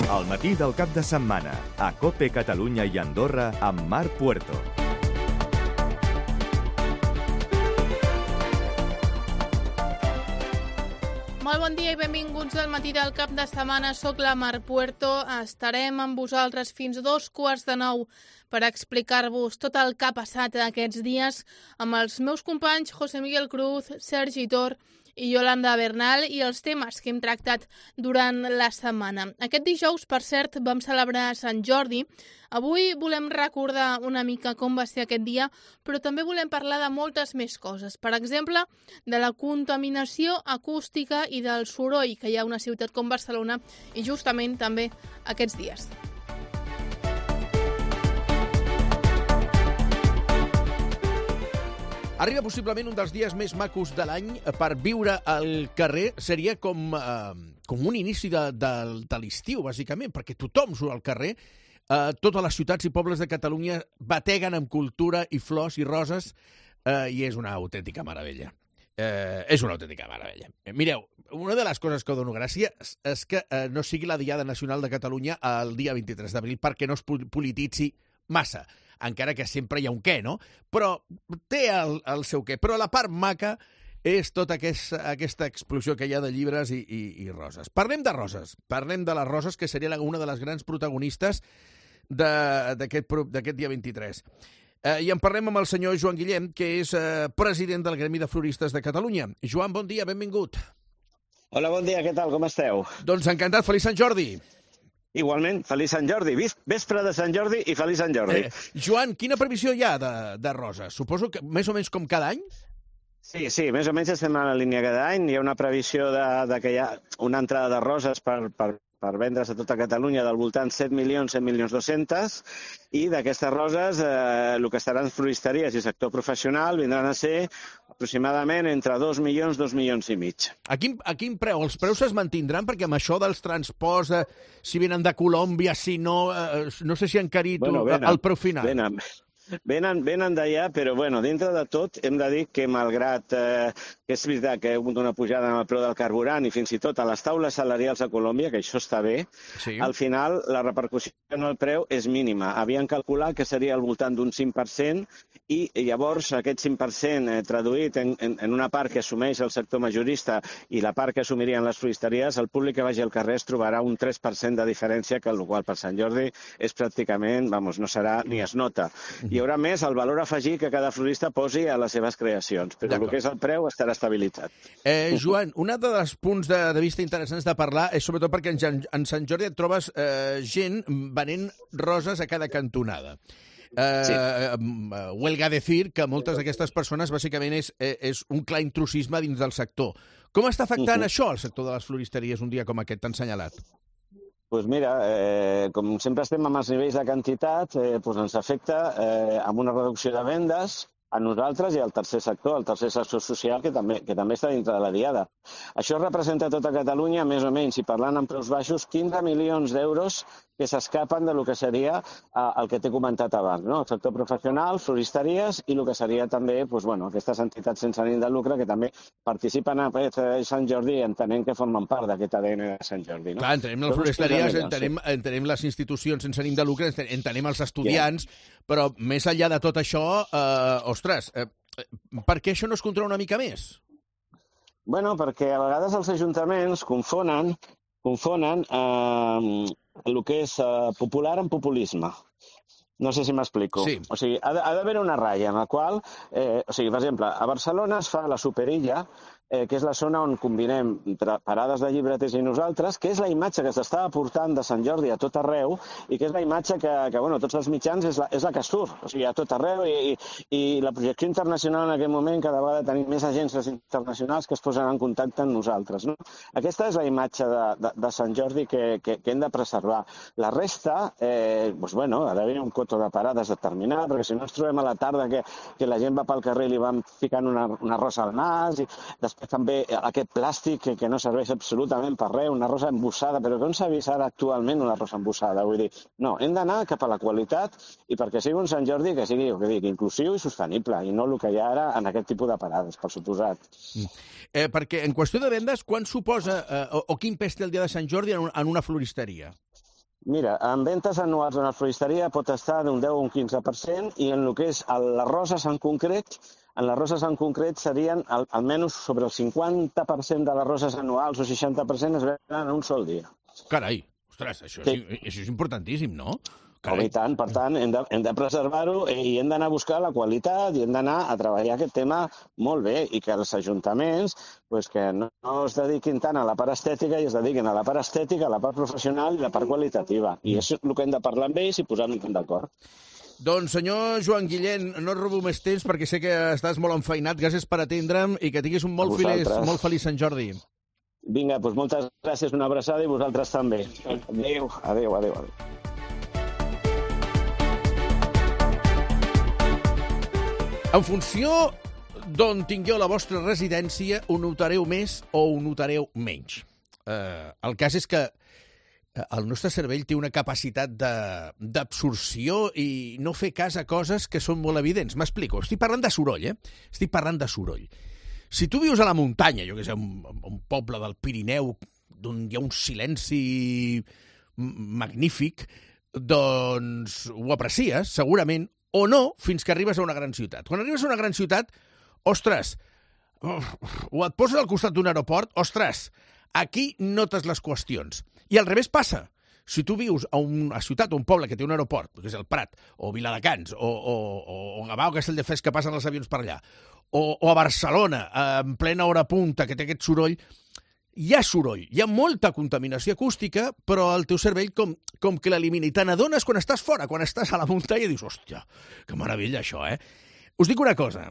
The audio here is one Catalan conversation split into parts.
Al matí del cap de setmana, a COPE Catalunya i Andorra amb Marc Puerto. Molt bon dia i benvinguts al matí del cap de setmana. Soc la Marc Puerto. Estarem amb vosaltres fins a 8:45 per explicar-vos tot el que ha passat aquests dies amb els meus companys José Miguel Cruz, Sergi Tor i Yolanda Bernal i els temes que hem tractat durant la setmana. Aquest dijous, per cert, vam celebrar Sant Jordi. Avui volem recordar una mica com va ser aquest dia, però també volem parlar de moltes més coses. Per exemple, de la contaminació acústica i del soroll que hi ha a una ciutat com Barcelona i justament també aquests dies. Arriba possiblement un dels dies més macos de l'any per viure al carrer. Seria com un inici de l'estiu, bàsicament, perquè tothom surt al carrer. Totes les ciutats i pobles de Catalunya bateguen amb cultura i flors i roses i és una autèntica meravella. És una autèntica meravella. Mireu, una de les coses que dono gràcia és que no sigui la Diada Nacional de Catalunya el dia 23 d'abril perquè no es polititzi massa, encara que sempre hi ha un què, no? Però té el seu què. Però la part maca és tota aquesta explosió que hi ha de llibres i roses. Parlem de roses. Parlem de les roses, que seria una de les grans protagonistes d'aquest dia 23. I en parlem amb el senyor Joan Guillem, que és president del Gremi de Floristes de Catalunya. Joan, bon dia, benvingut. Hola, bon dia, què tal, com esteu? Doncs encantat, feliç Sant Jordi. Igualment, feliç Sant Jordi. Vespre de Sant Jordi i feliç Sant Jordi. Joan, quina previsió hi ha de roses? Suposo que més o menys com cada any? Sí, més o menys estem a la línia cada any. Hi ha una previsió de que hi ha una entrada de roses per vendre's a tota Catalunya del voltant 7.200.000 i d'aquestes roses el que estaran floristeries i sector professional vindran a ser aproximadament entre 2 milions, 2 milions i mig. A quin preu? Els preus es mantindran? Perquè amb això dels transports, si venen de Colòmbia, si no, no sé si han encarit el preu final. Venen d'allà, però dintre de tot hem de dir que malgrat que és veritat que hi ha hagut una pujada en el preu del carburant i fins i tot a les taules salarials a Colòmbia, que això està bé, sí. Al final la repercussió en el preu és mínima. Havien calculat que seria al voltant d'un 5% i llavors aquest 5% traduït en una part que assumeix el sector majorista i la part que assumirien les floristeries, el públic que vagi al carrer es trobarà un 3% de diferència, que el qual per Sant Jordi és pràcticament, no serà ni es nota. Hi haurà més el valor afegit que cada florista posi a les seves creacions, però el que és el preu estarà estabilitzat. Joan, un dels punts de vista interessants de parlar és sobretot perquè en Sant Jordi et trobes gent venent roses a cada cantonada. Sí. Huelga decir que moltes d'aquestes persones bàsicament és un clar intrusisme dins del sector. Com està afectant això al sector de les floristeries un dia com aquest tan assenyalat? Doncs mira, com sempre estem amb els nivells de quantitat, ens afecta amb una reducció de vendes a nosaltres i al tercer sector social, que també està dintre de la Diada. Això representa a tota Catalunya, més o menys, i parlant en preus baixos, 15 milions d'euros que s'escapen del que seria el que t'he comentat abans, no? El sector professional, floristeries i el que seria també aquestes entitats sense ànim de lucre que també participen a Sant Jordi i entenem que formen part d'aquest ADN de Sant Jordi. No? Clar, entenem les floristeries, entenem les institucions sense ànim de lucre, entenem els estudiants, però més enllà de tot això, ostres, per què això no es controla una mica més? Perquè a vegades els ajuntaments confonen el que és popular amb populisme. No sé si m'explico. Sí. O sigui, ha d'haver una ratlla en la qual, per exemple, a Barcelona es fa la Superilla, que és la zona on combinem parades de llibreters i nosaltres, que és la imatge que s'està aportant de Sant Jordi a tot arreu i que és la imatge que tots els mitjans és la que surt, o sigui, a tot arreu i la projecció internacional en aquest moment cada vegada tenim més agències internacionals que es posen en contacte amb nosaltres. No? Aquesta és la imatge de Sant Jordi que hem de preservar. La resta, ha d'haver un coto de parades determinat, perquè si no ens trobem a la tarda que la gent va pel carrer i li van ficant una rosa al nas i després també aquest plàstic que no serveix absolutament per res, una rosa embossada, però que on s'ha vist ara actualment una rosa embossada? Vull dir, no, hem d'anar cap a la qualitat i perquè sigui un Sant Jordi que sigui, inclusiu i sostenible, i no el que hi ha ara en aquest tipus de parades, per suposat. Perquè en qüestió de vendes, quan suposa o quin pes té el dia de Sant Jordi en una floristeria? Mira, en ventes anuals en la floristeria pot estar d'un 10 o un 15% i en el que és les roses en concret serien almenys sobre el 50% de les roses anuals o 60% es venen en un sol dia. Carai, ostres, això és importantíssim, no? I tant, per tant, hem de preservar-ho i hem d'anar a buscar la qualitat i hem d'anar a treballar aquest tema molt bé i que els ajuntaments que no es dediquin tant a la part estètica i es dediquin a la part estètica, a la part professional i a la part qualitativa. I és el que hem de parlar amb ells i posar-nos d'acord. Doncs, senyor Joan Guillén, no et robo més temps perquè sé que estàs molt enfeinat. Gràcies per atendre'm i que tinguis un molt feliç Sant Jordi. Vinga, doncs moltes gràcies, una abraçada i vosaltres també. Adéu, adéu, adéu. En funció d'on tingueu la vostra residència, ho notareu més o ho notareu menys. El cas és que el nostre cervell té una capacitat d'absorció i no fer cas a coses que són molt evidents. M'explico. Estic parlant de soroll, Estic parlant de soroll. Si tu vius a la muntanya, jo que sé, un poble del Pirineu, on hi ha un silenci magnífic, doncs ho aprecies, segurament, o no, fins que arribes a una gran ciutat. Quan arribes a una gran ciutat, ostres, o et poses al costat d'un aeroport, ostres, aquí notes les qüestions. I al revés passa. Si tu vius a una ciutat o un poble que té un aeroport, que és el Prat, o Viladecans, o Gavà o Castelldefels, que passen els avions per allà, o a Barcelona, en plena hora punta, que té aquest soroll, hi ha soroll, hi ha molta contaminació acústica, però el teu cervell com que l'elimina. I te n'adones quan estàs fora, quan estàs a la muntanya, i dius, hòstia, que meravella això, Us dic una cosa,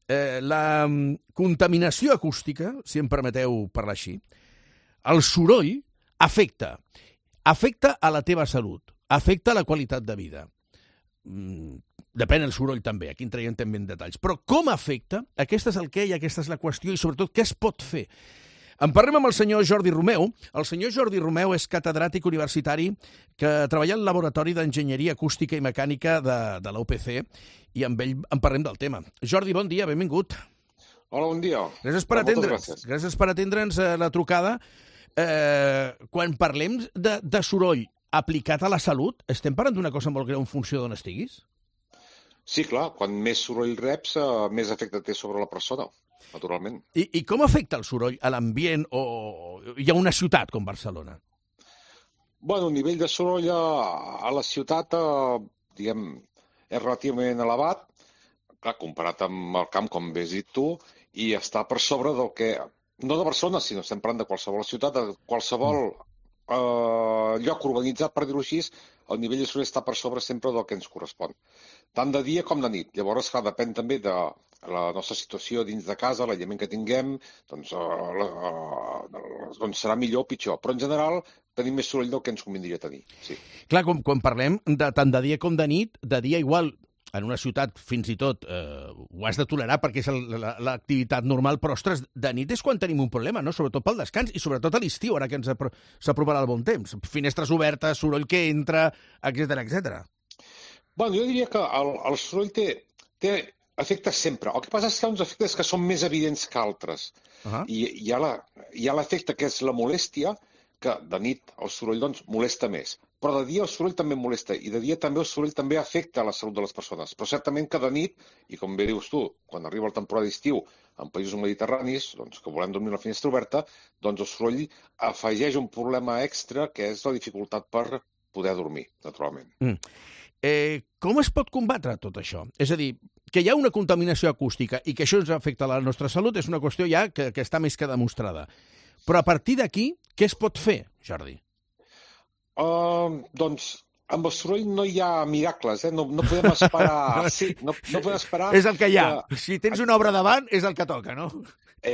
la contaminació acústica, si em permeteu parlar així, el soroll afecta a la teva salut, afecta a la qualitat de vida. Depèn del soroll també, aquí entraríem també en detalls. Però com afecta? Aquest és el què i aquesta és la qüestió i sobretot què es pot fer. En parlem amb el senyor Jordi Romeu. El senyor Jordi Romeu és catedràtic universitari que treballa al Laboratori d'Enginyeria Acústica i Mecànica de la UPC i amb ell en parlem del tema. Jordi, bon dia, benvingut. Hola, bon dia. Gràcies per atendre'ns la trucada. Quan parlem de soroll aplicat a la salut, estem parlant d'una cosa molt greu en funció d'on estiguis? Sí, clar, quan més soroll reps, més efecte té sobre la persona, naturalment. I com afecta el soroll a l'ambient o hi ha una ciutat com Barcelona? Bueno, el nivell de soroll a la ciutat, diguem, és relativament elevat, clar, comparat amb el camp, com bé has dit tu, i està per sobre del que, no de Barcelona, sinó estem parlant de qualsevol ciutat, de qualsevol lloc urbanitzat, per dir-ho així, el nivell de soroll està per sobre sempre del que ens correspon. Tant de dia com de nit. Llavors, clar, depèn també de la nostra situació dins de casa, l'aïllament que tinguem, doncs serà millor o pitjor. Però, en general, tenim més soroll del que ens convindria tenir. Sí. Clar, quan parlem tant de dia com de nit, de dia igual, en una ciutat fins i tot ho has de tolerar perquè és l'activitat normal, però, ostres, de nit és quan tenim un problema, no? Sobretot pel descans i sobretot a l'estiu, ara que s'aproparà el bon temps. Finestres obertes, soroll que entra, etc. Bueno, jo diria que el soroll té efectes sempre. El que passa és que hi ha uns efectes que són més evidents que altres. I hi ha l'efecte que és la molèstia, que de nit el soroll doncs, molesta més. Però de dia el soroll també molesta i de dia també el soroll també afecta la salut de les persones. Però certament que de nit, i com bé dius tu, quan arriba la temporada d'estiu en països mediterranis, doncs, que volem dormir a la finestra oberta, doncs el soroll afegeix un problema extra que és la dificultat per poder dormir, naturalment. Com es pot combatre tot això? És a dir, que hi ha una contaminació acústica i que això ens afecta a la nostra salut és una qüestió ja que està més que demostrada. Però a partir d'aquí, què es pot fer, Jordi? Doncs amb el soroll no hi ha miracles, no podem esperar... Sí, no podem esperar... És el que hi ha. Si tens una obra davant, és el que toca, no?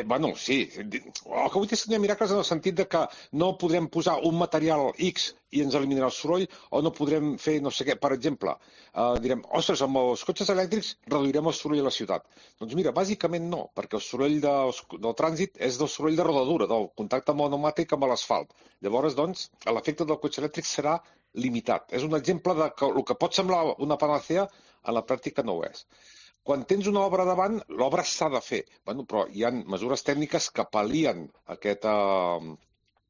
Bueno, sí. El que vull dir és que no hi ha miracles en el sentit de que no podrem posar un material X i ens eliminarà el soroll, o no podrem fer no sé què. Per exemple, direm, ostres, amb els cotxes elèctrics reduirem el soroll a la ciutat. Doncs mira, bàsicament no, perquè el soroll del trànsit és del soroll de rodadura, del contacte pneumàtic amb l'asfalt. Llavors, doncs, l'efecte del cotxe elèctric serà limitat. És un exemple de que el que pot semblar una panacea, a la pràctica no ho és. Quan tens una obra davant, l'obra s'ha de fer. Bueno, però hi ha mesures tècniques que pal·lien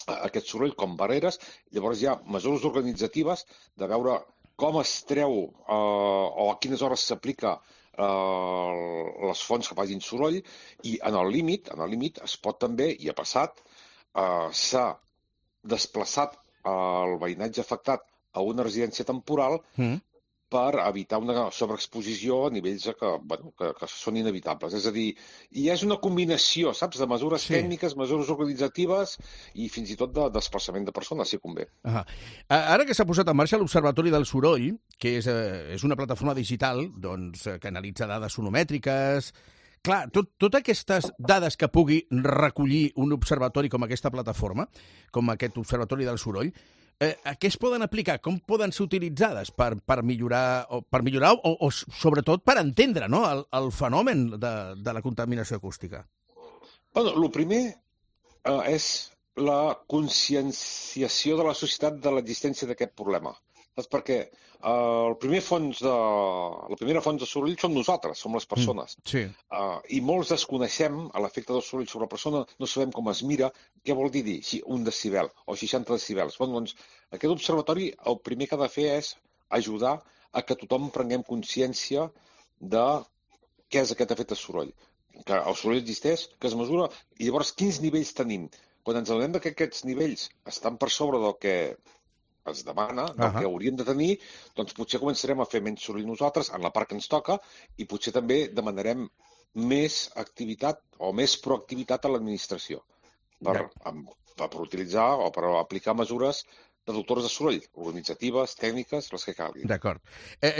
aquest soroll com barreres. Llavors hi ha mesures organitzatives de veure com es treu o a quines hores s'aplica les fonts que facin soroll, i en el límit es pot també, i ha passat, s'ha desplaçat el veïnatge afectat a una residència temporal per evitar una sobreexposició a nivells que són inevitables. És a dir, i és una combinació, saps, de mesures tècniques, mesures organitzatives i fins i tot de desplaçament de persones, si convé. Ara que s'ha posat en marxa l'Observatori del Soroll, que és una plataforma digital que analitza dades sonomètriques. Clar, totes aquestes dades que pugui recollir un observatori com aquesta plataforma, com aquest Observatori del Soroll, a què es poden aplicar? Com poden ser utilitzades per millorar o sobretot per entendre, no, el fenomen de la contaminació acústica? El primer és la conscienciació de la societat de l'existència d'aquest problema. Saps? Perquè la primera font de soroll som nosaltres, som les persones. Sí. I molts desconeixem l'efecte del soroll sobre la persona, no sabem com es mira, què vol dir un decibel o 60 decibels. Doncs aquest observatori el primer que ha de fer és ajudar a que tothom prenguem consciència de què és aquest efecte soroll. Que el soroll existeix, que es mesura, i llavors quins nivells tenim. Quan ens adonem que aquests nivells estan per sobre del que es demana, del que hauríem de tenir, doncs potser començarem a fer menys soroll nosaltres en la part que ens toca i potser també demanarem més activitat o més proactivitat a l'administració per utilitzar o per aplicar mesures reductores de soroll, organitzatives, tècniques, les que calguin. D'acord.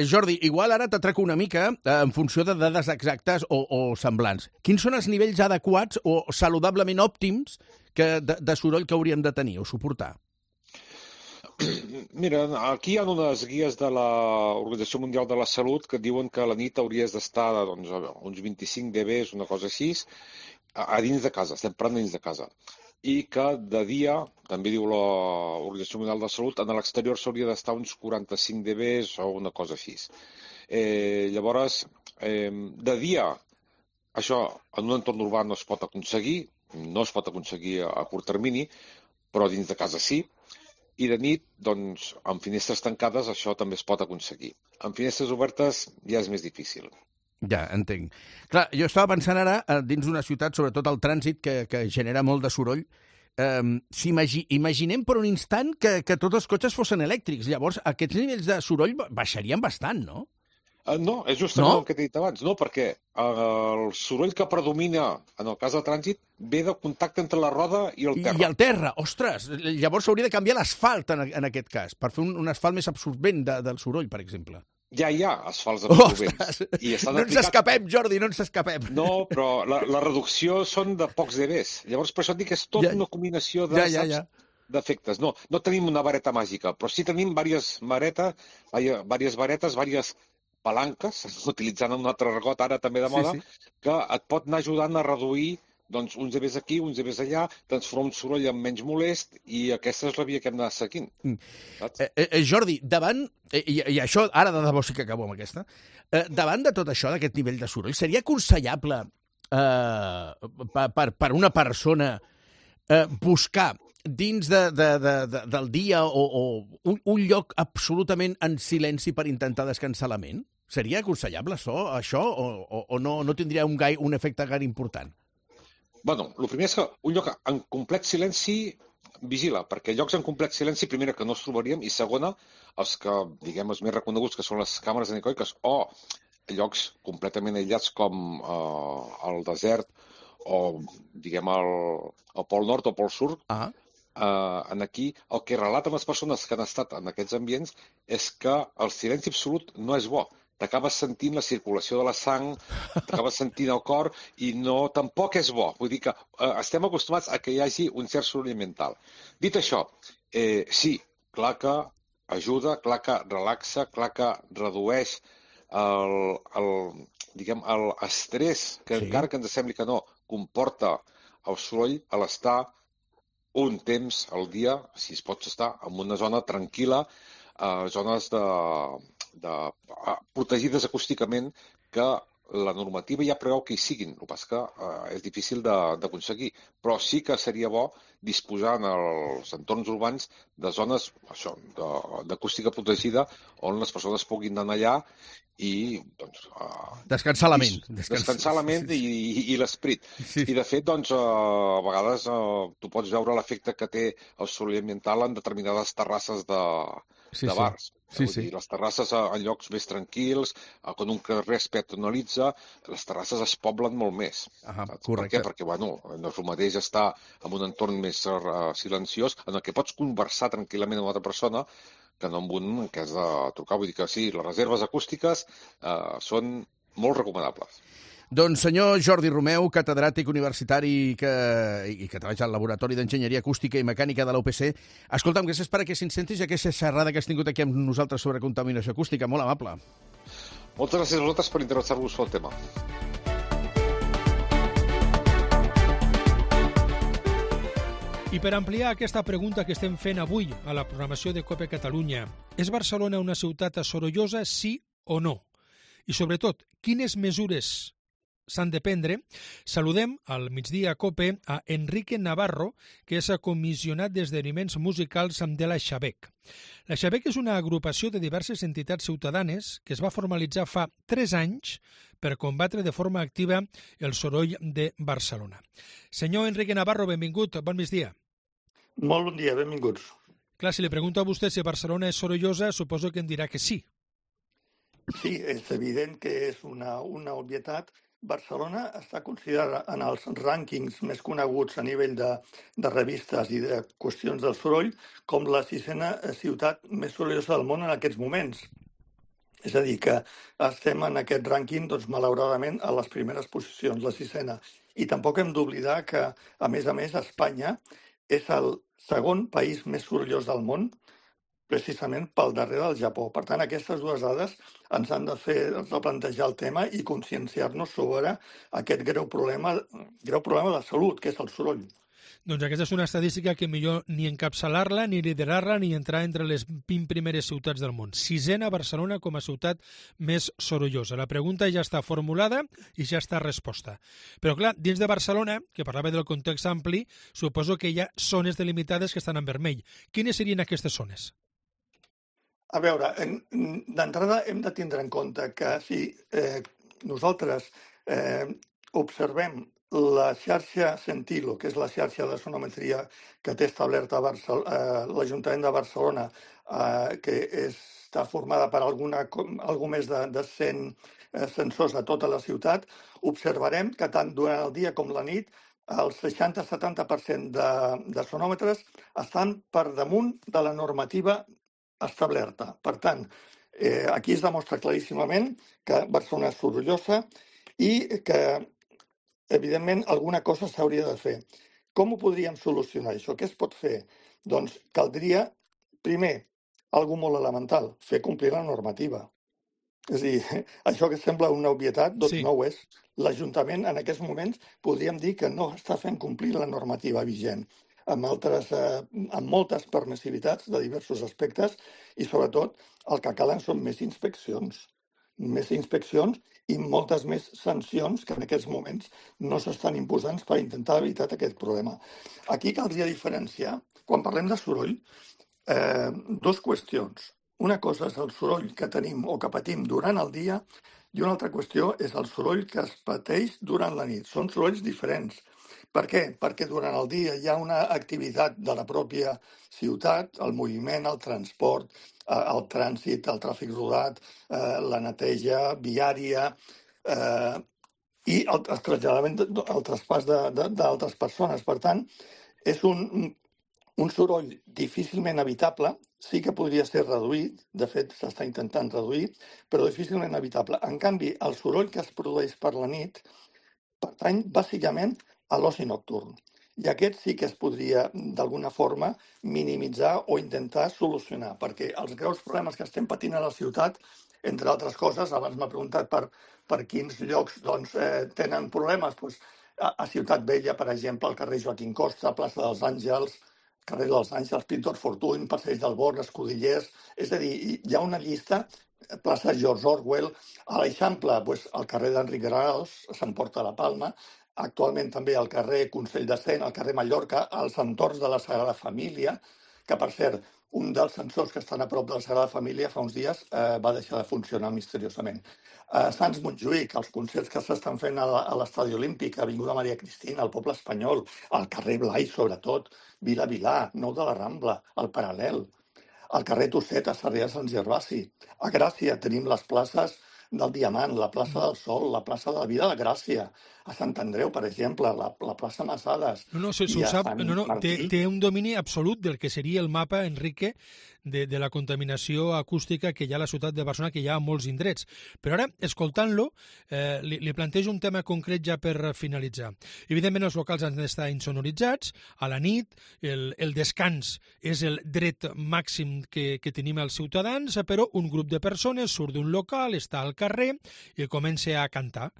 Jordi, igual ara t'atraco una mica en funció de dades exactes o semblants. Quins són els nivells adequats o saludablement òptims de soroll que hauríem de tenir o suportar? Mira, aquí hi ha unes guies de l'Organització Mundial de la Salut que diuen que a la nit hauries d'estar uns 25 dB, una cosa així, a dins de casa, estem parlant dins de casa. I que de dia, també diu l'Organització Mundial de la Salut, en l'exterior s'hauria d'estar uns 45 dB o una cosa així. Llavors, de dia, això en un entorn urbà no es pot aconseguir a curt termini, però dins de casa sí. I de nit, doncs, amb finestres tancades això també es pot aconseguir. Amb finestres obertes ja és més difícil. Ja, entenc. Clar, jo estava pensant ara, dins d'una ciutat, sobretot el trànsit, que genera molt de soroll, imaginem per un instant que tots els cotxes fossin elèctrics. Llavors, aquests nivells de soroll baixarien bastant, no? No, és justament el que t'he dit abans, no, perquè el soroll que predomina en el cas del trànsit ve de contacte entre la roda i el terra. I el terra, ostres! Llavors s'hauria de canviar l'asfalt en aquest cas, per fer un asfalt més absorbent del soroll, per exemple. Ja hi ha asfalts absorbents. No ens escapem, Jordi, no ens escapem. No, però la reducció són de pocs dBs. Llavors, per això et dic que és tot una combinació d'efectes. No tenim una vareta màgica, però sí tenim diverses varetes, diverses palanques, utilitzant un altre argot ara també de moda, que et pot anar ajudant a reduir uns dBs aquí, uns dBs allà, transformar un soroll en menys molest, i aquesta és la via que hem d'anar seguint. Jordi, davant, i això ara de debò sí que acabo amb aquesta, davant de tot això, d'aquest nivell de soroll, seria aconsellable per una persona buscar dins del dia o un lloc absolutament en silenci per intentar descansar la ment? Seria aconsellable això o no tindria un efecte gaire important? Bueno, el primer és que un lloc en complet silenci vigila, perquè llocs en complet silenci, primera, que no els trobaríem, i segona, els que, diguem, els més reconeguts, que són les càmeres anecoiques, o llocs completament aïllats com el desert o, diguem, el Pol Nord o Pol Sud, aquí el que relaten les persones que han estat en aquests ambients és que el silenci absolut no és bo. T'acabes sentint la circulació de la sang, t'acabes sentint el cor, i tampoc és bo. Vull dir que estem acostumats a que hi hagi un cert soroll mental. Dit això, sí, clar que ajuda, clar que relaxa, clar que redueix l'estrès, que encara que ens sembli que no, comporta el soroll a l'estar un temps al dia, si es pot estar en una zona tranquil·la, zones protegides acústicament, que la normativa ja preveu que hi siguin. El que passa que és difícil d'aconseguir, però sí que seria bo disposar en els entorns urbans de zones d'acústica protegida on les persones puguin anar allà i descansar la ment. Descansar la ment i l'esperit. I de fet, a vegades tu pots veure l'efecte que té el soroll ambiental en determinades terrasses de bars. Les terrasses en llocs més tranquils, quan un carrer es peatonalitza, les terrasses es poblen molt més. Correcte. Per què? Perquè, no és el mateix estar en un entorn més silenciós en el que pots conversar tranquil·lament amb una altra persona que no amb un que has de trucar. Vull dir que sí, les reserves acústiques són molt recomanables. Doncs senyor Jordi Romeu, catedràtic universitari i que treballa al Laboratori d'Enginyeria Acústica i Mecànica de la UPC, escolta'm, gràcies per aquesta incentis i aquesta xerrada que has tingut aquí amb nosaltres sobre contaminació acústica. Molt amable. Moltes gràcies a vosaltres per interessar-vos pel tema. I per ampliar aquesta pregunta que estem fent avui a la programació de COPE Catalunya, és Barcelona una ciutat sorollosa, sí o no? I sobretot, quines mesures s'han de prendre? Saludem al migdia a COPE a Enrique Navarro, que és comissionat d'esdeveniments musicals de la Xabec. La Xabec és una agrupació de diverses entitats ciutadanes que es va formalitzar fa 3 anys per combatre de forma activa el soroll de Barcelona. Senyor Enrique Navarro, benvingut, bon migdia. Molt bon dia, benvinguts. Clar, si li pregunto a vostè si Barcelona és sorollosa, suposo que em dirà que sí. Sí, és evident que és una obvietat. Barcelona està considerada en els rànquings més coneguts a nivell de revistes i de qüestions del soroll com la 6a ciutat més sorollosa del món en aquests moments. És a dir, que estem en aquest rànquing, doncs, malauradament, a les primeres posicions, la 6a. I tampoc hem d'oblidar que, a més, Espanya és el segon país més sorollós del món, precisament pel darrere del Japó. Per tant, aquestes dues dades ens han de fer replantejar el tema i conscienciar-nos sobre aquest greu problema de salut, que és el soroll. Doncs aquesta és una estadística que millor ni encapçalar-la, ni liderar-la, ni entrar entre les 20 primeres ciutats del món. 6a Barcelona com a ciutat més sorollosa. La pregunta ja està formulada i ja està resposta. Però clar, dins de Barcelona, que parlava del context ampli, suposo que hi ha zones delimitades que estan en vermell. Quines serien aquestes zones? A veure, d'entrada hem de tindre en compte que si nosaltres observem la xarxa Sentilo, que és la xarxa de sonometria que té establerta l'Ajuntament de Barcelona, que està formada per algú més de 100 sensors a tota la ciutat, observarem que tant durant el dia com la nit el 60-70% de sonòmetres estan per damunt de la normativa establerta. Per tant, aquí es demostra claríssimament que Barcelona és sorollosa i que evidentment, alguna cosa s'hauria de fer. Com ho podríem solucionar, això? Què es pot fer? Doncs caldria, primer, alguna molt elemental, fer complir la normativa. És a dir, això que sembla una obvietat, doncs no ho és. L'Ajuntament, en aquests moments, podríem dir que no està fent complir la normativa vigent, amb moltes permissivitats de diversos aspectes i, sobretot, el que calen són més inspeccions i moltes més sancions que en aquests moments no s'estan imposant per intentar evitar aquest problema. Aquí caldria diferenciar, quan parlem de soroll, dues qüestions. Una cosa és el soroll que tenim o que patim durant el dia i una altra qüestió és el soroll que es pateix durant la nit. Són sorolls diferents. Per què? Perquè durant el dia hi ha una activitat de la pròpia ciutat, el moviment, el transport, el trànsit, el tràfic rodat, la neteja viària i el traslladament, el traspàs d'altres persones. Per tant, és un soroll difícilment evitable, sí que podria ser reduït, de fet s'està intentant reduir, però difícilment evitable. En canvi, el soroll que es produeix per la nit pertany bàsicament a l'oci nocturn. I aquest sí que es podria, d'alguna forma, minimitzar o intentar solucionar, perquè els greus problemes que estem patint a la ciutat, entre altres coses, abans m'ha preguntat per quins llocs tenen problemes. A Ciutat Vella, per exemple, al carrer Joaquim Costa, plaça dels Àngels, carrer dels Àngels, Pintor Fortuny, Passeig del Born, Escudellers... És a dir, hi ha una llista, plaça George Orwell, a l'Eixample, al carrer d'Enric Graus, s'emporta la Palma, actualment també al carrer Consell de Cent, al carrer Mallorca, als entorns de la Sagrada Família, que, per cert, un dels sensors que estan a prop de la Sagrada Família fa uns dies va deixar de funcionar misteriosament. A Sants Montjuïc, els concerts que s'estan fent a l'Estadi Olímpic, a Avinguda Maria Cristina, al Poble Espanyol, al carrer Blai, sobretot, Vila Vilà, Nou de la Rambla, al Paral·lel, al carrer Tosset, a Sarrià de Sant Gervasi. A Gràcia tenim les places del Diamant, la plaça del Sol, la plaça de la Vida de Gràcia, a Sant Andreu, per exemple, la plaça Massades. Té un domini absolut del que seria el mapa, Enrique, de la contaminació acústica que hi ha a la ciutat de Barcelona, que hi ha a molts indrets. Però ara, escoltant-lo, li plantejo un tema concret ja per finalitzar. Evidentment, els locals han d'estar insonoritzats, a la nit, el descans és el dret màxim que tenim els ciutadans, però un grup de persones surt d'un local, està al carrer i comença a cantar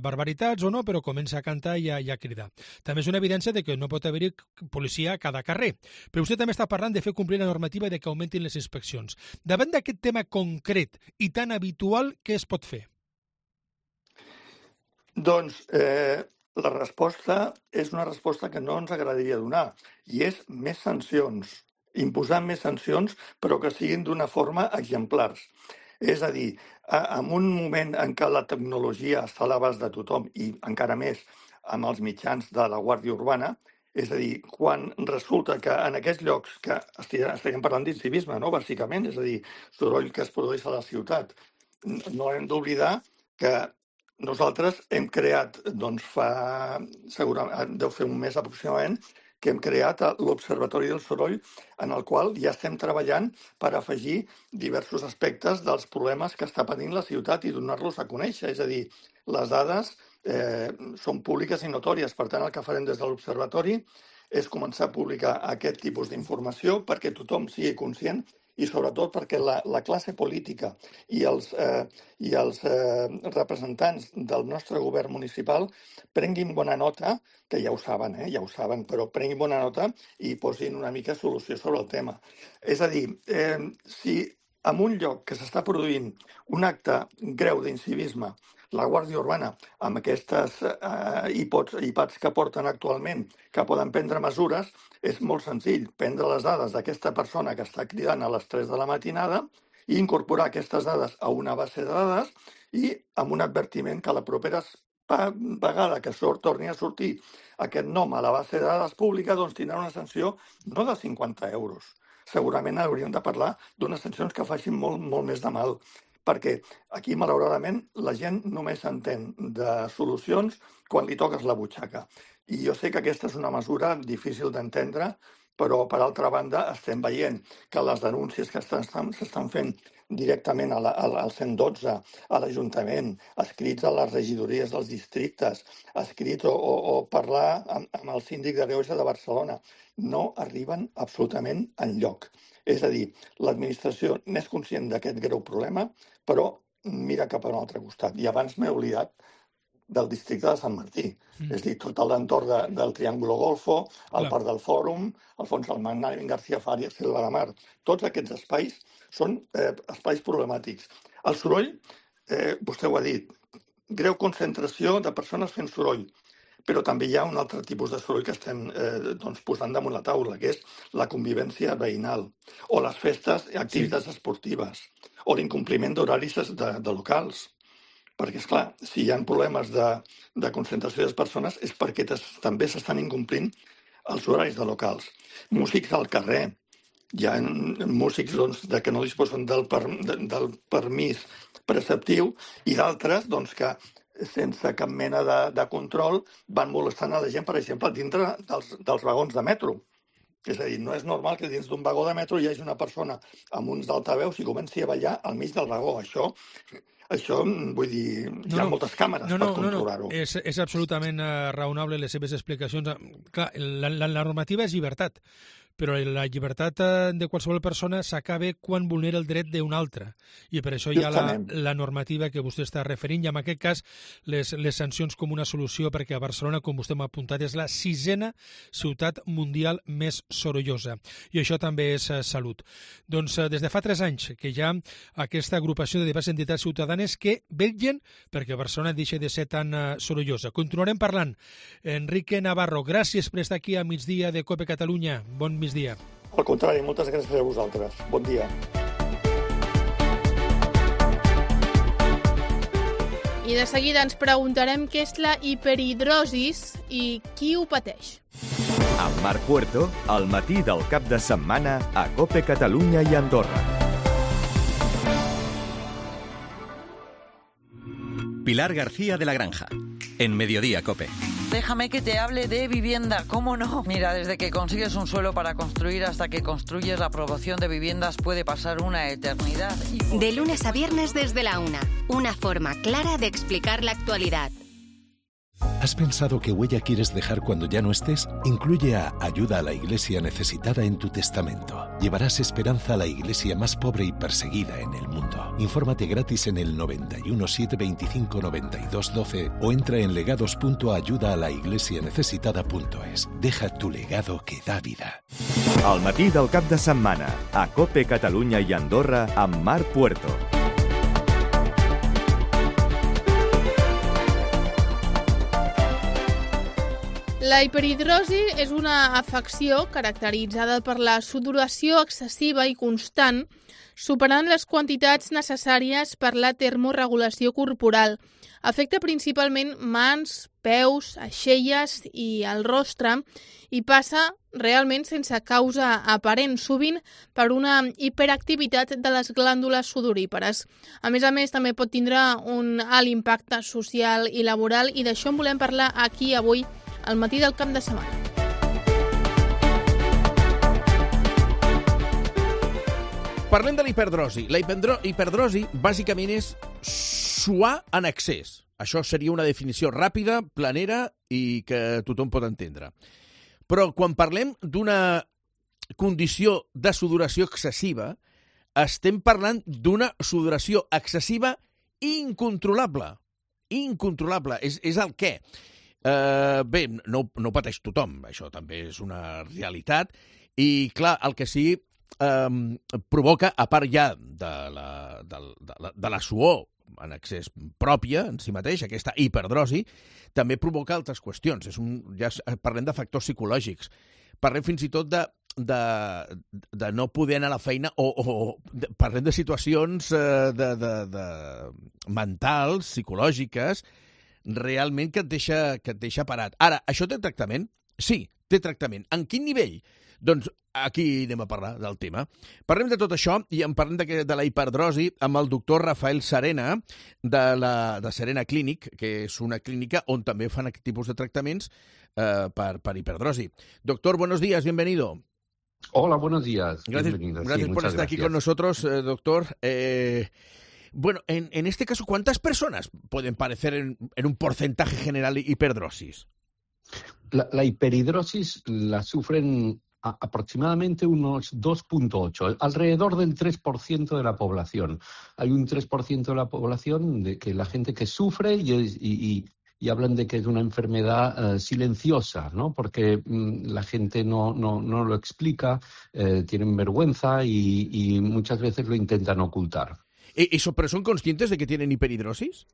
barbaritats o no, però comença a cantar i a cridar. També és una evidència de que no pot haver-hi policia a cada carrer. Però vostè també està parlant de fer complir la normativa i de que augmentin les inspeccions. Davant d'aquest tema concret i tan habitual, què es pot fer? Doncs la resposta és una resposta que no ens agradaria donar, i és més sancions. Imposar més sancions, però que siguin d'una forma exemplars. És a dir, en un moment en què la tecnologia està a l'abast de tothom, i encara més amb els mitjans de la Guàrdia Urbana, és a dir, quan resulta que en aquests llocs que estem parlant d'incivisme, no? Bàsicament, és a dir, soroll que es produeix a la ciutat, no hem d'oblidar que nosaltres hem creat, doncs segurament deu fer un mes aproximadament, que hem creat l'Observatori del Soroll, en el qual ja estem treballant per afegir diversos aspectes dels problemes que està patint la ciutat i donar-los a conèixer. És a dir, les dades són públiques i notòries. Per tant, el que farem des de l'Observatori és començar a publicar aquest tipus d'informació perquè tothom sigui conscient i sobretot perquè la classe política i els representants del nostre govern municipal prenguin bona nota, que ja ho saben, però prenguin bona nota i posin una mica solució sobre el tema. És a dir, si en un lloc que s'està produint un acte greu d'incivisme, la Guàrdia Urbana, amb aquestes hipats que porten actualment, que poden prendre mesures, és molt senzill prendre les dades d'aquesta persona que està cridant a les 3 de la matinada i incorporar aquestes dades a una base de dades i amb un advertiment que la propera vegada que torni a sortir aquest nom a la base de dades pública, doncs tindrà una sanció no de 50 euros. Segurament hauríem de parlar d'unes sancions que facin molt més de mal, perquè aquí, malauradament, la gent només entén de solucions quan li toques la butxaca. I jo sé que aquesta és una mesura difícil d'entendre, però, per altra banda, estem veient que les denúncies que s'estan fent directament al 112, a l'Ajuntament, escrits a les regidories dels districtes, escrits o parlar amb el síndic de Greuges de Barcelona, no arriben absolutament enlloc. És a dir, l'administració n'és conscient d'aquest greu problema, però mira cap a un altre costat. I abans m'he oblidat del districte de Sant Martí. És a dir, tot l'entorn del Triángulo Golfo, el Parc del Fòrum, el Fons del Magnànim, García Fàries, Selva de Mar. Tots aquests espais són espais problemàtics. El soroll, vostè ho ha dit, greu concentració de persones fent soroll. Però també hi ha un altre tipus de soroll que estem posant damunt la taula, que és la convivència veïnal, o les festes i activitats esportives, o l'incompliment d'horaris de locals. Perquè, esclar, si hi ha problemes de concentració de persones és perquè també s'estan incomplint els horaris de locals. Músics al carrer. Hi ha músics que no disposen del permís preceptiu i d'altres que sense cap mena de control van molestant a la gent, per exemple, dintre dels vagons de metro. És a dir, no és normal que dins d'un vagó de metro hi hagi una persona amb uns altaveus i comenci a ballar al mig del vagó. Això, vull dir, hi ha moltes càmeres per controlar-ho. És absolutament raonable les seves explicacions. Clar, la normativa és llibertat, però la llibertat de qualsevol persona s'acaba quan vulnera el dret d'un altre. I per això hi ha la normativa que vostè està referint, i en aquest cas les sancions com una solució, perquè a Barcelona, com vostè m'ha apuntat, és la 6a ciutat mundial més sorollosa. I això també és salut. Doncs des de fa 3 anys que hi ha aquesta agrupació de diverses entitats ciutadanes que vetllen perquè Barcelona deixi de ser tan sorollosa. Continuarem parlant. Enrique Navarro, gràcies per estar aquí a migdia de COPE Catalunya. Bon migdia. Al contrari, moltes gràcies a vosaltres. Bon dia. I de seguida ens preguntarem què és la hiperhidrosis i qui ho pateix. Amb Marc Puerto, al matí del cap de setmana a COPE Catalunya i Andorra. Pilar García de la Granja, en Mediodía COPE. Déjame que te hable de vivienda, ¿cómo no? Mira, desde que consigues un suelo para construir hasta que construyes la aprobación de viviendas puede pasar una eternidad. De lunes a viernes desde la 1, una forma clara de explicar la actualidad. ¿Has pensado qué huella quieres dejar cuando ya no estés? Incluye a Ayuda a la Iglesia Necesitada en tu testamento. Llevarás esperanza a la iglesia más pobre y perseguida en el mundo. Infórmate gratis en el 91 725 92 12 o entra en legados.ayudaalaIglesianecesitada.es. Deja tu legado que da vida. Al matí del cap de setmana a COPE Catalunya i Andorra amb Marc Puerto. La hiperhidrosi és una afecció caracteritzada per la sudoració excessiva i constant, superant les quantitats necessàries per la termorregulació corporal. Afecta principalment mans, peus, aixelles i el rostre i passa realment sense causa aparent, sovint per una hiperactivitat de les glàndules sudorípares. A més, també pot tindre un alt impacte social i laboral, i d'això en volem parlar aquí avui al matí del cap de setmana. Parlem de la hiperdrosi. La hiperdrosi bàsicament és suar en excés. Això seria una definició ràpida, planera i que tothom pot entendre. Però quan parlem d'una condició de sudoració excessiva, estem parlant d'una sudoració excessiva incontrolable. Incontrolable. És el què. Bé, no pateix tothom, això també és una realitat, i clar, el que sí provoca, a part ja de la suor en excés pròpia en si mateix, aquesta hiperdrosi, també provoca altres qüestions. Ja parlem de factors psicològics, parlem fins i tot de no poder anar a la feina o parlem de situacions mentals, psicològiques, realment que et deixa parat. Ara, això té tractament? Sí, té tractament. En quin nivell? Doncs aquí anem a parlar del tema. Parlem de tot això i en parlem de la hiperdrosi amb el doctor Rafael Serena de Serena Clinic, que és una clínica on també fan aquest tipus de tractaments per hiperdrosi. Doctor, buenos días, bienvenido. Hola, buenos días. Gracias por estar aquí con nosotros, doctor. Bueno, en este caso, ¿cuántas personas pueden padecer en un porcentaje general hiperdrosis? La hiperhidrosis la sufren aproximadamente unos 2.8, alrededor del 3% de la población. Hay un 3% de la población de que la gente que sufre y hablan de que es una enfermedad silenciosa, ¿no? Porque la gente no lo explica, tienen vergüenza y muchas veces lo intentan ocultar. ¿Pero son conscientes de que tienen hiperhidrosis?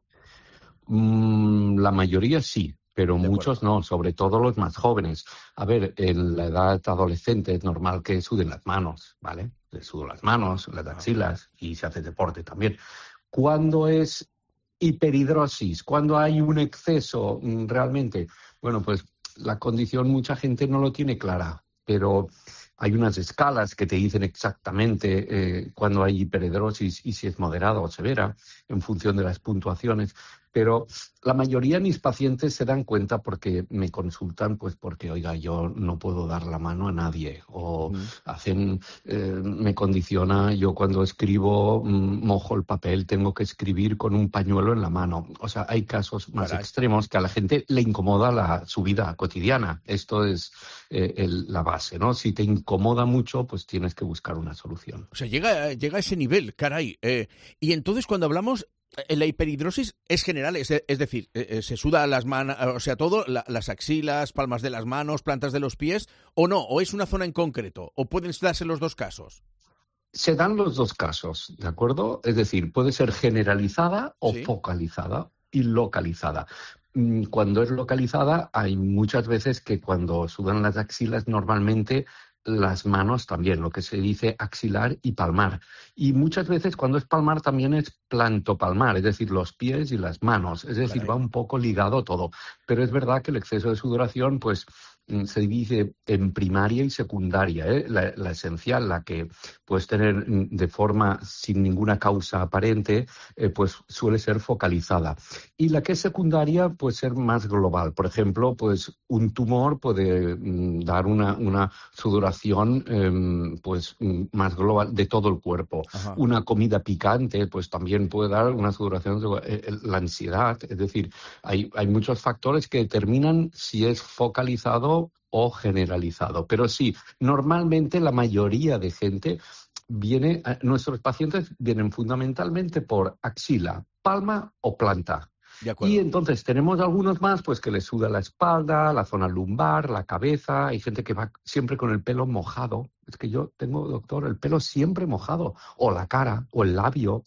La mayoría sí, pero muchos no, sobre todo los más jóvenes. A ver, en la edad adolescente es normal que suden las manos, ¿vale? Le sudan las manos, las axilas y se hace deporte también. ¿Cuándo es hiperhidrosis? ¿Cuándo hay un exceso realmente? Bueno, pues la condición mucha gente no lo tiene clara, pero hay unas escalas que te dicen exactamente cuándo hay hiperhidrosis y si es moderada o severa en función de las puntuaciones. Pero la mayoría de mis pacientes se dan cuenta porque me consultan, pues porque, oiga, yo no puedo dar la mano a nadie. O me condiciona, yo cuando escribo mojo el papel, tengo que escribir con un pañuelo en la mano. O sea, hay casos más extremos que a la gente le incomoda su vida cotidiana. Esto es la base, ¿no? Si te incomoda mucho, pues tienes que buscar una solución. O sea, llega a ese nivel, caray. Y entonces cuando hablamos, la hiperhidrosis es general, es decir, se suda las manos, o sea, todo, las axilas, palmas de las manos, plantas de los pies, o no, o es una zona en concreto, o pueden darse los dos casos. Se dan los dos casos, ¿de acuerdo? Es decir, puede ser generalizada o focalizada y localizada. Cuando es localizada, hay muchas veces que cuando sudan las axilas, normalmente las manos también, lo que se dice axilar y palmar. Y muchas veces cuando es palmar también es plantopalmar, es decir, los pies y las manos. Es decir, va un poco ligado todo. Pero es verdad que el exceso de sudoración, pues, se divide en primaria y secundaria. La esencial, la que puedes tener de forma sin ninguna causa aparente, pues suele ser focalizada. Y la que es secundaria puede ser más global. Por ejemplo, pues un tumor puede dar una sudoración pues más global de todo el cuerpo. Ajá. Una comida picante pues también puede dar una sudoración de la ansiedad. Es decir, hay muchos factores que determinan si es focalizado o generalizado. Pero sí, normalmente la mayoría de gente nuestros pacientes vienen fundamentalmente por axila, palma o planta. Y entonces tenemos algunos más pues que les suda la espalda, la zona lumbar, la cabeza. Hay gente que va siempre con el pelo mojado. Es que yo tengo, doctor, el pelo siempre mojado. O la cara, o el labio.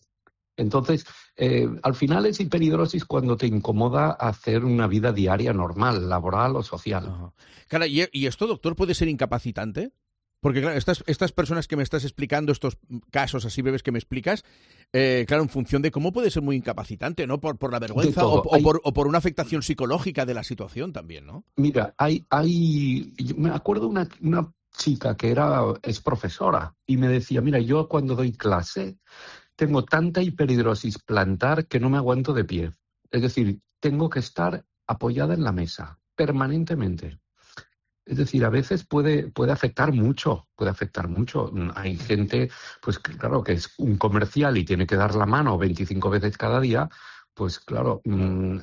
Entonces, al final es hiperhidrosis cuando te incomoda hacer una vida diaria normal, laboral o social. Ajá. Claro, ¿y esto, doctor, puede ser incapacitante? Porque, claro, estas personas que me estás explicando, estos casos así breves que me explicas, claro, en función de cómo puede ser muy incapacitante, ¿no? Por la vergüenza o por una afectación psicológica de la situación también, ¿no? Mira, me acuerdo una chica que es profesora y me decía, mira, yo cuando doy clase tengo tanta hiperhidrosis plantar que no me aguanto de pie. Es decir, tengo que estar apoyada en la mesa permanentemente. Es decir, a veces puede afectar mucho, Hay gente, pues claro, que es un comercial y tiene que dar la mano 25 veces cada día, pues claro,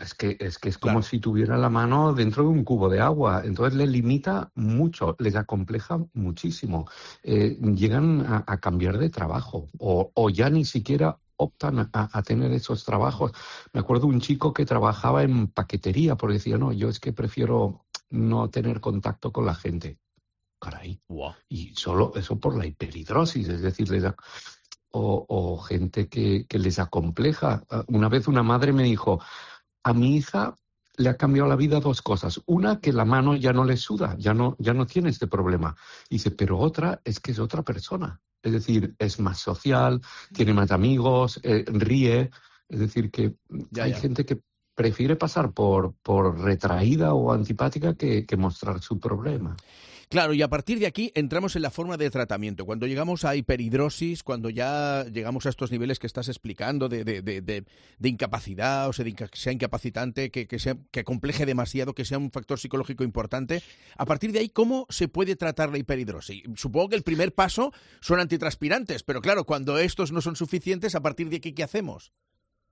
es que es como si tuviera la mano dentro de un cubo de agua. Entonces les limita mucho, les acompleja muchísimo. Llegan a cambiar de trabajo o ya ni siquiera optan a tener esos trabajos. Me acuerdo un chico que trabajaba en paquetería porque decía, no, yo es que prefiero no tener contacto con la gente. Caray. Wow. Y solo eso por la hiperhidrosis, es decir, o gente que les acompleja. Una vez una madre me dijo, a mi hija le ha cambiado la vida 2 cosas. Una, que la mano ya no le suda, ya no tiene este problema. Y dice, pero otra es que es otra persona. Es decir, es más social, tiene más amigos, ríe. Es decir, que hay gente que prefiere pasar por retraída o antipática que mostrar su problema. Claro, y a partir de aquí entramos en la forma de tratamiento. Cuando llegamos a hiperhidrosis, cuando ya llegamos a estos niveles que estás explicando de incapacidad, o sea, que sea incapacitante, que compleje demasiado, que sea un factor psicológico importante, a partir de ahí, ¿cómo se puede tratar la hiperhidrosis? Supongo que el primer paso son antitranspirantes, pero claro, cuando estos no son suficientes, ¿a partir de aquí qué hacemos?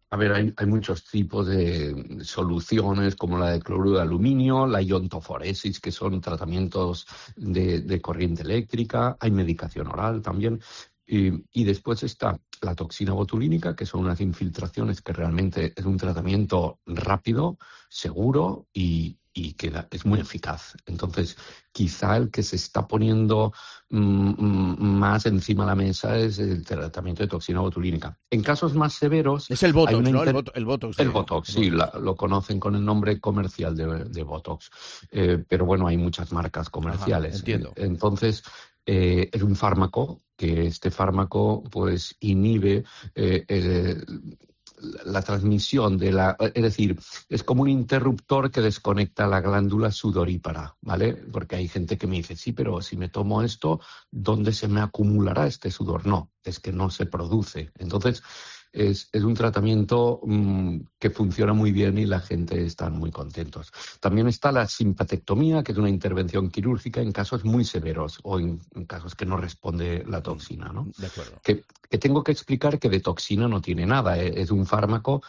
A ver, hay muchos tipos de soluciones, como la de cloruro de aluminio, la iontoforesis, que son tratamientos de corriente eléctrica, hay medicación oral también, y después está la toxina botulínica, que son unas infiltraciones que realmente es un tratamiento rápido, seguro y que es muy eficaz. Entonces, quizá el que se está poniendo más encima de la mesa es el tratamiento de toxina botulínica. En casos más severos... Es el Botox, ¿no? El Botox. El Botox, sí, lo conocen con el nombre comercial de Botox. Pero bueno, hay muchas marcas comerciales. Ajá, entiendo. Entonces, es un fármaco, que este fármaco pues inhibe la transmisión es decir, es como un interruptor que desconecta la glándula sudorípara, ¿vale? Porque hay gente que me dice, sí, pero si me tomo esto, ¿dónde se me acumulará este sudor? No, es que no se produce. Entonces, es un tratamiento que funciona muy bien y la gente está muy contentos. También está la simpatectomía, que es una intervención quirúrgica en casos muy severos o en casos que no responde la toxina, ¿no? De acuerdo. Que tengo que explicar que de toxina no tiene nada, es un fármaco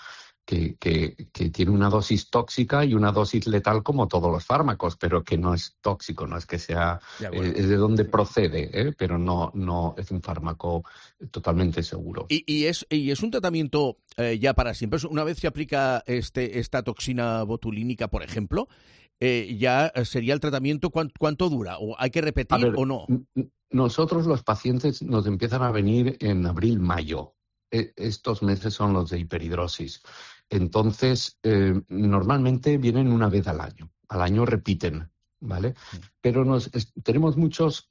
que tiene una dosis tóxica y una dosis letal como todos los fármacos, pero que no es tóxico, no es que sea, es de donde procede, pero no es un fármaco totalmente seguro. Y es un tratamiento ya para siempre. Una vez se aplica esta toxina botulínica, por ejemplo, ya sería el tratamiento, ¿cuánto dura? ¿O hay que repetir o no? Nosotros los pacientes nos empiezan a venir en abril, mayo. Estos meses son los de hiperhidrosis. Entonces, normalmente vienen una vez al año. Al año repiten, ¿vale? Pero tenemos muchos...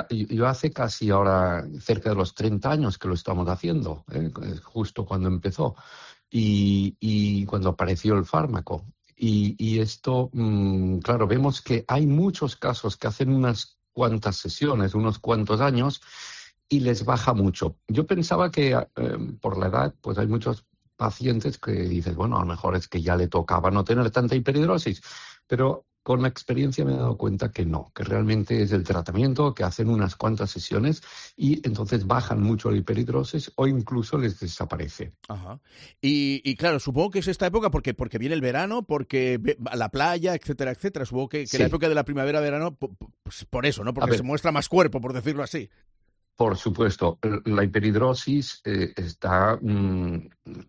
Yo hace casi ahora cerca de los 30 años que lo estamos haciendo, justo cuando empezó y cuando apareció el fármaco. Y esto, claro, vemos que hay muchos casos que hacen unas cuantas sesiones, unos cuantos años, y les baja mucho. Yo pensaba que por la edad, pues hay muchos pacientes que dices, bueno, a lo mejor es que ya le tocaba no tener tanta hiperhidrosis, pero con la experiencia me he dado cuenta que no, que realmente es el tratamiento, que hacen unas cuantas sesiones y entonces bajan mucho la hiperhidrosis o incluso les desaparece. Ajá. Y claro, supongo que es esta época porque viene el verano, porque la playa, etcétera, etcétera. Supongo que sí. La época de la primavera-verano, pues por eso, ¿no? Porque se muestra más cuerpo, por decirlo así. Por supuesto, la hiperhidrosis está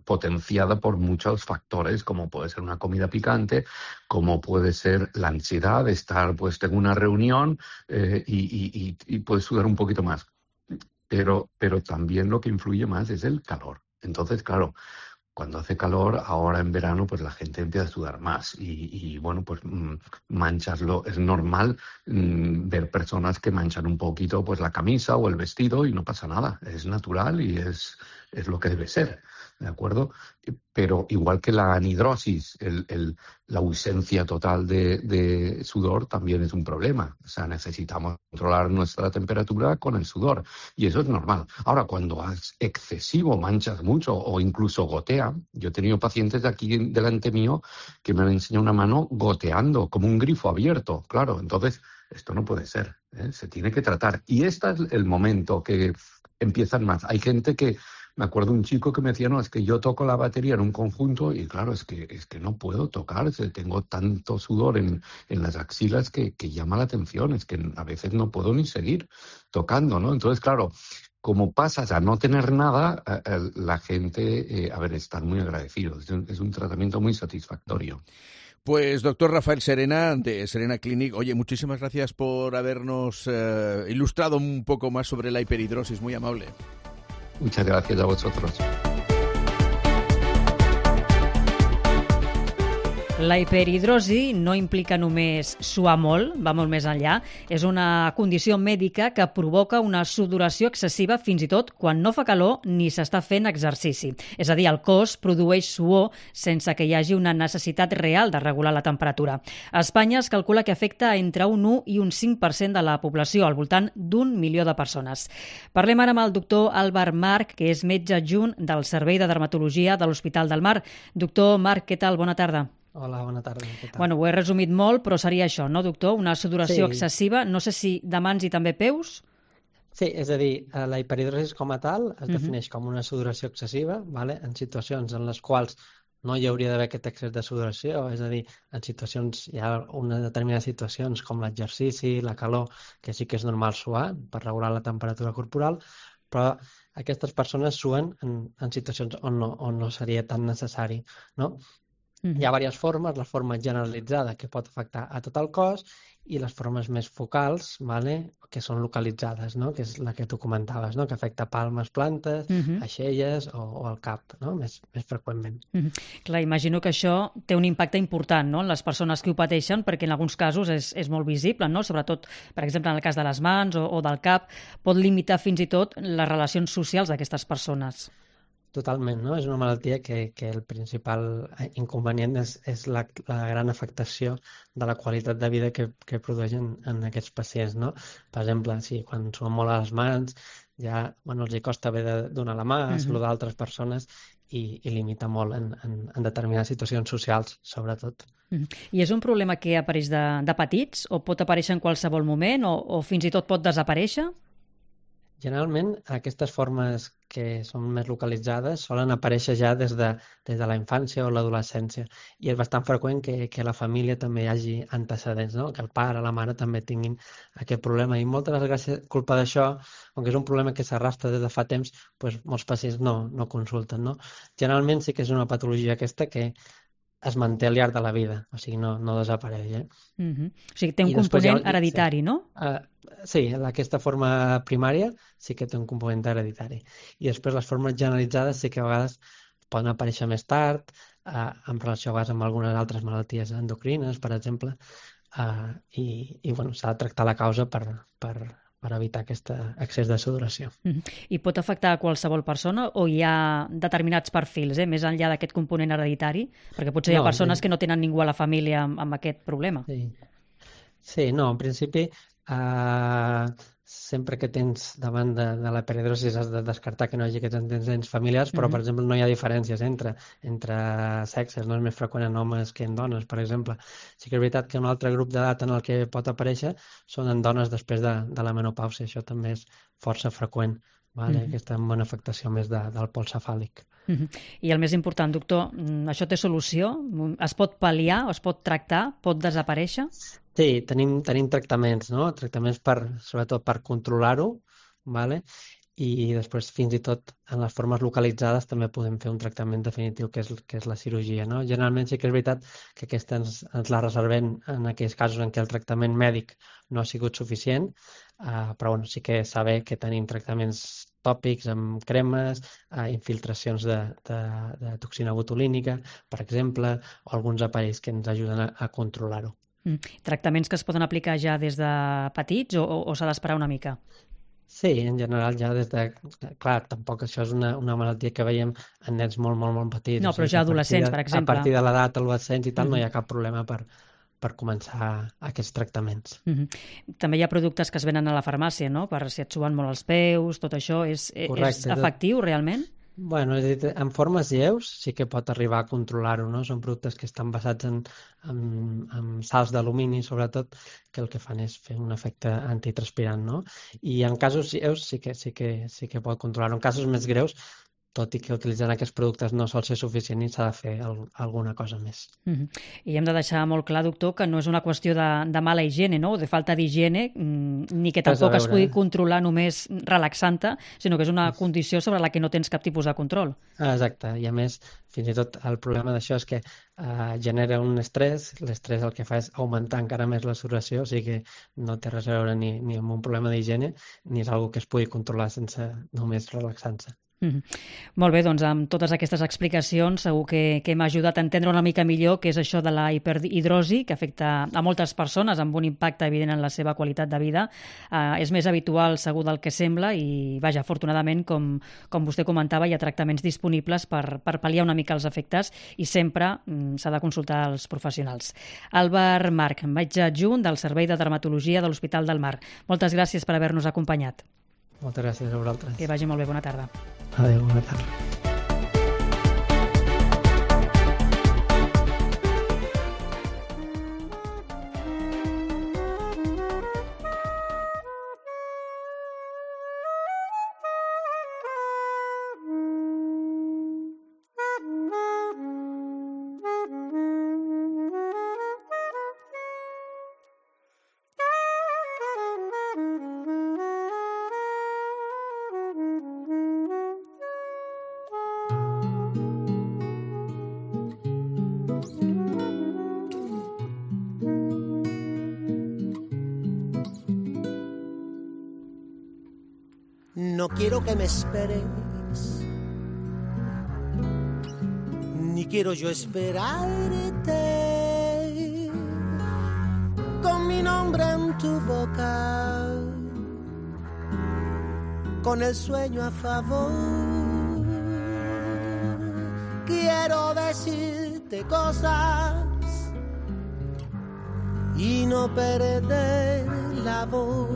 potenciada por muchos factores, como puede ser una comida picante, como puede ser la ansiedad de estar pues en una reunión y puedes sudar un poquito más. Pero también lo que influye más es el calor. Entonces, claro, cuando hace calor, ahora en verano, pues la gente empieza a sudar más y bueno, pues mancharlo. Es normal ver personas que manchan un poquito pues la camisa o el vestido y no pasa nada. Es natural y es lo que debe ser, ¿de acuerdo? Pero igual que la anhidrosis, la ausencia total de sudor también es un problema. O sea, necesitamos controlar nuestra temperatura con el sudor y eso es normal. Ahora, cuando es excesivo, manchas mucho o incluso gotea. Yo he tenido pacientes de aquí delante mío que me han enseñado una mano goteando, como un grifo abierto. Claro, entonces esto no puede ser, ¿eh? Se tiene que tratar. Y este es el momento que empiezan más. Hay gente que... Me acuerdo un chico que me decía, no, es que yo toco la batería en un conjunto y claro, es que no puedo tocar, tengo tanto sudor en las axilas que llama la atención, es que a veces no puedo ni seguir tocando, ¿no? Entonces, claro, como pasas a no tener nada, la gente, están muy agradecidos, es un tratamiento muy satisfactorio. Pues doctor Rafael Serena, de Serena Clinic, oye, muchísimas gracias por habernos ilustrado un poco más sobre la hiperhidrosis, muy amable. Muchas gracias a vosotros. La hiperhidrosi no implica només suar molt, va molt més enllà. És una condició mèdica que provoca una sudoració excessiva fins i tot quan no fa calor ni s'està fent exercici. És a dir, el cos produeix suor sense que hi hagi una necessitat real de regular la temperatura. A Espanya es calcula que afecta entre un 1 i un 5% de la població, al voltant d'1 milió de persones. Parlem ara amb el doctor Albert Marc, que és metge adjunt del Servei de Dermatologia de l'Hospital del Mar. Doctor Marc, què tal? Bona tarda. Hola, bona tarda. Bueno, ho he resumit molt, però seria això, no, doctor? Una sudoració excessiva, no sé si de mans i també peus? Sí, és a dir, la hiperhidrosi com a tal es defineix com una sudoració excessiva, ¿vale? En situacions en les quals no hi hauria d'haver aquest excés de sudoració, és a dir, en situacions, hi ha unes determinades situacions com l'exercici, la calor, que sí que és normal suar per regular la temperatura corporal, però aquestes persones suen en situacions on no seria tan necessari, no? Hi ha diverses formes, la forma generalitzada que pot afectar a tot el cos i les formes més focals, ¿vale? Que són localitzades, no? Que és la que tu comentaves, no? Que afecta palmes, plantes, aixelles o el cap, no? Més freqüentment. Clar, imagino que això té un impacte important, no? En les persones que ho pateixen, perquè en alguns casos és molt visible, no? Sobretot, per exemple, en el cas de les mans o del cap, pot limitar fins i tot les relacions socials d'aquestes persones. Totalment, no? És una malaltia que el principal inconvenient és la gran afectació de la qualitat de vida que produeix en aquests pacients, no? Per exemple, si quan suen molt a les mans ja els hi costa haver de donar la mà, saludar altres persones i limita molt en determinades situacions socials, sobretot. I és un problema que apareix de petits o pot aparèixer en qualsevol moment o fins i tot pot desaparèixer? Generalment, aquestes formes que són més localitzades solen aparèixer ja des de la infància o l'adolescència i és bastant freqüent que la família també hi hagi antecedents, no? Que el pare o la mare també tinguin aquest problema i moltes vegades culpa d'això, com que és un problema que s'arrastra des de fa temps, doncs molts pacients no consulten, no? Generalment sí que és una patologia aquesta que es manté al llarg de la vida, o sigui, no desapareix. O sigui, té un component hereditari, no? Sí, aquesta forma primària sí que té un component hereditari. I després les formes generalitzades sí que a vegades poden aparèixer més tard, en relació a vegades amb algunes altres malalties endocrines, per exemple, i bueno, s'ha de tractar la causa per evitar aquest excés de sudoració. I pot afectar a qualsevol persona o hi ha determinats perfils, més enllà d'aquest component hereditari? Perquè potser hi ha persones que no tenen ningú a la família amb aquest problema. Sí, no, en principi sempre que tens davant de la hiperhidrosi has de descartar que no hi hagi aquests antecedents familiars, però, per exemple, no hi ha diferències entre sexes, no és més freqüent en homes que en dones, per exemple. Sí que és veritat que un altre grup d'edat en el que pot aparèixer són en dones després de la menopàusia, això també és força freqüent, aquesta amb una afectació més del pol cefàlic. I el més important, doctor, això té solució? Es pot pal·liar, es pot tractar, pot desaparèixer? Sí, tenim tractaments, no? Tractaments sobretot per controlar-ho, i després fins i tot en les formes localitzades també podem fer un tractament definitiu que és la cirurgia, no? Generalment sí que és veritat que aquesta ens la reservem en aquells casos en què el tractament mèdic no ha sigut suficient, però bueno, sí que saber que tenim tractaments tòpics amb cremes, infiltracions de toxina botulínica, per exemple, o alguns aparells que ens ajuden a controlar-ho. Tractaments que es poden aplicar ja des de petits o s'ha d'esperar una mica? Sí, en general ja des de... Clar, tampoc això és una malaltia que veiem en nens molt, molt, molt petits. No, però ja adolescents, per exemple. A partir de l'edat adolescents i tal, no hi ha cap problema per començar aquests tractaments. També hi ha productes que es venen a la farmàcia, no? Per si et suben molt els peus, tot això, és efectiu realment? Bueno, és a dir, en formes lleus sí que pot arribar a controlar-ho, no? Són productes que estan basats en sals d'alumini, sobretot, que el que fan és fer un efecte antitranspirant, no? I en casos lleus sí que pot controlar-ho. En casos més greus, tot i que utilitzant aquests productes no sol ser suficient i s'ha de fer alguna cosa més. I hem de deixar molt clar, doctor, que no és una qüestió de mala higiene, no? O de falta d'higiene, ni que tampoc es pugui controlar només relaxant-te, sinó que és una condició sobre la que no tens cap tipus de control. Exacte, i a més, fins i tot el problema d'això és que genera un estrès, l'estrès el que fa és augmentar encara més la sudoració, o sigui que no té res a veure ni amb un problema d'higiene, ni és una que es pugui controlar sense només relaxant-se. Molt bé, doncs amb totes aquestes explicacions segur que m'ha ajudat a entendre una mica millor què és això de la hiperhidrosi, que afecta a moltes persones amb un impacte evident en la seva qualitat de vida. És més habitual segur del que sembla i, vaja, afortunadament, com vostè comentava, hi ha tractaments disponibles per pal·liar una mica els efectes i sempre s'ha de consultar els professionals. Albert March, metge adjunt del Servei de Dermatologia de l'Hospital del Mar. Moltes gràcies per haver-nos acompanyat. Moltes gràcies a vosaltres. Que vagi molt bé, bona tarda. Adéu, bona tarda. No quiero que me esperes, ni quiero yo esperarte, con mi nombre en tu boca, con el sueño a favor. Quiero decirte cosas y no perder la voz.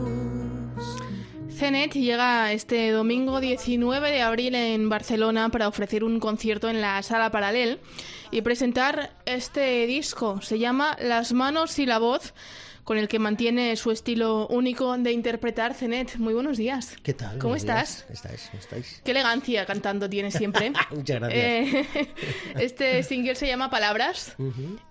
Zenet llega este domingo 19 de abril en Barcelona para ofrecer un concierto en la Sala Paralel y presentar este disco. Se llama Las manos y la voz, con el que mantiene su estilo único de interpretar. Zenet, muy buenos días. ¿Qué tal? ¿Cómo estás? ¿Cómo estáis? Qué elegancia cantando tienes siempre. Muchas gracias. Este single se llama Palabras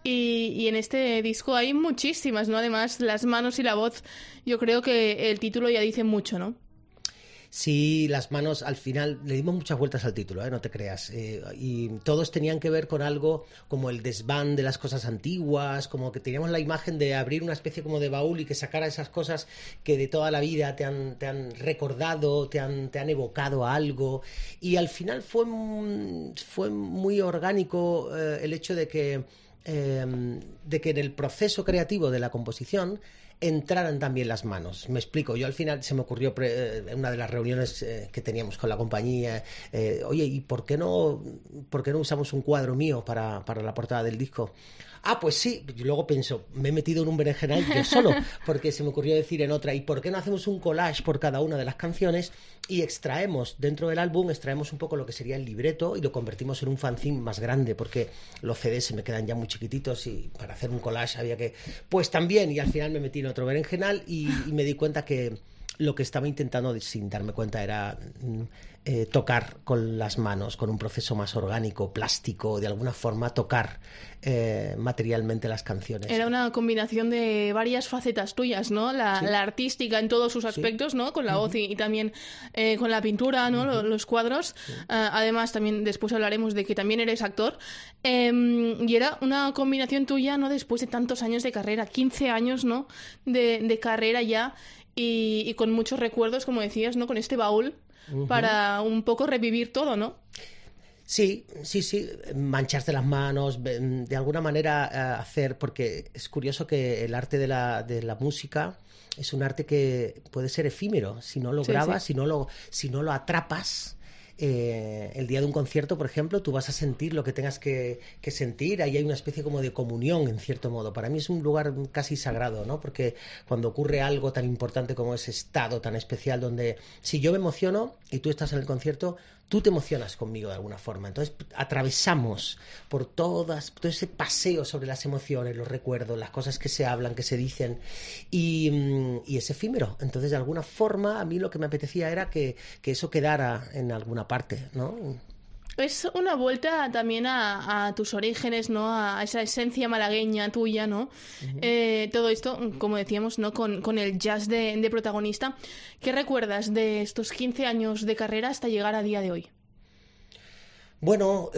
y en este disco hay muchísimas, ¿no? Además, Las manos y la voz, yo creo que el título ya dice mucho, ¿no? Sí, Las manos, al final le dimos muchas vueltas al título, no te creas, y todos tenían que ver con algo como el desván de las cosas antiguas, como que teníamos la imagen de abrir una especie como de baúl y que sacara esas cosas que de toda la vida te han recordado, te han evocado a algo, y al final fue muy orgánico el hecho de que en el proceso creativo de la composición entraran también las manos. Me explico, yo al final se me ocurrió en una de las reuniones que teníamos con la compañía, oye, ¿y por qué no usamos un cuadro mío para la portada del disco? Ah, pues sí. Y luego pienso, me he metido en un berenjenal yo solo, porque se me ocurrió decir en otra, ¿y por qué no hacemos un collage por cada una de las canciones y dentro del álbum extraemos un poco lo que sería el libreto y lo convertimos en un fanzine más grande, porque los CDs se me quedan ya muy chiquititos y para hacer un collage había que... Pues también, y al final me metí en otro berenjenal y me di cuenta que lo que estaba intentando, sin darme cuenta, era tocar con las manos, con un proceso más orgánico, plástico, de alguna forma tocar materialmente las canciones. Era una combinación de varias facetas tuyas, ¿no? La artística en todos sus aspectos, ¿no? Con la voz y también con la pintura, ¿no? Los cuadros. Además, también después hablaremos de que también eres actor. Y era una combinación tuya, ¿no? Después de tantos años de carrera, 15 años, ¿no? De carrera ya. Y con muchos recuerdos, como decías, ¿no? Con este baúl para un poco revivir todo, ¿no? Sí, mancharse las manos, de alguna manera hacer, porque es curioso que el arte de la música es un arte que puede ser efímero, si no lo grabas, si no lo atrapas. El día de un concierto, por ejemplo, tú vas a sentir lo que tengas que sentir. Ahí hay una especie como de comunión, en cierto modo. Para mí es un lugar casi sagrado, ¿no? Porque cuando ocurre algo tan importante como ese estado tan especial, donde si yo me emociono y tú estás en el concierto, tú te emocionas conmigo de alguna forma. Entonces atravesamos por todo ese paseo sobre las emociones, los recuerdos, las cosas que se hablan, que se dicen, y es efímero. Entonces, de alguna forma, a mí lo que me apetecía era que eso quedara en alguna parte, ¿no? Es una vuelta también a tus orígenes, ¿no? A esa esencia malagueña tuya, ¿no? Todo esto, como decíamos, ¿no? Con el jazz de protagonista. ¿Qué recuerdas de estos 15 años de carrera hasta llegar a día de hoy? Bueno,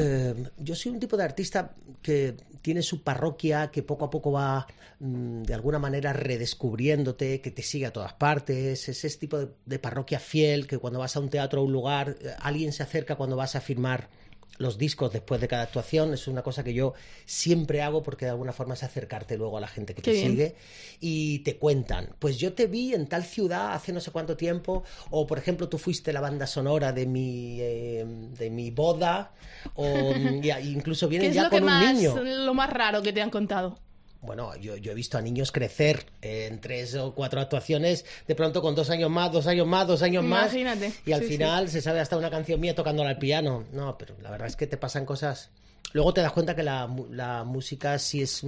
yo soy un tipo de artista que tiene su parroquia, que poco a poco va de alguna manera redescubriéndote, que te sigue a todas partes. Es ese tipo de parroquia fiel, que cuando vas a un teatro o a un lugar, alguien se acerca cuando vas a firmar los discos después de cada actuación. Es una cosa que yo siempre hago, porque de alguna forma es acercarte luego a la gente que te sigue y te cuentan, pues yo te vi en tal ciudad hace no sé cuánto tiempo, o por ejemplo tú fuiste la banda sonora de mi boda, o incluso vienen ya con un niño. ¿Qué es lo más raro que te han contado? Bueno, yo he visto a niños crecer en 3 o 4 actuaciones, de pronto con 2 años más, 2 años más, 2 años más. Imagínate. Y al final se sabe hasta una canción mía tocándola al piano. No, pero la verdad es que te pasan cosas. Luego te das cuenta que la música sí es...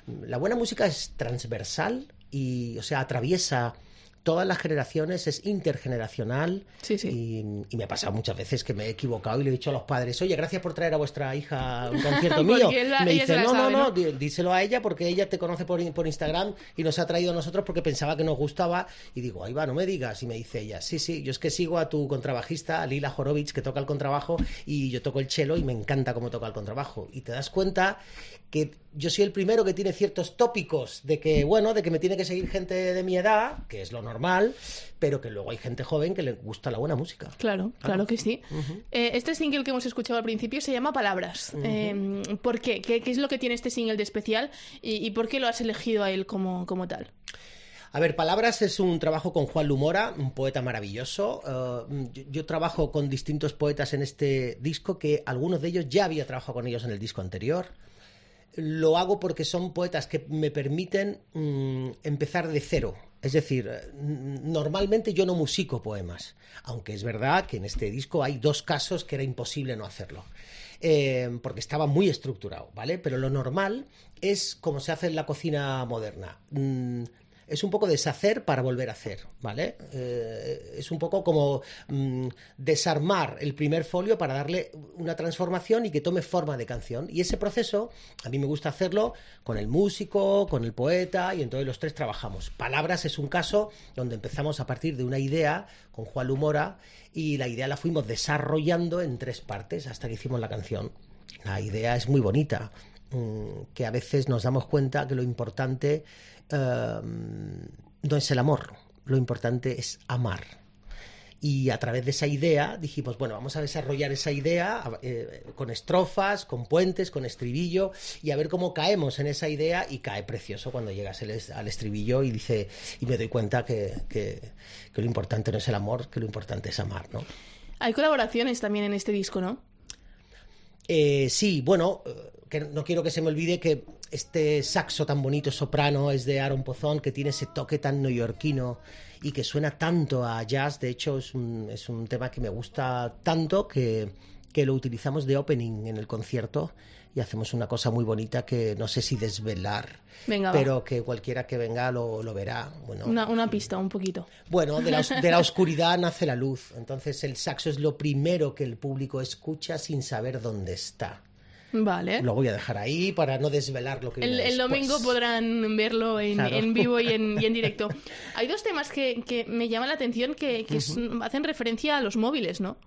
La buena música es transversal y, o sea, atraviesa todas las generaciones, es intergeneracional. Y me ha pasado muchas veces que me he equivocado y le he dicho a los padres, oye, gracias por traer a vuestra hija a un concierto mío. Me dice, no, díselo a ella porque ella te conoce por Instagram y nos ha traído a nosotros porque pensaba que nos gustaba. Y digo, ahí va, no me digas. Y me dice ella, sí, yo es que sigo a tu contrabajista, a Lila Horowitz, que toca el contrabajo, y yo toco el cello y me encanta cómo toca el contrabajo. Y te das cuenta que yo soy el primero que tiene ciertos tópicos de que me tiene que seguir gente de mi edad, que es lo normal, pero que luego hay gente joven que le gusta la buena música. Claro que sí. Este single que hemos escuchado al principio se llama Palabras. ¿Por qué? ¿Qué es lo que tiene este single de especial y por qué lo has elegido a él como tal? A ver, Palabras es un trabajo con Juan Lumora, un poeta maravilloso. Yo trabajo con distintos poetas en este disco, que algunos de ellos ya había trabajado con ellos en el disco anterior. Lo hago porque son poetas que me permiten empezar de cero. Es decir, normalmente yo no musico poemas, aunque es verdad que en este disco hay 2 casos que era imposible no hacerlo. Porque estaba muy estructurado, ¿vale? Pero lo normal es como se hace en la cocina moderna. Es un poco deshacer para volver a hacer, ¿vale? Es un poco como desarmar el primer folio para darle una transformación y que tome forma de canción. Y ese proceso, a mí me gusta hacerlo con el músico, con el poeta, y entonces los 3 trabajamos. Palabras es un caso donde empezamos a partir de una idea con Juan Lumora, y la idea la fuimos desarrollando en 3 partes hasta que hicimos la canción. La idea es muy bonita, que a veces nos damos cuenta que lo importante no es el amor, lo importante es amar. Y a través de esa idea dijimos, bueno, vamos a desarrollar esa idea con estrofas, con puentes, con estribillo, y a ver cómo caemos en esa idea, y cae precioso cuando llegas al estribillo y me doy cuenta que lo importante no es el amor, que lo importante es amar, ¿no? Hay colaboraciones también en este disco, ¿no? Sí, bueno, que no quiero que se me olvide que este saxo tan bonito soprano es de Aaron Pozón, que tiene ese toque tan neoyorquino y que suena tanto a jazz. De hecho, es un tema que me gusta tanto que lo utilizamos de opening en el concierto, y hacemos una cosa muy bonita que no sé si desvelar, pero que cualquiera que venga lo verá. Bueno, una pista, un poquito. Bueno, de la oscuridad nace la luz. Entonces el saxo es lo primero que el público escucha sin saber dónde está. Vale. Lo voy a dejar ahí para no desvelar lo que viene el domingo podrán verlo en vivo y en directo. Hay 2 temas que me llaman la atención que hacen referencia a los móviles, ¿no?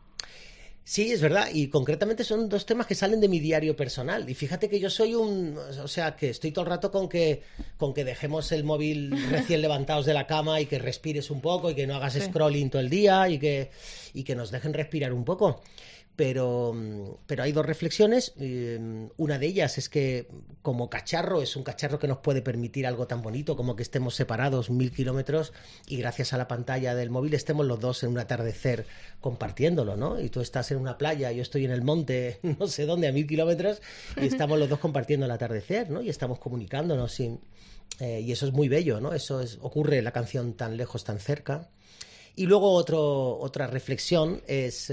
Sí, es verdad, y concretamente son 2 temas que salen de mi diario personal. Y fíjate que yo soy que estoy todo el rato con que dejemos el móvil recién levantados de la cama y que respires un poco y que no hagas scrolling todo el día y que nos dejen respirar un poco. Pero hay 2 reflexiones. Una de ellas es que como cacharro, es un cacharro que nos puede permitir algo tan bonito como que estemos separados 1000 kilómetros y gracias a la pantalla del móvil estemos los 2 en un atardecer compartiéndolo, ¿no? Y tú estás en una playa, yo estoy en el monte, no sé dónde, a 1000 kilómetros, y estamos los 2 compartiendo el atardecer, ¿no? Y estamos comunicándonos y eso es muy bello, ¿no? Ocurre en la canción Tan lejos, tan cerca. Y luego otra reflexión es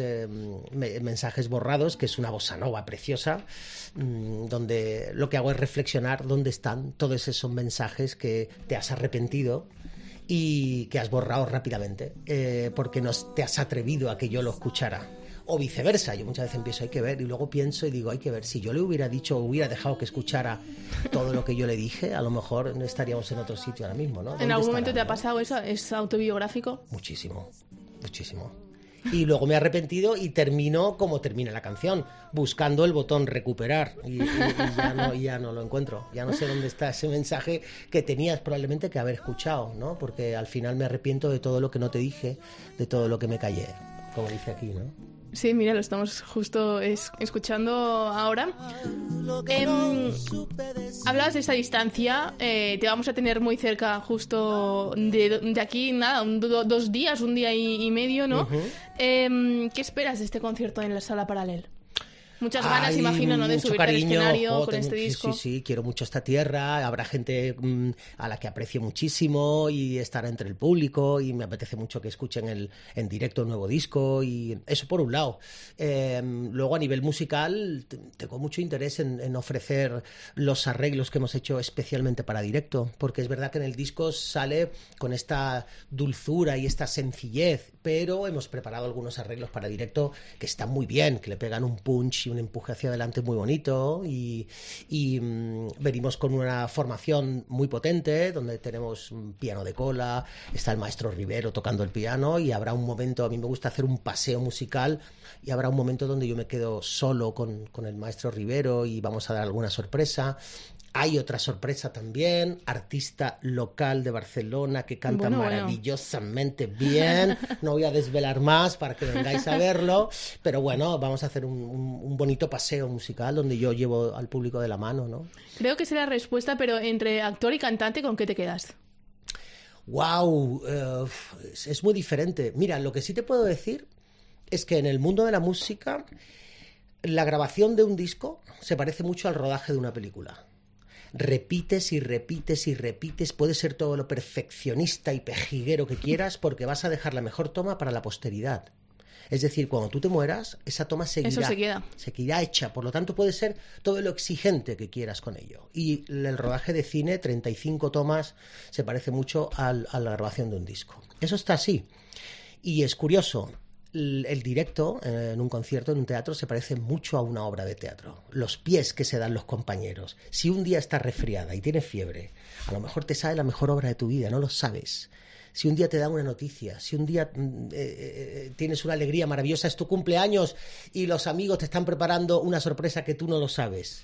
Mensajes borrados, que es una bossa nova preciosa, donde lo que hago es reflexionar dónde están todos esos mensajes que te has arrepentido y que has borrado rápidamente, porque no te has atrevido a que yo lo escuchara. O viceversa, yo muchas veces empiezo, hay que ver, y luego pienso y digo, hay que ver, si yo le hubiera dicho o hubiera dejado que escuchara todo lo que yo le dije, a lo mejor estaríamos en otro sitio ahora mismo, ¿no? ¿En algún momento te ha pasado eso? ¿Es autobiográfico? Muchísimo. Y luego me he arrepentido y termino como termina la canción, buscando el botón recuperar, y ya no lo encuentro, ya no sé dónde está ese mensaje que tenías probablemente que haber escuchado, ¿no? Porque al final me arrepiento de todo lo que no te dije, de todo lo que me callé, como dice aquí, ¿no? Sí, mira, lo estamos justo escuchando ahora. Hablabas de esta distancia, te vamos a tener muy cerca justo de aquí, nada, 2 días, 1 día y medio, ¿no? ¿Qué esperas de este concierto en la Sala Paral·lel? Muchas ganas, imagino, ¿no? De subirte al escenario con este disco. Sí, quiero mucho esta tierra. Habrá gente a la que aprecio muchísimo y estará entre el público y me apetece mucho que escuchen en directo el nuevo disco, y eso por un lado. Luego a nivel musical tengo mucho interés en ofrecer los arreglos que hemos hecho especialmente para directo, porque es verdad que en el disco sale con esta dulzura y esta sencillez, pero hemos preparado algunos arreglos para directo que están muy bien, que le pegan un punch y un empuje hacia adelante muy bonito, y venimos con una formación muy potente donde tenemos un piano de cola, está el maestro Rivero tocando el piano, y habrá un momento, a mí me gusta hacer un paseo musical, y habrá un momento donde yo me quedo solo con el maestro Rivero y vamos a dar alguna sorpresa. Hay otra sorpresa también, artista local de Barcelona que canta maravillosamente bien. No voy a desvelar más para que vengáis a verlo, pero bueno, vamos a hacer un bonito paseo musical donde yo llevo al público de la mano, ¿no? Creo que es la respuesta, pero entre actor y cantante, ¿con qué te quedas? ¡Wow! Es muy diferente. Mira, lo que sí te puedo decir es que en el mundo de la música, la grabación de un disco se parece mucho al rodaje de una película. repites y repites y repites, puedes ser todo lo perfeccionista y pejiguero que quieras porque vas a dejar la mejor toma para la posteridad. Es decir, cuando tú te mueras, esa toma seguirá hecha. Por lo tanto, puede ser todo lo exigente que quieras con ello. Y el rodaje de cine, 35 tomas, se parece mucho a la grabación de un disco. Eso está así. Y es curioso, el directo en un concierto, en un teatro, se parece mucho a una obra de teatro. Los pies que se dan los compañeros. Si un día estás resfriada y tienes fiebre, a lo mejor te sale la mejor obra de tu vida, no lo sabes. Si un día te dan una noticia, si un día tienes una alegría maravillosa, es tu cumpleaños y los amigos te están preparando una sorpresa que tú no lo sabes,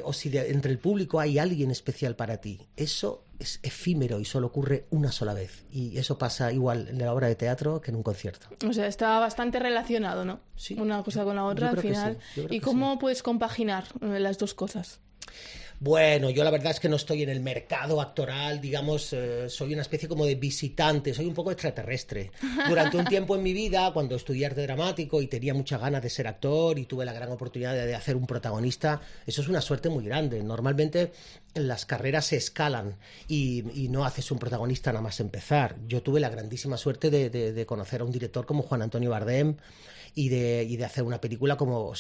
o si entre el público hay alguien especial para ti, eso es efímero y solo ocurre una sola vez. Y eso pasa igual en la obra de teatro que en un concierto. O sea, está bastante relacionado, ¿no? Sí. Una cosa con la otra al final. ¿Y cómo puedes compaginar las dos cosas? Bueno, yo la verdad es que no estoy en el mercado actoral, digamos, soy una especie como de visitante, soy un poco extraterrestre. Durante un tiempo en mi vida, cuando estudié arte dramático y tenía muchas ganas de ser actor y tuve la gran oportunidad de hacer un protagonista, eso es una suerte muy grande. Normalmente las carreras se escalan y no haces un protagonista nada más empezar. Yo tuve la grandísima suerte de conocer a un director como Juan Antonio Bardem y de hacer una película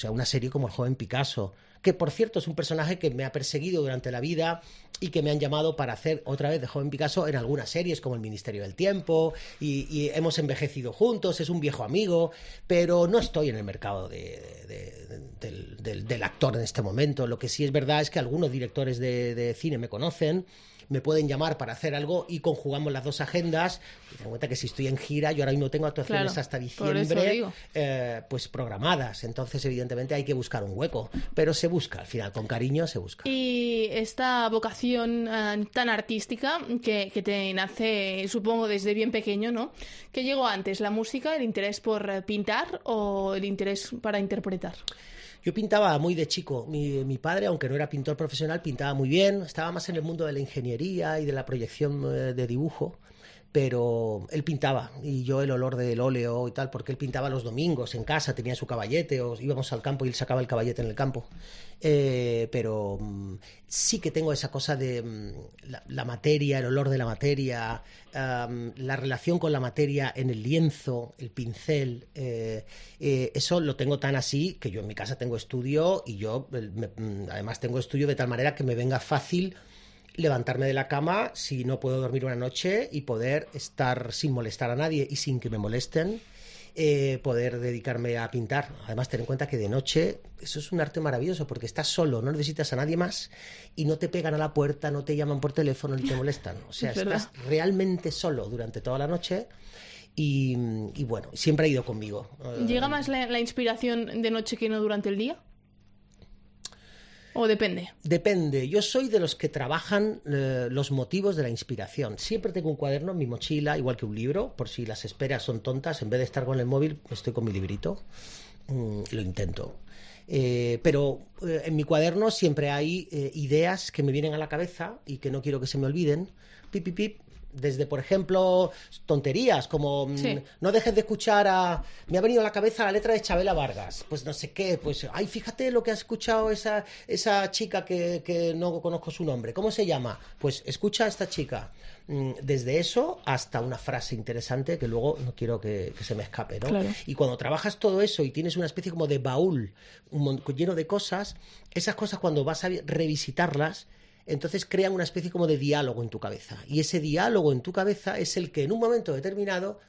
una serie como El joven Picasso, que por cierto es un personaje que me ha perseguido durante la vida y que me han llamado para hacer otra vez de joven Picasso en algunas series como El Ministerio del Tiempo y hemos envejecido juntos, es un viejo amigo, pero no estoy en el mercado del actor en este momento. Lo que sí es verdad es que algunos directores de cine me conocen, me pueden llamar para hacer algo y conjugamos las dos agendas. Y ten en cuenta que si estoy en gira, yo ahora mismo tengo actuaciones hasta diciembre pues programadas, entonces evidentemente hay que buscar un hueco, pero se busca, al final con cariño se busca. Y esta vocación tan artística que te nace, supongo, desde bien pequeño, ¿no? ¿Qué llegó antes, la música, el interés por pintar o el interés para interpretar? Yo pintaba muy de chico. Mi padre, aunque no era pintor profesional, pintaba muy bien. Estaba más en el mundo de la ingeniería y de la proyección de dibujo, pero él pintaba y yo el olor del óleo y tal, porque él pintaba los domingos en casa, tenía su caballete, o íbamos al campo y él sacaba el caballete en el campo. Pero sí que tengo esa cosa de la materia, el olor de la materia, la relación con la materia en el lienzo, el pincel, eso lo tengo tan así que yo en mi casa tengo estudio y yo además tengo estudio de tal manera que me venga fácil levantarme de la cama si no puedo dormir una noche y poder estar sin molestar a nadie y sin que me molesten, poder dedicarme a pintar. Además, ten en cuenta que de noche eso es un arte maravilloso porque estás solo, no necesitas a nadie más y no te pegan a la puerta, no te llaman por teléfono ni te molestan. O sea, estás realmente solo durante toda la noche. Y bueno, siempre ha ido conmigo. ¿Llega más la inspiración de noche que no durante el día? ¿O depende? Depende. Yo soy de los que trabajan los motivos de la inspiración. Siempre tengo un cuaderno en mi mochila, igual que un libro, por si las esperas son tontas. En vez de estar con el móvil, estoy con mi librito. Lo intento. Pero en mi cuaderno siempre hay ideas que me vienen a la cabeza y que no quiero que se me olviden. Pip, pip, pip. Desde, por ejemplo, tonterías como no dejes de escuchar me ha venido a la cabeza la letra de Chabela Vargas, pues no sé qué, pues ay, fíjate lo que ha escuchado esa chica que no conozco su nombre, ¿cómo se llama? Pues escucha a esta chica. Desde eso hasta una frase interesante que luego no quiero que se me escape, ¿no? Claro. Y cuando trabajas todo eso y tienes una especie como de baúl lleno de cosas, esas cosas cuando vas a revisitarlas, entonces crean una especie como de diálogo en tu cabeza. Y ese diálogo en tu cabeza es el que en un momento determinado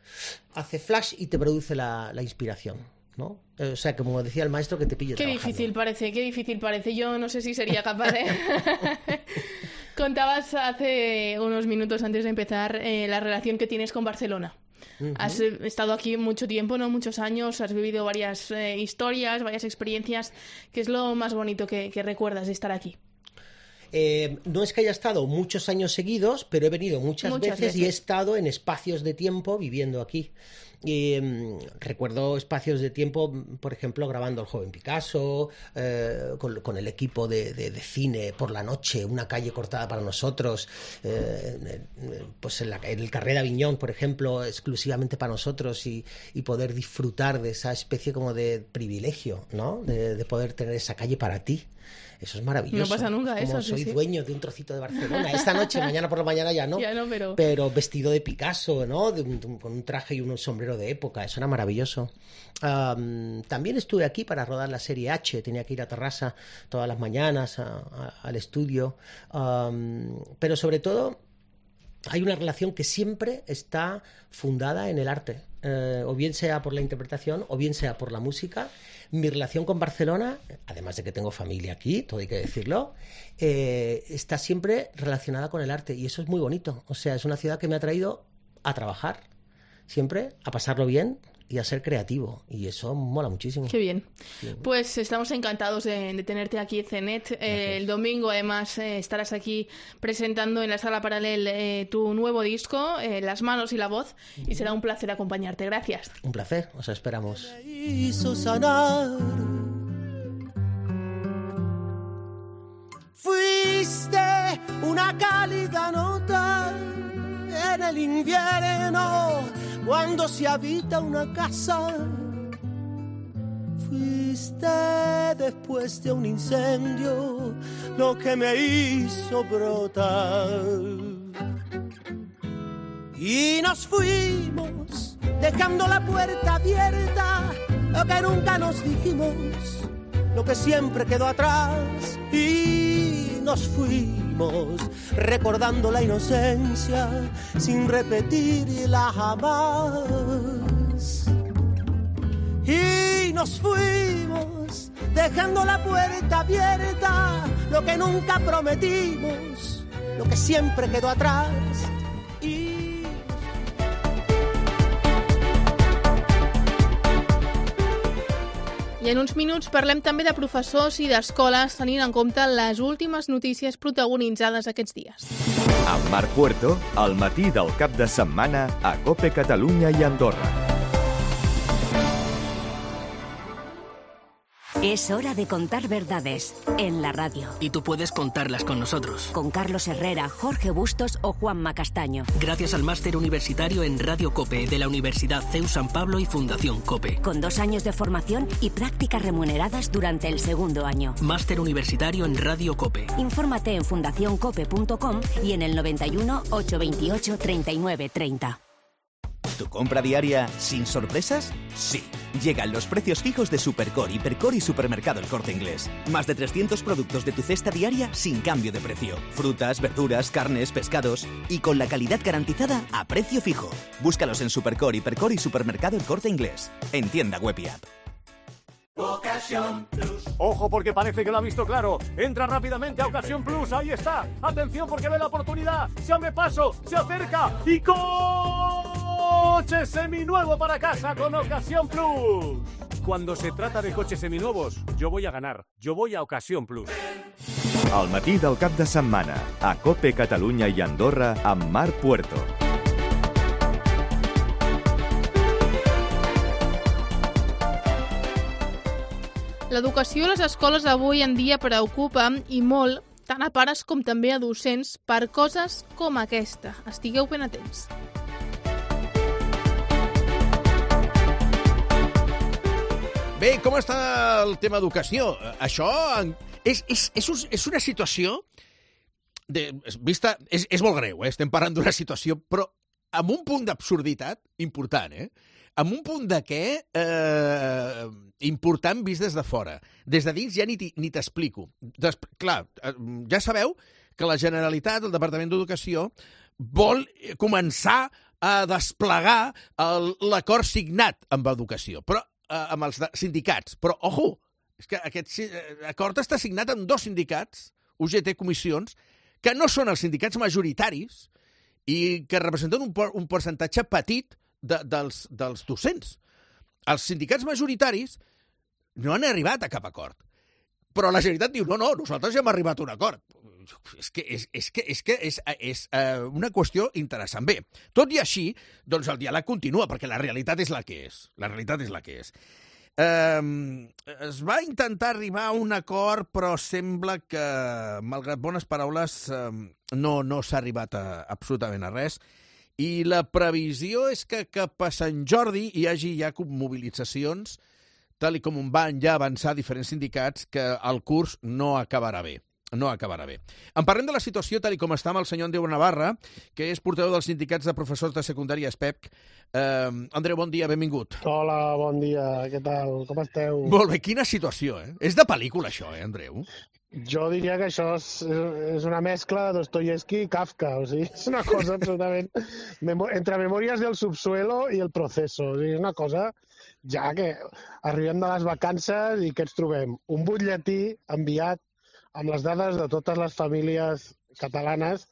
hace flash y te produce la inspiración, ¿no? O sea, como decía el maestro, que te pille trabajando. Qué difícil parece. Yo no sé si sería capaz de... Contabas hace unos minutos antes de empezar la relación que tienes con Barcelona. Uh-huh. Has estado aquí mucho tiempo, ¿no? Muchos años, has vivido varias historias, varias experiencias. ¿Qué es lo más bonito que recuerdas de estar aquí? No es que haya estado muchos años seguidos, pero he venido muchas veces y he estado en espacios de tiempo viviendo aquí. Recuerdo espacios de tiempo, por ejemplo, grabando El joven Picasso, con el equipo de cine por la noche, una calle cortada para nosotros, pues en el Carré d'Avinyón, por ejemplo, exclusivamente para nosotros y poder disfrutar de esa especie como de privilegio, ¿no? De poder tener esa calle para ti. Eso es maravilloso. No pasa nunca eso. Soy soy dueño de un trocito de Barcelona. Esta noche, mañana por la mañana ya no. Pero vestido de Picasso, ¿no? Con un traje y un sombrero de época. Eso era maravilloso. También estuve aquí para rodar la serie H. Tenía que ir a Terrassa todas las mañanas al estudio. Pero sobre todo, hay una relación que siempre está fundada en el arte. O bien sea por la interpretación o bien sea por la música. Mi relación con Barcelona, además de que tengo familia aquí, todo hay que decirlo, está siempre relacionada con el arte y eso es muy bonito. O sea, es una ciudad que me ha traído a trabajar siempre, a pasarlo bien y a ser creativo, y eso mola muchísimo. Qué bien. Pues estamos encantados de tenerte aquí, Zenet. El domingo, además, estarás aquí presentando en la Sala Paral·lel tu nuevo disco, Las manos y la voz, y será un placer acompañarte. Gracias. Un placer, os esperamos. Hizo sanar. Fuiste una cálida nota en el invierno cuando se habita una casa. Fuiste después de un incendio lo que me hizo brotar. Y nos fuimos dejando la puerta abierta, lo que nunca nos dijimos, lo que siempre quedó atrás. Y nos fuimos recordando la inocencia sin repetirla jamás. Y nos fuimos dejando la puerta abierta, lo que nunca prometimos, lo que siempre quedó atrás. I en uns minuts parlem també de professors i d'escoles tenint en compte les últimes notícies protagonitzades aquests dies. Amb Marc Puerto, al matí del cap de setmana a COPE Catalunya i Andorra. Es hora de contar verdades en la radio. Y tú puedes contarlas con nosotros. Con Carlos Herrera, Jorge Bustos o Juanma Castaño. Gracias al máster universitario en Radio COPE de la Universidad CEU San Pablo y Fundación COPE. Con 2 años de formación y prácticas remuneradas durante el segundo año. Máster universitario en Radio COPE. Infórmate en fundacioncope.com y en el 91 828 39 30. ¿Tu compra diaria sin sorpresas? Sí. Llegan los precios fijos de Supercore, Hipercore y Supermercado El Corte Inglés. Más de 300 productos de tu cesta diaria sin cambio de precio. Frutas, verduras, carnes, pescados. Y con la calidad garantizada a precio fijo. Búscalos en Supercore, Hipercore y Supermercado El Corte Inglés. En tienda web y app. Ocasión Plus. Ojo, porque parece que lo ha visto claro. Entra rápidamente a Ocasión Plus. Ahí está. Atención, porque ve la oportunidad. Se abre paso, se acerca y coche seminuevo para casa con Ocasión Plus. Cuando se trata de coches seminuevos, yo voy a ganar. Yo voy a Ocasión Plus. Al matí del cap de setmana a COPE Catalunya i Andorra amb Marc Puerto. L'educació a les escoles avui en dia preocupa i molt, tant a pares com també a docents, per coses com aquesta. Estigueu ben atents. Bé, com està el tema educació? Això és una situació vista... És molt greu, estem parlant d'una situació, però amb un punt d'absurditat important, amb un punt de què important vist des de fora. Des de dins ja ni t'explico. Clar, ja sabeu que la Generalitat, el Departament d'Educació, vol començar a desplegar l'acord signat amb Educació, però amb els sindicats. Però, ojo, és que aquest acord està signat amb 2 sindicats, UGT Comissions, que no són els sindicats majoritaris i que representen un percentatge petit dels docents. Els sindicats majoritaris no han arribat a cap acord. Però la Generalitat diu, no, nosaltres ja hem arribat a un acord. És una qüestió interessant. Bé, tot i així, doncs el diàleg continua, perquè la realitat és la que és. La realitat és la que és. Es va intentar arribar a un acord, però sembla que, malgrat bones paraules, no s'ha arribat absolutament a res. I la previsió és que cap a Sant Jordi hi hagi ja mobilitzacions, tal com van ja avançar diferents sindicats, que el curs no acabarà bé. no acabarà bé. En parlem de la situació tal com està amb el senyor Andreu Navarra, que és portaveu dels sindicats de professors de secundària SPEC. Andreu, bon dia, benvingut. Hola, bon dia, què tal? Com esteu? Molt bé, quina situació, eh? És de pel·lícula, això, Andreu? Jo diria que això és una mescla de Dostoyevsky i Kafka, o sigui, és una cosa absolutament... entre Memòries del subsuelo i El proceso, o sigui, és una cosa ja que arribem de les vacances i què ens trobem? Un butlletí enviat amb les dades de totes les famílies catalanes,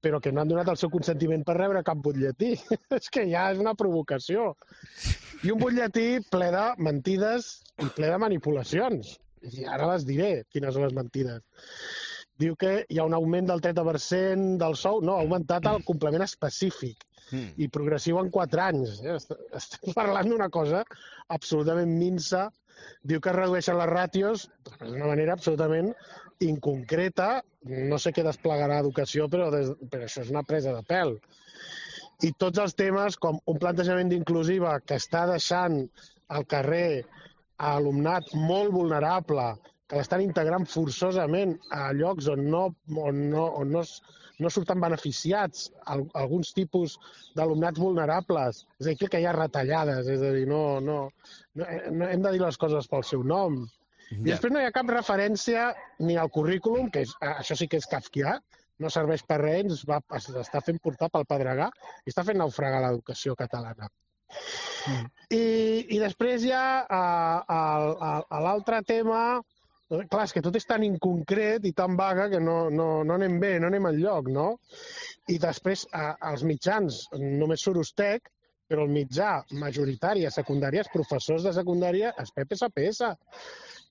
però que no han donat el seu consentiment per rebre cap butlletí. És que ja és una provocació. I un butlletí ple de mentides i ple de manipulacions. I ara les diré, quines són les mentides. Diu que hi ha un augment del 30% del sou. No, ha augmentat el complement específic i progressiu en 4 anys. Estem parlant d'una cosa absolutament minsa. Diu que es redueixen les ràtios d'una manera absolutament inconcreta. No sé què desplegarà Educació, però això és una presa de pèl. I tots els temes, com un plantejament d'inclusiva que està deixant al carrer a alumnat molt vulnerable, que l'estan integrant forçosament a llocs on no surten beneficiats alguns tipus d'alumnats vulnerables. És a dir, que hi ha retallades, és a dir, no hem de dir les coses pel seu nom. I després no hi ha cap referència ni al currículum, que això sí que és kafkià, no serveix per res, s'està fent portar pel pedregar i està fent naufragar l'educació catalana. I després hi ha l'altre tema, clar, és que tot és tan inconcret i tan vaga que no anem bé, no anem enlloc, no? I després als mitjans només surt Ustec, però el mitjà majoritari a secundària, els professors de secundària, és PPSPS,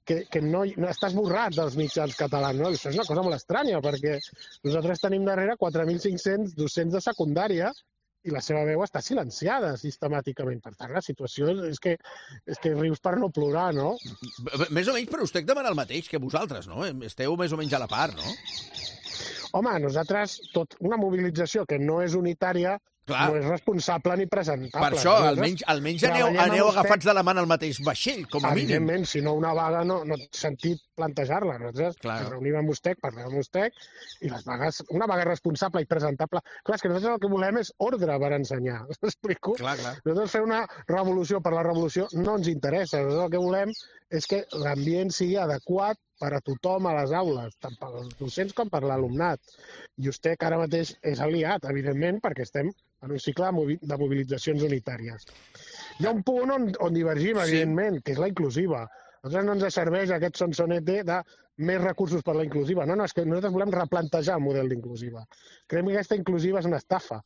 que no està esborrat dels mitjans catalans, no? Això és una cosa molt estranya, perquè nosaltres tenim darrere 4.500 docents de secundària i la seva veu està silenciada sistemàticament. Per tant, la situació és que rius per no plorar, no? Més o menys, però Ustec demana el mateix que vosaltres, no? Esteu més o menys a la part, no? Home, nosaltres, una mobilització que no és unitària, no és responsable ni presentable. Per això, almenys aneu agafats de la mà al mateix vaixell, com a mínim. Evidentment, si no una vaga no té sentit plantejar-la. Nosaltres ens reunim amb Ustec, parlem amb Ustec, i les vagues, una vaga responsable i presentable... Clar, és que nosaltres el que volem és ordre per ensenyar, m'explico? Nosaltres fer una revolució per la revolució no ens interessa. Nosaltres el que volem és que l'ambient sigui adequat per a tothom a les aules, tant pels docents com per l'alumnat. I Ustec ara mateix és aliat, evidentment, perquè estem en un cicle de mobilitzacions unitàries. Hi ha un punt on divergim, evidentment, que és la inclusiva. A nosaltres no ens serveix aquest sonsonete de més recursos per la inclusiva. No, és que nosaltres volem replantejar el model d'inclusiva. Creiem que aquesta inclusiva és una estafa.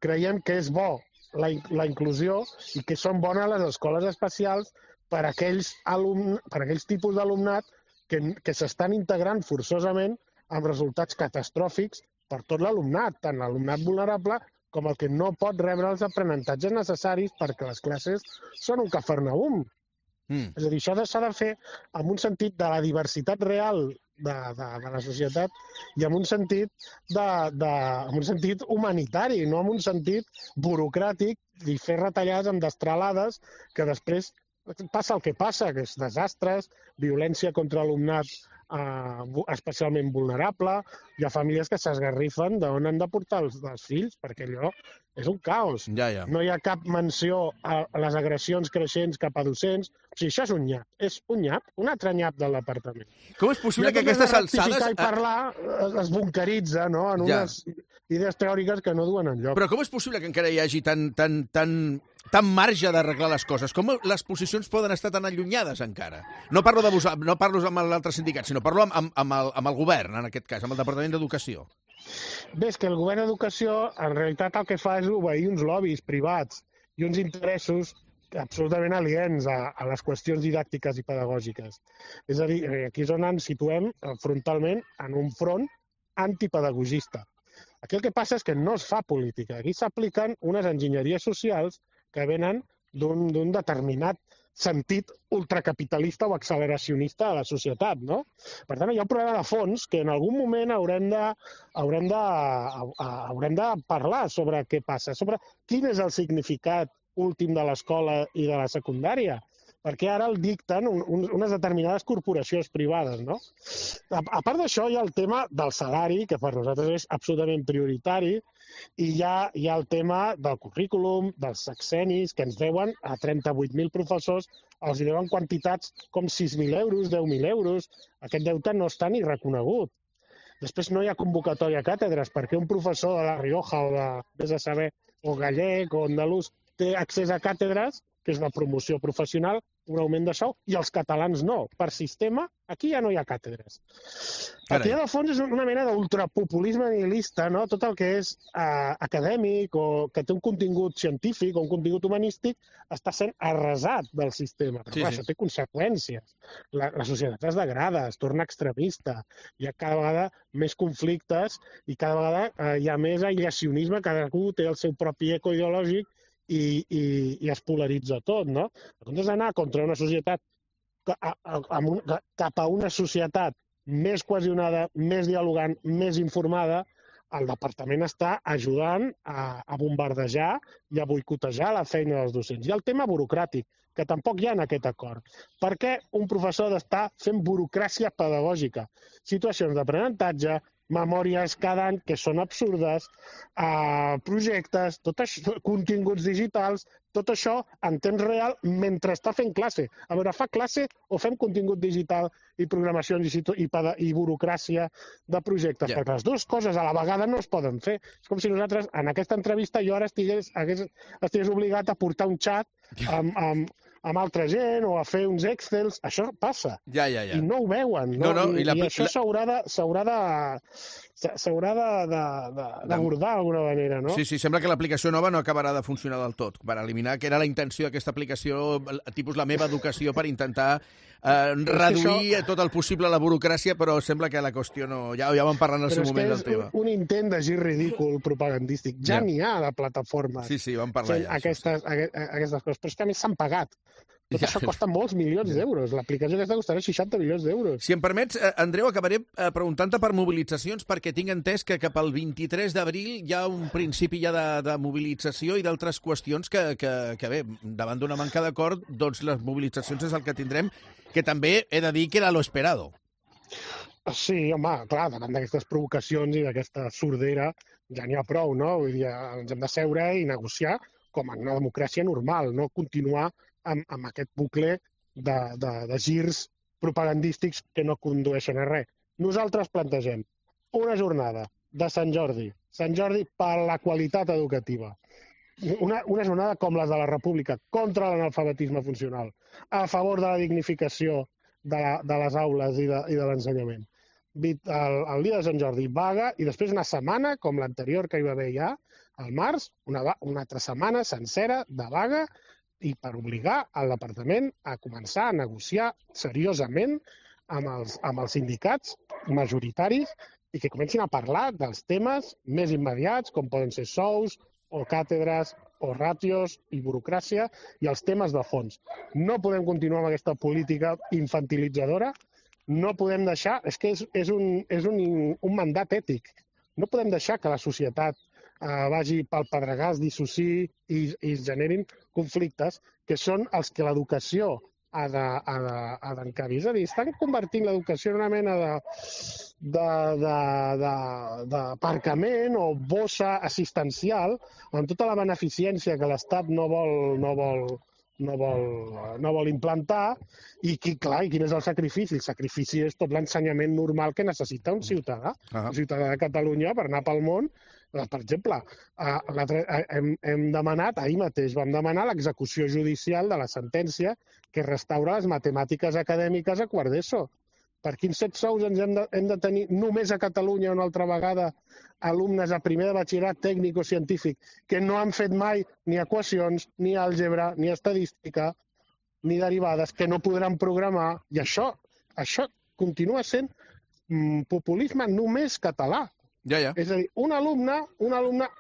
Creiem que és bo la inclusió i que són bones les escoles especials per a aquells tipus d'alumnat que s'estan integrant forçosament amb resultats catastròfics per tot l'alumnat, tant l'alumnat vulnerable com el que no pot rebre els aprenentatges necessaris perquè les classes són un cafarnaüm. És a dir, això s'ha de fer amb un sentit de la diversitat real de la societat i amb un sentit humanitari, no amb un sentit burocràtic i fer retallades amb destralades que després passa el que passa, que és desastres, violència contra alumnat especialment vulnerable, hi ha famílies que s'esgarrifen d'on han de portar els fills, perquè allò és un caos. No hi ha cap menció a les agressions creixents cap a docents. O sigui, això és un nyap, un altre nyap del departament. Com és possible que aquestes alçades... I parlar es bunkeritza, no?, en unes idees teòriques que no duen enlloc. Però com és possible que encara hi hagi tant marge d'arreglar les coses? Com les posicions poden estar tan allunyades encara? No parlo amb l'altre sindicat, sinó parlo amb el govern, en aquest cas, amb el Departament d'Educació. Bé, és que el govern d'Educació en realitat el que fa és obeir uns lobbies privats i uns interessos absolutament aliens a les qüestions didàctiques i pedagògiques. És a dir, aquí és on ens situem frontalment en un front antipedagogista. Aquí el que passa és que no es fa política. Aquí s'apliquen unes enginyeries socials que venen d'un determinat sentit ultracapitalista o acceleracionista de la societat, no? Per tant, hi ha un problema de fons que en algun moment haurem de parlar sobre què passa, sobre quin és el significat últim de l'escola i de la secundària. perquè ara el dicten unes determinades corporacions privades, no? A part d'això, hi ha el tema del salari, que per nosaltres és absolutament prioritari, i hi ha el tema del currículum, dels sexenis, que ens deuen a 38.000 professors, els deuen quantitats com 6.000 euros, 10.000 euros. Aquest deute no està ni reconegut. Després no hi ha convocatòria a càtedres, perquè un professor de La Rioja o de, vés a saber, o gallec o andalús té accés a càtedres, que és una promoció professional, un augment de sou, i els catalans no. Per sistema, aquí ja no hi ha càtedres. El que hi ha de fons és una mena d'ultrapopulisme nihilista, no? Tot el que és acadèmic o que té un contingut científic o un contingut humanístic està sent arrasat del sistema. Però això té conseqüències. La societat es degrada, es torna extremista, hi ha cada vegada més conflictes i cada vegada hi ha més aïllacionisme, cadascú té el seu propi eco ideològic i es polaritza tot, no? En comptes d'anar contra una societat cap a una societat més cohesionada, més dialogant, més informada, el departament està ajudant a bombardejar i a boicotejar la feina dels docents. I el tema burocràtic, que tampoc hi ha en aquest acord. Per què un professor ha d'estar fent burocràcia pedagògica? Situacions d'aprenentatge, memòries cada any que són absurdes, projectes, tot això, continguts digitals, tot això en temps real mentre està fent classe. A veure, fa classe o fem contingut digital i programacions i burocràcia de projectes? Perquè les dues coses a la vegada no es poden fer. És com si nosaltres, en aquesta entrevista, jo ara estigués obligat a portar un xat amb altra gent o a fer uns Excels. Això passa. I no ho veuen. I això s'haurà d'abordar d'alguna manera, no? Sí, sembla que l'aplicació nova no acabarà de funcionar del tot, per eliminar, que era la intenció d'aquesta aplicació, tipus La meva educació, per intentar reduir tot el possible la burocràcia, però sembla que la qüestió no... Ja vam parlar en el seu moment del tema. Però és un intent de gir ridícul propagandístic. Ja n'hi ha de plataformes. Sí, vam parlar ja. Aquestes coses, però és que a més s'han pagat. Tot això costa molts milions d'euros. L'aplicació aquesta costarà 60 milions d'euros. Si em permets, Andreu, acabaré preguntant-te per mobilitzacions, perquè tinc entès que cap al 23 d'abril hi ha un principi ja de mobilització i d'altres qüestions que bé, davant d'una manca d'acord, doncs les mobilitzacions és el que tindrem, que també he de dir que era lo esperado. Sí, home, clar, davant d'aquestes provocacions i d'aquesta sordera ja n'hi ha prou, no? Vull dir, ens hem de seure i negociar com en una democràcia normal, no continuar amb aquest bucle de girs propagandístics que no condueixen a res. Nosaltres plantegem una jornada de Sant Jordi per la qualitat educativa, una jornada com les de la República, contra l'analfabetisme funcional, a favor de la dignificació de les aules i de l'ensenyament. El dia de Sant Jordi, vaga, i després una setmana, com l'anterior que hi va haver ja, al març, una altra setmana sencera de vaga, i per obligar el departament a començar a negociar seriosament amb els sindicats majoritaris i que comencin a parlar dels temes més immediats, com poden ser sous o càtedres o ràtios i burocràcia, i els temes de fons. No podem continuar amb aquesta política infantilitzadora, no podem deixar... És que és un mandat ètic. No podem deixar que la societat vagi pel pedregàs, dissociï i es generin conflictes que són els que l'educació ha d'encabir. És a dir, estan convertint l'educació en una mena d'aparcament o bossa assistencial amb tota la beneficència que l'Estat no vol implantar i quin és el sacrifici? El sacrifici és tot l'ensenyament normal que necessita un ciutadà. Un ciutadà de Catalunya per anar pel món. Per exemple, hem demanat, ahir mateix vam demanar l'execució judicial de la sentència que restaura les matemàtiques acadèmiques a quart d'ESO. Per quins 7 sous ens hem de tenir només a Catalunya una altra vegada alumnes a primer de batxillerat tècnic o científic que no han fet mai ni equacions, ni àlgebra, ni estadística, ni derivades, que no podran programar, i això continua sent populisme només català. És a dir, un alumne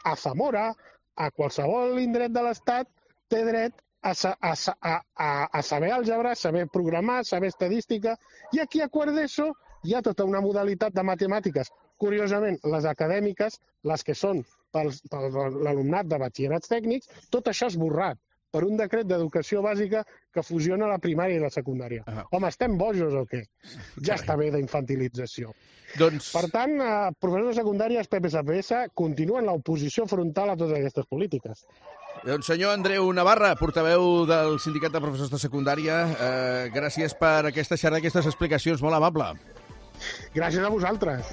a Zamora, a qualsevol indret de l'Estat, té dret a saber àlgebra, saber programar, saber estadística, i aquí a quart d'ESO hi ha tota una modalitat de matemàtiques. Curiosament, les acadèmiques, les que són per l'alumnat de batxillerats tècnics, tot això esborrat. per un decret d'educació bàsica que fusiona la primària i la secundària. Home, estem bojos o què? Ja està bé d'infantilització. Per tant, professors de secundària, PPSPS, continuen l'oposició frontal a totes aquestes polítiques. Doncs senyor Andreu Navarra, portaveu del Sindicat de Professors de Secundària, gràcies per aquesta xerrada, aquestes explicacions, molt amable. Gràcies a vosaltres.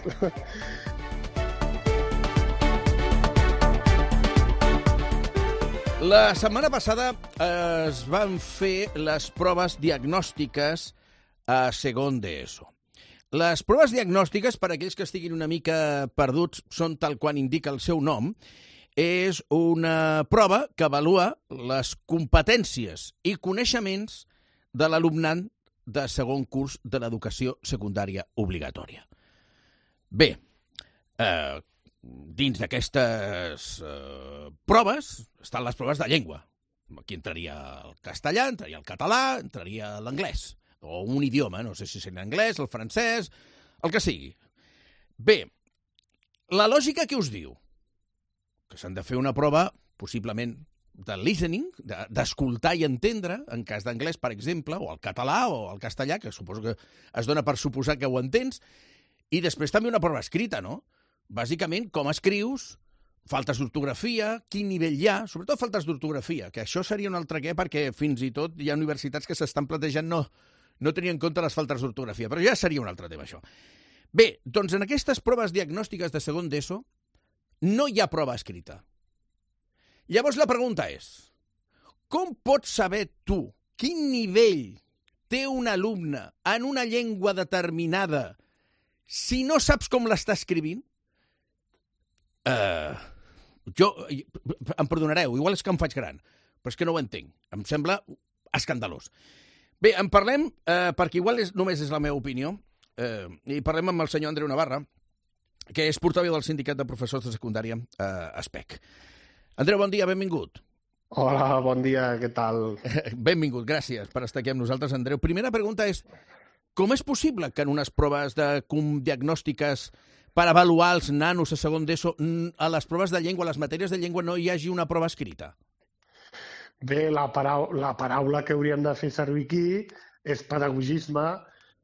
La setmana passada es van fer les proves diagnòstiques a segon d'ESO. Les proves diagnòstiques, per aquells que estiguin una mica perduts, són tal quan indica el seu nom. És una prova que avalua les competències i coneixements de l'alumnat de segon curs de l'educació secundària obligatòria. Bé, dins d'aquestes proves estan les proves de llengua. Aquí entraria el castellà, entraria el català, entraria l'anglès, o un idioma, no sé si serà l'anglès, el francès, el que sigui. Bé, la lògica que us diu que s'han de fer una prova, possiblement, de listening, d'escoltar i entendre, en cas d'anglès, per exemple, o el català o el castellà, que suposo que es dona per suposar que ho entens, i després també una prova escrita, no? Bàsicament, com escrius, faltes d'ortografia, quin nivell hi ha, sobretot faltes d'ortografia, que això seria un altre què, perquè fins i tot hi ha universitats que s'estan plantejant no tenir en compte les faltes d'ortografia, però ja seria un altre tema, això. Bé, doncs en aquestes proves diagnòstiques de segon d'ESO no hi ha prova escrita. Llavors la pregunta és, com pots saber tu quin nivell té un alumne en una llengua determinada si no saps com l'està escrivint? Em perdonareu, igual és que em faig gran, però és que no ho entenc. Em sembla escandalós. Bé, en parlem, perquè igual només és la meva opinió, i parlem amb el senyor Andreu Navarra, que és portaveu del Sindicat de Professors de Secundària, SPEC. Andreu, bon dia, benvingut. Hola, bon dia, què tal? Benvingut, gràcies per estar aquí amb nosaltres, Andreu. Primera pregunta és, com és possible que en unes proves diagnòstiques per avaluar els nanos a segon d'ESO, a les proves de llengua, a les matèries de llengua, no hi hagi una prova escrita? Bé, la paraula que hauríem de fer servir aquí és pedagogisme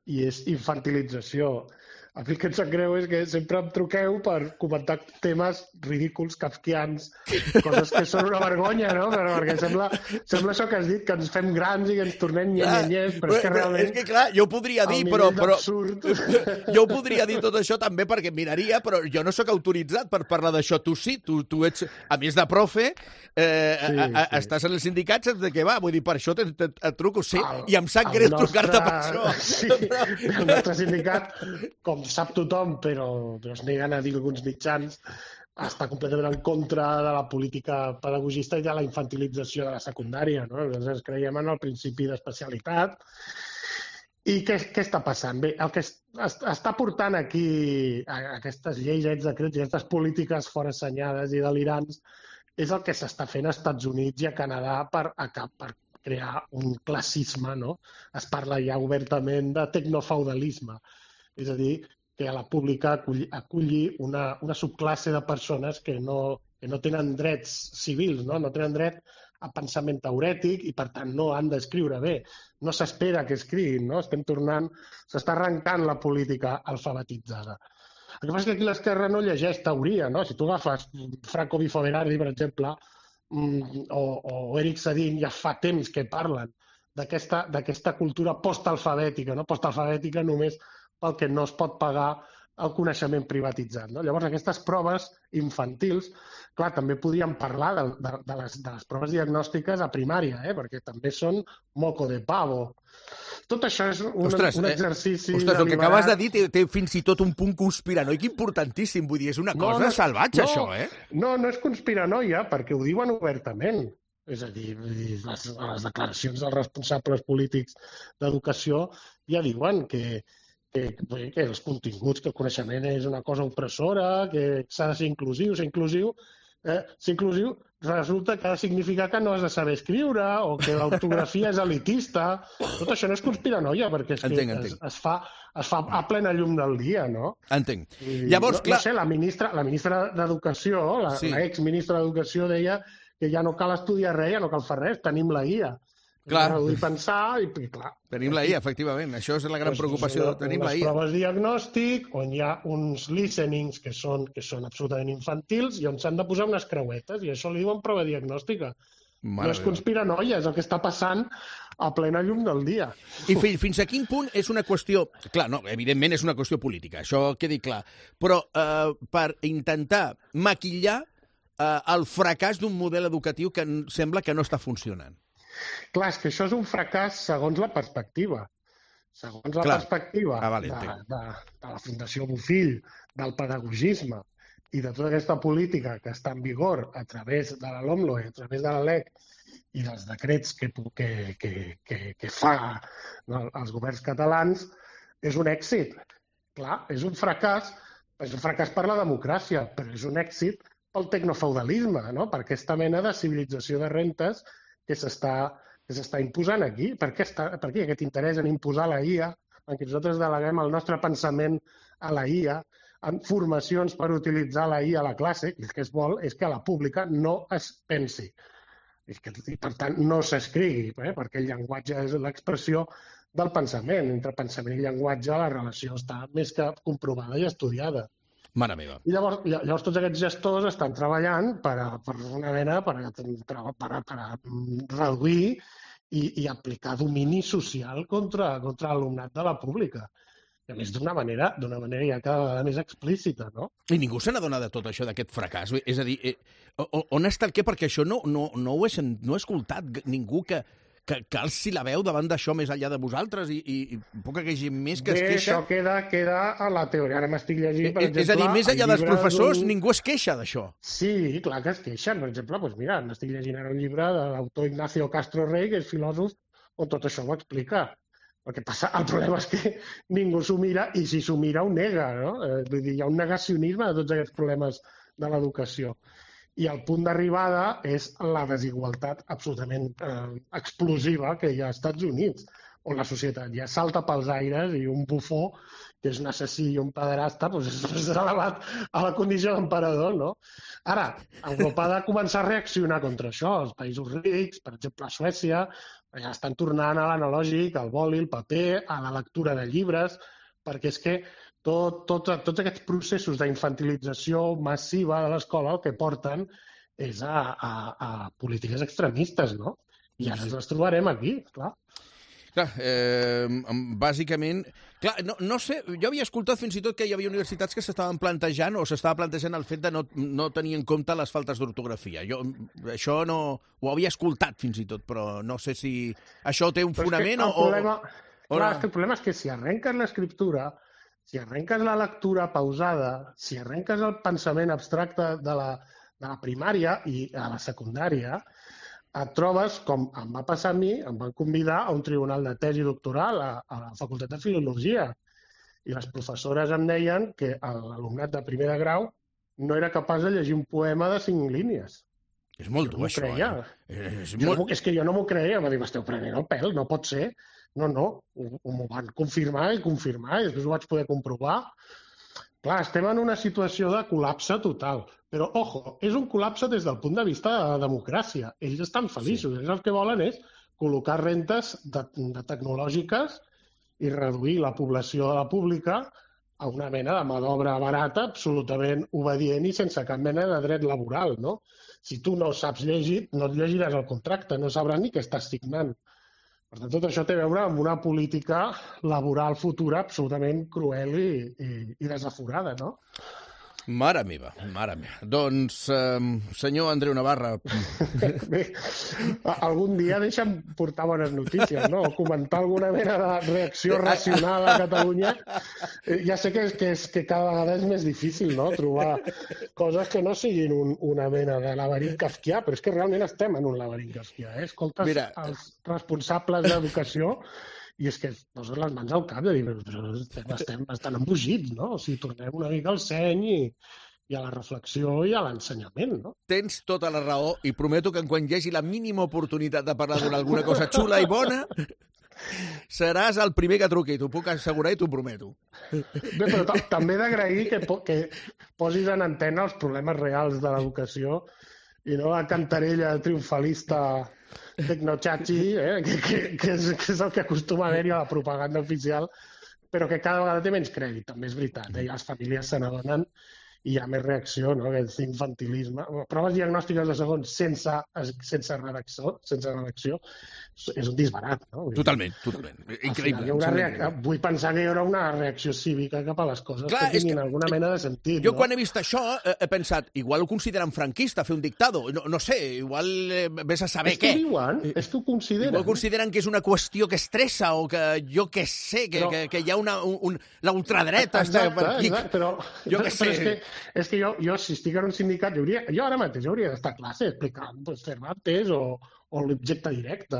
i és infantilització. A mi el que em sap greu és que sempre em truqueu per comentar temes ridículs, kafkians, coses que són una vergonya, no? Perquè sembla això que has dit, que ens fem grans i que ens tornem nyanyanyers, però és que realment... És que clar, jo ho podria dir, però... Jo ho podria dir tot això també perquè miraria, però jo no sóc autoritzat per parlar d'això. Tu sí, tu ets, a més de profe, estàs en el sindicat, saps de què va? Vull dir, per això et truco, sí, i em sap greu trucar-te per això. Sí, el nostre sindicat, com sap tothom, però es neguen a dir alguns mitjans, està completament en contra de la política pedagogista i de la infantilització de la secundària. Nosaltres creiem en el principi d'especialitat. I què està passant? Bé, el que està portant aquí aquestes lleis, aquests decrets i aquestes polítiques forassenyades i delirants és el que s'està fent als Estats Units i a Canadà per crear un classisme, no? Es parla ja obertament de tecnofeudalisme. És a dir, que a la pública aculli una subclasse de persones que no tenen drets civils, no tenen dret a pensament teorètic i, per tant, no han d'escriure bé. No s'espera que escriguin, no? S'està arrencant la política alfabetitzada. El que passa és que aquí l'esquerra no llegeix teoria, no? Si tu agafes Franco Bifo Berardi, per exemple, o Eric Sadin, ja fa temps que parlen d'aquesta cultura postalfabètica, no? Postalfabètica només pel que no es pot pagar el coneixement privatitzat. Llavors, aquestes proves infantils, clar, també podríem parlar de les proves diagnòstiques a primària, perquè també són moco de pavo. Tot això és un exercici... Ostres, el que acabes de dir té fins i tot un punt conspiranoic importantíssim. Vull dir, és una cosa salvatge, això, eh? No és conspiranoia, perquè ho diuen obertament. És a dir, les declaracions dels responsables polítics d'educació ja diuen que els continguts, que el coneixement és una cosa opressora, que s'ha de ser inclusiu. Ser inclusiu resulta que ha de significar que no has de saber escriure o que l'ortografia és elitista. Tot això no és conspiranoia, perquè és que es fa a plena llum del dia, no? Entenc. Llavors, clar... No sé, la ministra d'Educació, l'exministra d'Educació deia que ja no cal estudiar res, ja no cal fer res, tenim la IA. Clar. Reduir pensar i clar. Tenim la IA, efectivament. Això és la gran preocupació. Tenim la IA. Les proves diagnòstic, on hi ha uns listenings que són absolutament infantils i on s'han de posar unes creuetes, i això li diuen prova diagnòstica. No és conspiranoia, és el que està passant a plena llum del dia. I fins a quin punt és una qüestió... Clar, no, evidentment és una qüestió política, això quedi clar. Però per intentar maquillar el fracàs d'un model educatiu que sembla que no està funcionant. Clar, és que això és un fracàs segons la perspectiva. Segons la perspectiva de la Fundació Bofill, del pedagogisme, i de tota aquesta política que està en vigor a través de la LOMLOE, a través de la LEC i dels decrets que fa els governs catalans, és un èxit. Clar, és un fracàs per la democràcia, però és un èxit pel tecnofeudalisme, no? Per aquesta mena de civilització de rentes que s'està imposant aquí. Per què aquest interès en imposar la IA, en què nosaltres deleguem el nostre pensament a la IA, en formacions per utilitzar la IA a la classe, i el que es vol és que a la pública no es pensi. I per tant no s'escrigui, perquè el llenguatge és l'expressió del pensament. Entre pensament i llenguatge la relació està més que comprovada i estudiada. Mare meva. I llavors tots aquests gestors estan treballant per una mena per reduir i aplicar domini social contra l'alumnat de la pública. I a més d'una manera ja cada vegada més explícita, no? I ningú se n'adona de tot això, d'aquest fracàs. És a dir, on està el què? Perquè això no ho he escoltat ningú que alci la veu davant d'això més enllà de vosaltres i poca que hi hagi més que es queixa. Això queda a la teoria. Ara m'estic llegint, per exemple... És a dir, més enllà dels professors, ningú es queixa d'això. Sí, clar que es queixen. Per exemple, doncs mira, m'estic llegint ara un llibre de l'autor Ignacio Castro Rey, que és filòsof, on tot això ho explica. El problema és que ningú s'ho mira, i si s'ho mira ho nega, no? Vull dir, hi ha un negacionisme de tots aquests problemes de l'educació. I el punt d'arribada és la desigualtat absolutament explosiva que hi ha als Estats Units, on la societat ja salta pels aires i un bufó, que és un assassí i un pederasta, és elevat a la condició d'emperador, no? Ara, Europa ha de començar a reaccionar contra això. Els països rics, per exemple, a Suècia, ja estan tornant a l'analògic, al boli, al paper, a la lectura de llibres, perquè és que tots aquests processos d'infantilització massiva de l'escola el que porten és a polítiques extremistes, no? I ara ens les trobarem aquí, clar. Clar, bàsicament... Clar, no sé, jo havia escoltat fins i tot que hi havia universitats que s'estaven plantejant o s'estava plantejant el fet de no tenir en compte les faltes d'ortografia. Jo això no ho havia escoltat fins i tot, però no sé si això té un fonament o... Clar, és que el problema és que si arrenques l'escriptura, si arrenques la lectura pausada, si arrenques el pensament abstracte de la primària i a la secundària, et trobes, com em va passar a mi, em van convidar a un tribunal de tesi doctoral a la Facultat de Filologia. I les professores em deien que l'alumnat de primer de grau no era capaç de llegir un poema de 5 línies. És molt dur, això. És que jo no m'ho creia. Em va dir, m'esteu prenent el pèl, no pot ser. No, m'ho van confirmar i després ho vaig poder comprovar. Clar, estem en una situació de col·lapse total. Però, ojo, és un col·lapse des del punt de vista de la democràcia. Ells estan feliços. Ells el que volen és col·locar rentes tecnològiques i reduir la població de la pública a una mena de mà d'obra barata, absolutament obedient i sense cap mena de dret laboral, no? Si tu no saps llegir, no et llegiràs el contracte, no sabràs ni què estàs signant. Per tant, tot això té a veure amb una política laboral futura absolutament cruel i desaforada, no? Mare meva. Doncs, senyor Andreu Navarra... Bé, algun dia deixa'm portar bones notícies, no? O comentar alguna mena de reacció racional a Catalunya. Ja sé que cada vegada és més difícil, no?, trobar coses que no siguin una mena de laberint kafkià, però és que realment estem en un laberint kafkià, eh? Escoltes els responsables d'educació i és que es posen les mans al cap de dir, però estem bastant embogits, no? O sigui, tornem una mica al seny i a la reflexió i a l'ensenyament, no? Tens tota la raó i prometo que quan hi hagi la mínima oportunitat de parlar d'alguna cosa xula i bona, seràs el primer que truqui, t'ho puc assegurar i t'ho prometo. Bé, però també he d'agrair que posis en antena els problemes reals de l'educació i no la cantarella triomfalista tecnochachi, que és el que acostuma a haver-hi a la propaganda oficial, però que cada vegada té menys crèdit, també és veritat. Les famílies se n'adonen i hi ha més reacció, no? Aquest infantilisme. Proves diagnòstiques de segons sense redacció és un disbarat, no? Totalment. Increïble. Vull pensar que hi haurà una reacció cívica cap a les coses que tinguin alguna mena de sentit. Jo quan he vist això he pensat, igual ho consideren franquista, fer un dictado. No sé, igual vés a saber què. És que ho consideren. Igual consideren que és una qüestió que estressa o que jo què sé, que hi ha la ultradreta per aquí. Però és que jo, si estic en un sindicat, jo ara mateix hauria d'estar a classe explicant Cervantes o l'objecte directe.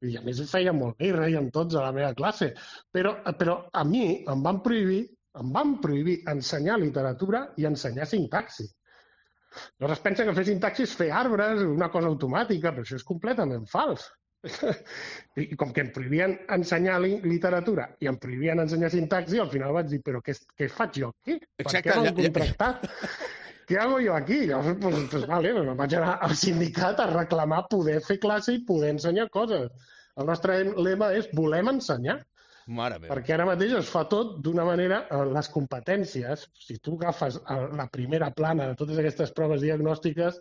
I a més feia molt bé i reiem tots a la meva classe. Però a mi em van prohibir ensenyar literatura i ensenyar sintaxi. Llavors es pensa que fer sintaxi és fer arbres, una cosa automàtica, però això és completament fals. I com que em prohibien ensenyar literatura i em prohibien ensenyar sintaxi, al final vaig dir, però què faig jo aquí? Per què m'han contractat? Què hago jo aquí? Llavors, me'n vaig anar al sindicat a reclamar poder fer classe i poder ensenyar coses. El nostre lema és volem ensenyar. Perquè ara mateix es fa tot d'una manera, les competències, si tu agafes la primera plana de totes aquestes proves diagnòstiques,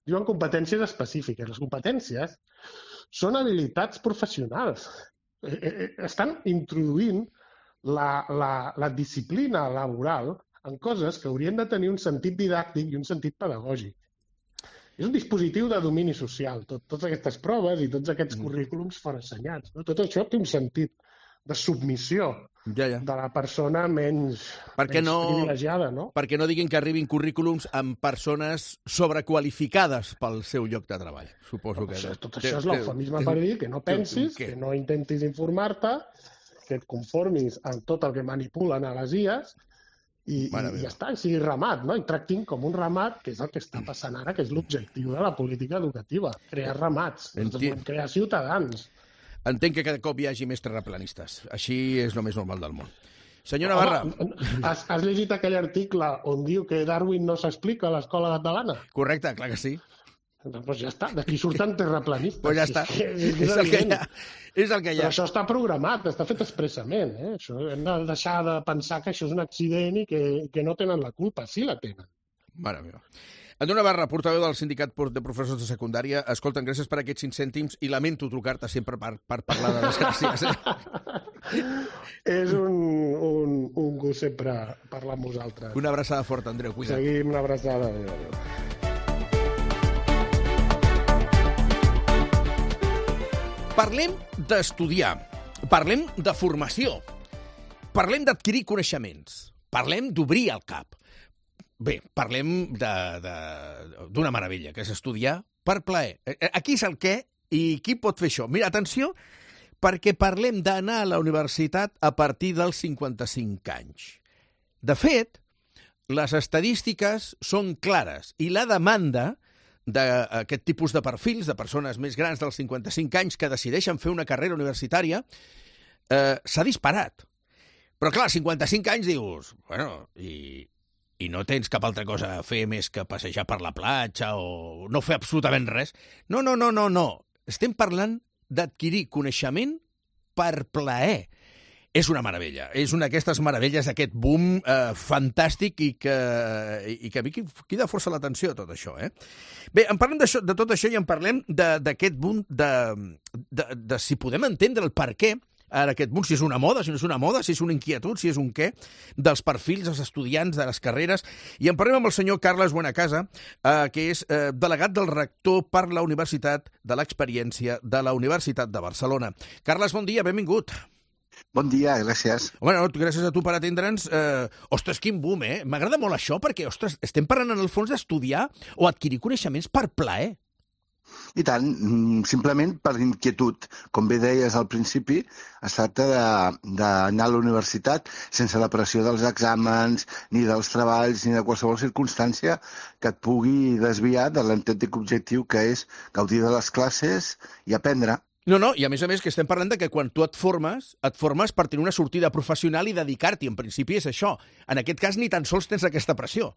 diuen competències específiques. Les competències són habilitats professionals. Estan introduint la disciplina laboral en coses que haurien de tenir un sentit didàctic i un sentit pedagògic. És un dispositiu de domini social, totes aquestes proves i tots aquests currículums foressenyats. Tot això té un sentit de submissió de la persona menys privilegiada. Perquè no diguin que arribin currículums amb persones sobrequalificades pel seu lloc de treball. Suposo que... Tot això és l'eufemisme per dir que no pensis, que no intentis informar-te, que et conformis amb tot el que manipulen a les IAs i ja està, i sigui ramat, no? I tractin com un ramat, que és el que està passant ara, que és l'objectiu de la política educativa, crear ramats, crear ciutadans. Entenc que cada cop hi hagi més terraplanistes. Així és el més normal del món. Senyor Navarra. Has llegit aquell article on diu que Darwin no s'explica a l'escola catalana? Correcte, clar que sí. Doncs ja està, d'aquí surten terraplanistes. Pues ja està, és el que hi ha. Però això està programat, està fet expressament. Hem de deixar de pensar que això és un accident i que no tenen la culpa. Sí la tenen. Mare meva. Antoni Navarra, portaveu del Sindicat de Professors de Secundària. Escolta'm, gràcies per aquests 5 cèntims i lamento trucar-te sempre per parlar de les gràcies. És un gust sempre parlar amb vosaltres. Una abraçada forta, Andreu, cuida't. Seguim, una abraçada. Adéu. Parlem d'estudiar, parlem de formació, parlem d'adquirir coneixements, parlem d'obrir el cap. Bé, parlem d'una meravella, que és estudiar per plaer. Aquí és el què i qui pot fer això. Mira, atenció, perquè parlem d'anar a la universitat a partir dels 55 anys. De fet, les estadístiques són clares i la demanda d'aquest tipus de perfils, de persones més grans dels 55 anys que decideixen fer una carrera universitària, s'ha disparat. Però clar, 55 anys dius, bueno, i no tens cap altra cosa a fer més que passejar per la platja o no fer absolutament res. No. Estem parlant d'adquirir coneixement per plaer. És una meravella. És una d'aquestes meravelles d'aquest boom fantàstic i que a mi crida força l'atenció tot això. Bé, en parlem de tot això i en parlem d'aquest boom de si podem entendre el per què ara aquest boom, si és una moda, si no és una moda, si és una inquietud, si és un què, dels perfils dels estudiants, de les carreres. I en parlem amb el senyor Carles Buenacasa, que és delegat del rector per la Universitat de l'Experiència de la Universitat de Barcelona. Carles, bon dia, benvingut. Bon dia, gràcies. Bueno, gràcies a tu per atendre'ns. Ostres, quin boom, M'agrada molt això perquè, ostres, estem parlant en el fons d'estudiar o adquirir coneixements per plaer. I tant, simplement per inquietud. Com bé deies al principi, es tracta d'anar a la universitat sense la pressió dels exàmens, ni dels treballs, ni de qualsevol circumstància que et pugui desviar de l'autèntic objectiu que és gaudir de les classes i aprendre. No, i a més que estem parlant de que quan tu et formes per tenir una sortida professional i dedicar-t'hi. En principi és això. En aquest cas ni tan sols tens aquesta pressió.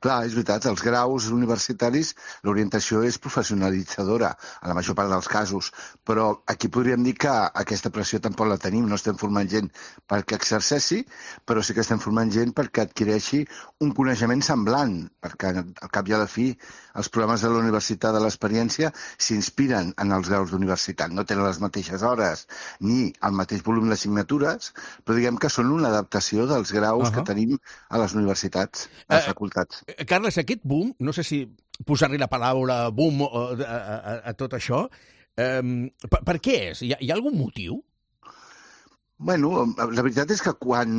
Clar, és veritat, els graus universitaris, l'orientació és professionalitzadora, en la major part dels casos, però aquí podríem dir que aquesta pressió tampoc la tenim, no estem formant gent perquè exerceixi, però sí que estem formant gent perquè adquireixi un coneixement semblant, perquè al cap i a la fi els programes de la universitat de l'experiència s'inspiren en els graus d'universitat, no tenen les mateixes hores ni el mateix volum d'assignatures, però diguem que són una adaptació dels graus que tenim a les universitats, a les facultats. Carles, aquest boom, no sé si posar-li la paraula boom a tot això, per què és? Hi ha algun motiu? Bueno, la veritat és que quan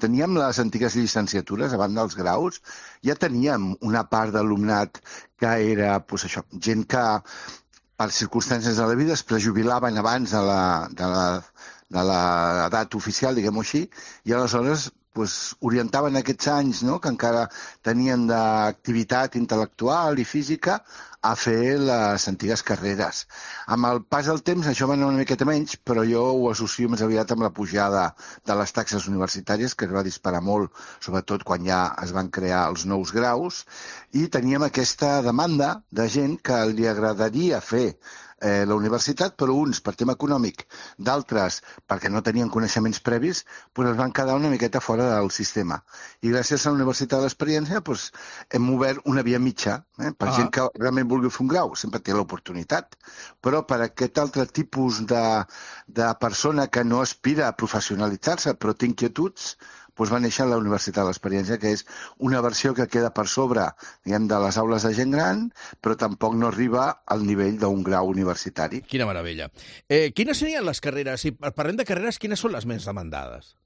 teníem les antigues llicenciatures, a banda dels graus, ja teníem una part d'alumnat que era, doncs això, gent que per circumstàncies de la vida es prejubilaven abans de l'edat oficial, diguem-ho així, i aleshores orientaven aquests anys que encara tenien d'activitat intel·lectual i física a fer les antigues carreres. Amb el pas del temps això va anar una miqueta menys, però jo ho associo més aviat amb la pujada de les taxes universitàries, que es va disparar molt, sobretot quan ja es van crear els nous graus, i teníem aquesta demanda de gent que li agradaria fer la universitat, però uns per tema econòmic, d'altres perquè no tenien coneixements previs, es van quedar una miqueta fora del sistema. I gràcies a la Universitat de l'Experiència hem obert una via mitja, per gent que realment vulgui fer un grau, sempre té l'oportunitat, però per aquest altre tipus de persona que no aspira a professionalitzar-se, però té inquietuds, va néixer la Universitat de l'Experiència, que és una versió que queda per sobre, diguem, de les aules de gent gran, però tampoc no arriba al nivell d'un grau universitari. Quina meravella. Quines serien les carreres? Si parlem de carreres, quines són les més demandades?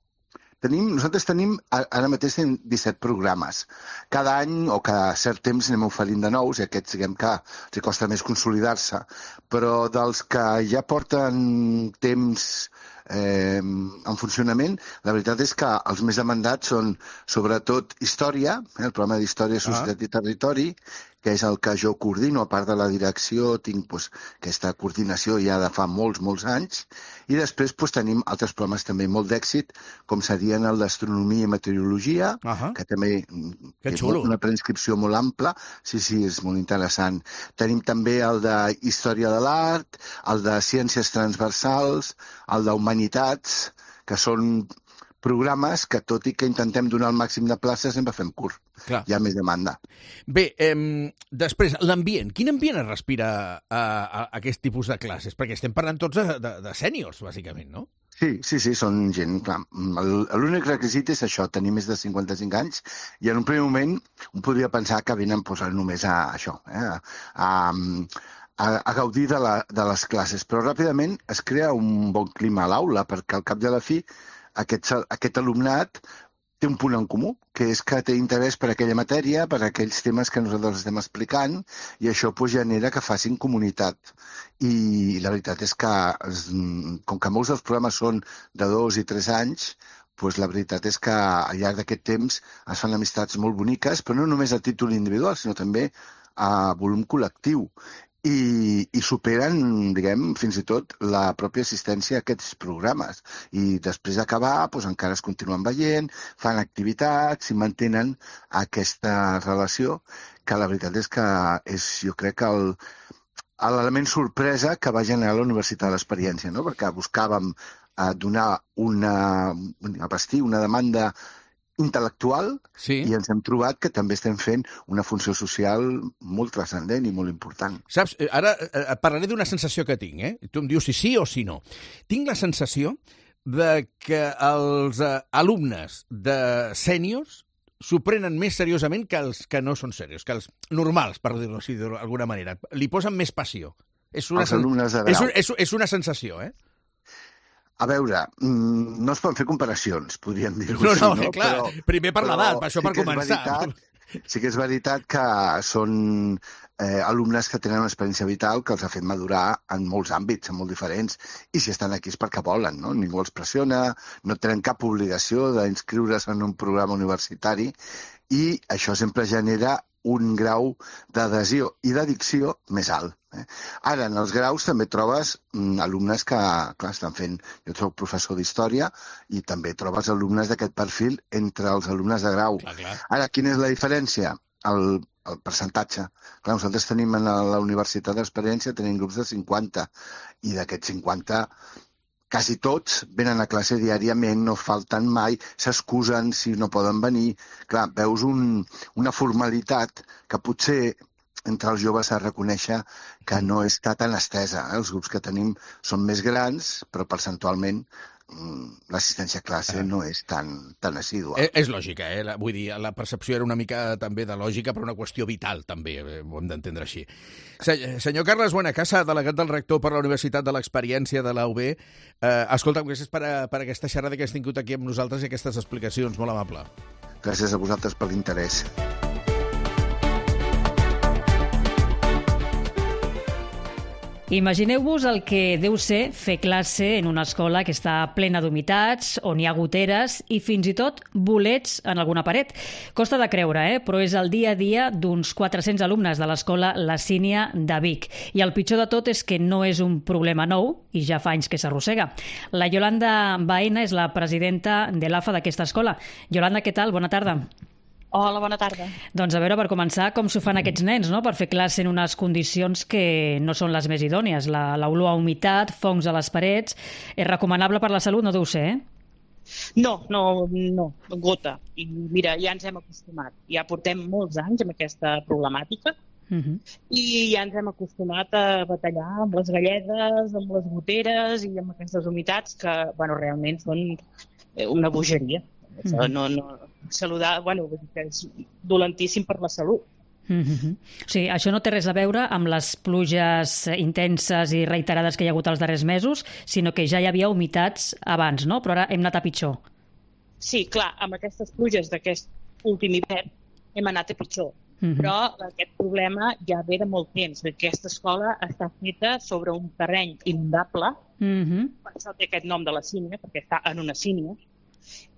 Nosaltres tenim, ara mateix, 17 programes. Cada any o cada cert temps anem oferint de nous, i aquests, diguem que els costa més consolidar-se. Però dels que ja porten temps en funcionament, la veritat és que els més demandats són sobretot Història, el programa d'Història, Societat i Territori, que és el que jo coordino, a part de la direcció, tinc aquesta coordinació ja de fa molts anys, i després tenim altres programes també molt d'èxit, com serien el d'Astronomia i Meteorologia, que també és una preinscripció molt ampla, sí, és molt interessant. Tenim també el de Història de l'Art, el de Ciències Transversals, el d'Humanitats, que són programes que, tot i que intentem donar el màxim de places, sempre fem curt. Clar. Hi ha més demanda. Bé, després, l'ambient. Quin ambient es respira a aquest tipus de classes? Perquè estem parlant tots de sèniors, bàsicament, no? Sí, són gent, clar. L'únic requisit és això, tenir més de 55 anys, i en un primer moment un podria pensar que venen només a això, a gaudir de les classes, però ràpidament es crea un bon clima a l'aula, perquè al cap de la fi aquest alumnat té un punt en comú, que és que té interès per aquella matèria, per aquells temes que nosaltres estem explicant, i això genera que facin comunitat. I la veritat és que, com que molts dels programes són de 2 i 3 anys, la veritat és que al llarg d'aquest temps es fan amistats molt boniques, però no només a títol individual, sinó també a volum col·lectiu. I superen, diguem, fins i tot la pròpia assistència a aquests programes. I després d'acabar, encara es continuen veient, fan activitats i mantenen aquesta relació, que la veritat és que és, jo crec, que l'element sorpresa que va generar la Universitat de l'Experiència, no? Perquè buscàvem donar vestir una demanda intel·lectual, i ens hem trobat que també estem fent una funció social molt transcendent i molt important. Saps, ara et parlaré d'una sensació que tinc, Tu em dius si sí o si no. Tinc la sensació de que els alumnes de sèniors s'ho prenen més seriosament que els que no són serios, que els normals, per dir-ho així d'alguna manera. Li posen més passió. Els alumnes de grau. És una sensació, A veure, no es poden fer comparacions, podríem dir-ho així. No, clar, primer per l'edat, això per començar. Sí que és veritat que són alumnes que tenen una experiència vital que els ha fet madurar en molts àmbits, en molt diferents, i si estan aquí és perquè volen, no? Ningú els pressiona, no tenen cap obligació d'inscriure's en un programa universitari, i això sempre genera un grau d'adhesió i d'addicció més alt. Ara, en els graus també trobes alumnes que, clar, estan fent... Jo soc professor d'història i també trobes alumnes d'aquest perfil entre els alumnes de grau. Ara, quina és la diferència? El percentatge. Clar, nosaltres tenim a la Universitat d'Experiència tenim grups de 50 i d'aquests 50 quasi tots venen a classe diàriament, no falten mai, s'excusen si no poden venir. Clar, veus una formalitat que potser entre els joves s'ha de reconèixer que no està tan estesa. Els grups que tenim són més grans, però percentualment l'assistència a classe no és tan assídua. És lògica, vull dir, la percepció era una mica també de lògica, però una qüestió vital també, ho hem d'entendre així. Senyor Carles Buenacasa, delegat del rector per la Universitat de l'Experiència de la UB, escolta'm, gràcies per aquesta xerrada que has tingut aquí amb nosaltres i aquestes explicacions, molt amable. Gràcies a vosaltres per l'interès. Imagineu-vos el que deu ser fer classe en una escola que està plena d'humitats, on hi ha goteres i fins i tot bolets en alguna paret. Costa de creure, però és el dia a dia d'uns 400 alumnes de l'escola La Sínia de Vic. I el pitjor de tot és que no és un problema nou i ja fa anys que s'arrossega. La Yolanda Baena és la presidenta de l'AFA d'aquesta escola. Yolanda, què tal? Bona tarda. Hola, bona tarda. Doncs a veure, per començar, com s'ho fan aquests nens, no?, per fer classe en unes condicions que no són les més idònies. L'olor a humitat, fongs a les parets... És recomanable per la salut, no deu ser, No, gota. I mira, ja ens hem acostumat. Ja portem molts anys amb aquesta problemàtica i ja ens hem acostumat a batallar amb les galledes, amb les goteres i amb aquestes humitats que, realment són una bogeria. Saludar, que és dolentíssim per la salut. Sí, això no té res a veure amb les pluges intenses i reiterades que hi ha hagut els darrers mesos, sinó que ja hi havia humitats abans, no? Però ara hem anat a pitjor. Sí, clar, amb aquestes pluges d'aquest últim hivern hem anat a pitjor. Però aquest problema ja ve de molt temps. Aquesta escola està feta sobre un terreny inundable, per això té aquest nom de la sínia, perquè està en una sínia,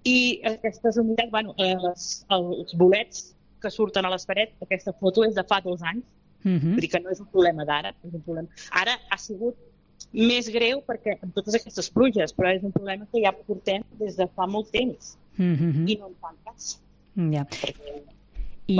i aquestes humitats, els bolets que surten a les parets, aquesta foto és de fa 2 anys, vull dir que no és un problema d'ara, ara ha sigut més greu perquè amb totes aquestes pluges, però és un problema que ja portem des de fa molt temps i no en fan cas. Ja. I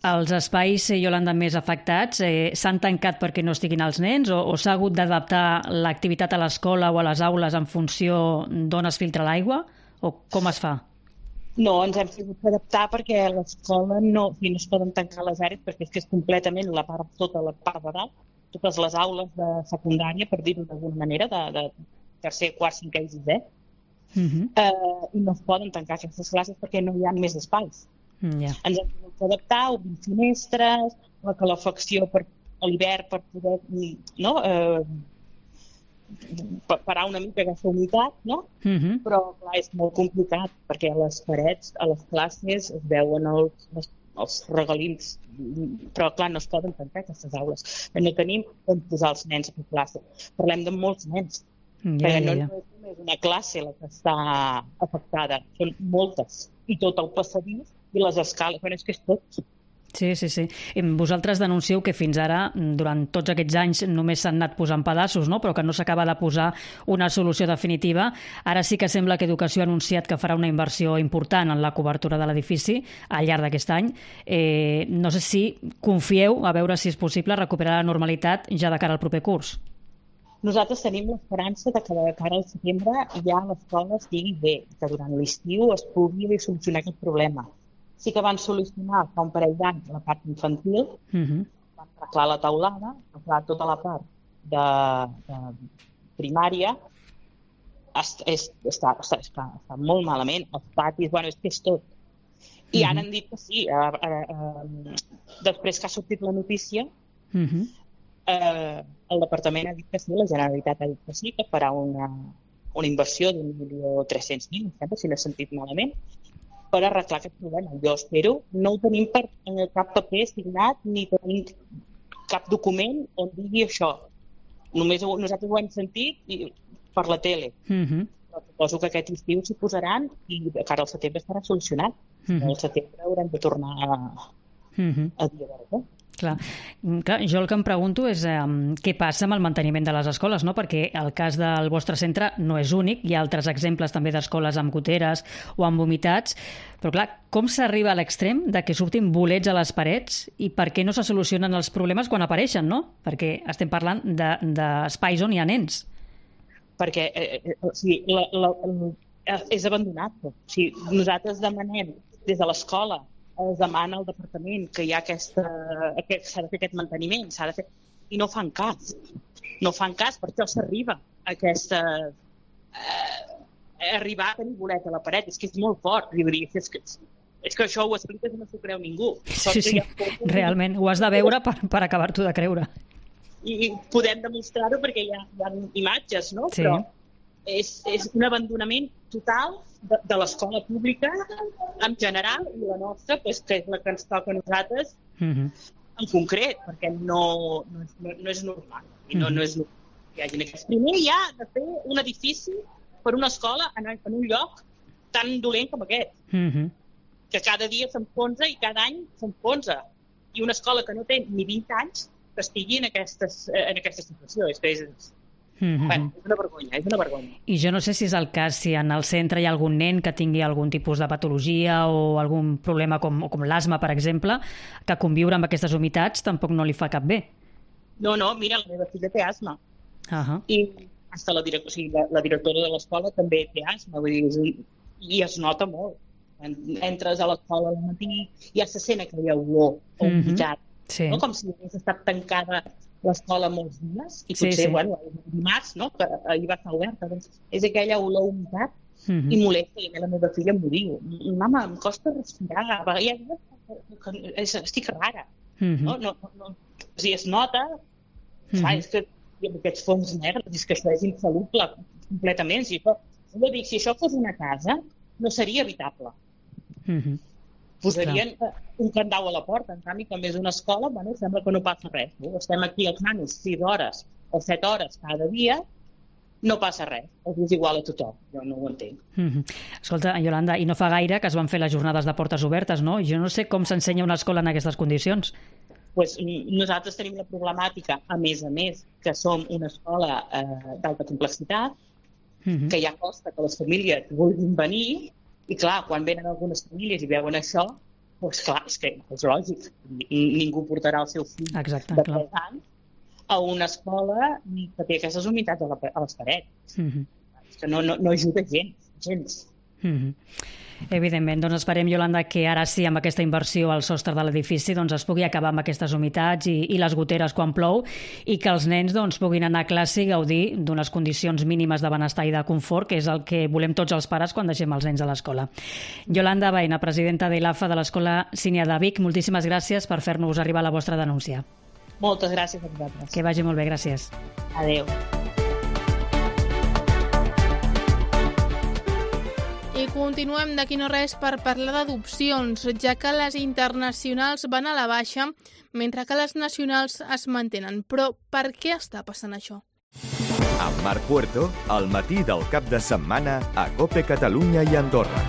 els espais, Yolanda, més afectats s'han tancat perquè no estiguin els nens o s'ha hagut d'adaptar l'activitat a l'escola o a les aules en funció d'on es filtra l'aigua? O com es fa? No, ens hem hagut d'adaptar perquè a l'escola no es poden tancar les àrees perquè és completament tota la part de dalt, totes les aules de secundària, per dir-ho d'alguna manera, de tercer, quart, cinquè i sisè, i no es poden tancar aquestes classes perquè no hi ha més espais. Ens hem hagut d'adaptar, obrir finestres, la calefacció a l'hivern per poder parar una mica aquesta humitat, no? Però clar, és molt complicat perquè a les parets, a les classes es veuen els regalins, però clar, no es poden tancar aquestes aules. No tenim on posar els nens a fer classe. Parlem de molts nens. Perquè no és només una classe la que està afectada, són moltes. I tot el passadís i les escales, però és que és tot. Sí. Vosaltres denuncieu que fins ara, durant tots aquests anys, només s'han anat posant pedaços, no? Però que no s'acaba de posar una solució definitiva. Ara sí que sembla que Educació ha anunciat que farà una inversió important en la cobertura de l'edifici al llarg d'aquest any. No sé si confieu a veure si és possible recuperar la normalitat ja de cara al proper curs. Nosaltres tenim l'esperança de que de cara al setembre ja l'escola estigui bé, que durant l'estiu es pugui solucionar aquest problema. Sí que van solucionar fa un parell d'anys la part infantil, van arreglar la taulada, arreglar tota la part de primària, està molt malament, els patis, és que és tot. I ara han dit que sí, després que ha sortit la notícia, el departament ha dit que sí, la Generalitat ha dit que sí, que farà una inversió d'1.300.000, si no he sentit malament, per arreglar aquest problema. Jo espero, no ho tenim per cap paper signat ni tenim cap document on digui això. Només nosaltres ho hem sentit per la tele. Però suposo que aquest estiu s'hi posaran i de cara al setembre estarà solucionat. Al setembre haurem de tornar a dia d'ara. Clar, jo el que em pregunto és què passa amb el manteniment de les escoles, no? Perquè el cas del vostre centre no és únic, hi ha altres exemples també d'escoles amb goteres o amb vomitats, però clar, com s'arriba a l'extrem de que surtin bolets a les parets i per què no se solucionen els problemes quan apareixen, no? Perquè estem parlant d'espais on hi ha nens. Perquè és abandonat. Nosaltres demanem des de l'escola, es demana al departament que hi ha s'ha de fer aquest manteniment, i no fan cas. No fan cas, per això s'arriba a arribar a tenir bolet a la paret. És que és molt fort. És que això ho expliques i no s'ho creu ningú. Sí, realment. Ho has de veure per acabar-t'ho de creure. I podem demostrar-ho perquè hi ha imatges, no? Sí. Però és un abandonament total de l'escola pública en general i la nostra, que és la que ens toca a nosaltres en concret, perquè no és normal. I no és normal que hi hagi aquests. Primer hi ha de fer un edifici per una escola en un lloc tan dolent com aquest, que cada dia s'enfonsa i cada any s'enfonsa. I una escola que no té ni 20 anys que estigui en aquesta situació. És una vergonya, és una vergonya. I jo no sé si és el cas, si en el centre hi ha algun nen que tingui algun tipus de patologia o algun problema com l'asma, per exemple, que conviure amb aquestes humitats tampoc no li fa cap bé. No, mira, la meva filla té asma. I fins la directora de l'escola també té asma, i es nota molt. Entres a l'escola al matí i ja se sent aquella olor o humitat, com si hagués estat tancada l'escola molts dies, i potser, dimarts, no?, que ahir va estar oberta, doncs és aquella olor humitat i molesta, i la meva filla m'ho diu. Mama, em costa respirar, estic rara. O sigui, es nota, és que amb aquests fongs negres, és que això és insoluble completament. Si això fos una casa, no seria habitable. Posarien un candau a la porta. En canvi, com és una escola, sembla que no passa res. Estem aquí els nanos 6 hores o 7 hores cada dia, no passa res. És igual a tothom. Jo no ho entenc. Escolta, Iolanda, i no fa gaire que es van fer les jornades de portes obertes, no? Jo no sé com s'ensenya una escola en aquestes condicions. Nosaltres tenim la problemàtica, a més, que som una escola d'alta complexitat, que ja costa que les famílies vulguin venir. I clar, quan venen algunes famílies i veuen això, doncs clar, és que és lògic. Ningú portarà el seu fill de 3 anys a una escola que té aquestes humitats a les parets. És que no ajuda gens. Evidentment, doncs esperem, Iolanda, que ara sí, amb aquesta inversió al sostre de l'edifici, doncs es pugui acabar amb aquestes humitats i les goteres quan plou, i que els nens doncs puguin anar a classe i gaudir d'unes condicions mínimes de benestar i de confort, que és el que volem tots els pares quan deixem els nens a l'escola. Iolanda Baena, presidenta de l'AFA de l'Escola Sínia de Vic, moltíssimes gràcies per fer-nos arribar la vostra denúncia. Moltes gràcies a vosaltres. Que vagi molt bé, gràcies. Adéu. I continuem d'aquí no res per parlar d'adopcions, ja que les internacionals van a la baixa, mentre que les nacionals es mantenen. Però per què està passant això? Amb Marc Puerto, al matí del cap de setmana a COPE Catalunya i Andorra.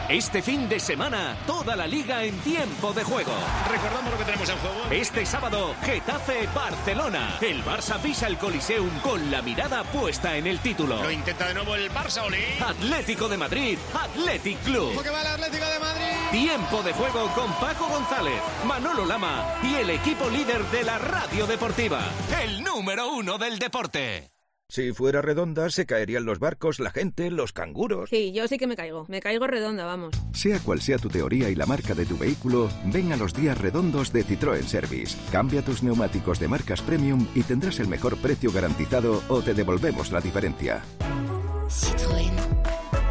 Este fin de semana, toda la liga en tiempo de juego. Recordamos lo que tenemos en juego. Este sábado, Getafe-Barcelona. El Barça pisa el Coliseum con la mirada puesta en el título. Lo intenta de nuevo el Barça, Oli. Atlético de Madrid, Athletic Club. ¿Cómo que va el Atlético de Madrid? Tiempo de juego con Paco González, Manolo Lama y el equipo líder de la radio deportiva. El número 1 del deporte. Si fuera redonda, se caerían los barcos, la gente, los canguros. Sí, yo sí que me caigo redonda, vamos. Sea cual sea tu teoría y la marca de tu vehículo, ven a los días redondos de Citroën Service. Cambia tus neumáticos de marcas premium y tendrás el mejor precio garantizado o te devolvemos la diferencia. Citroën.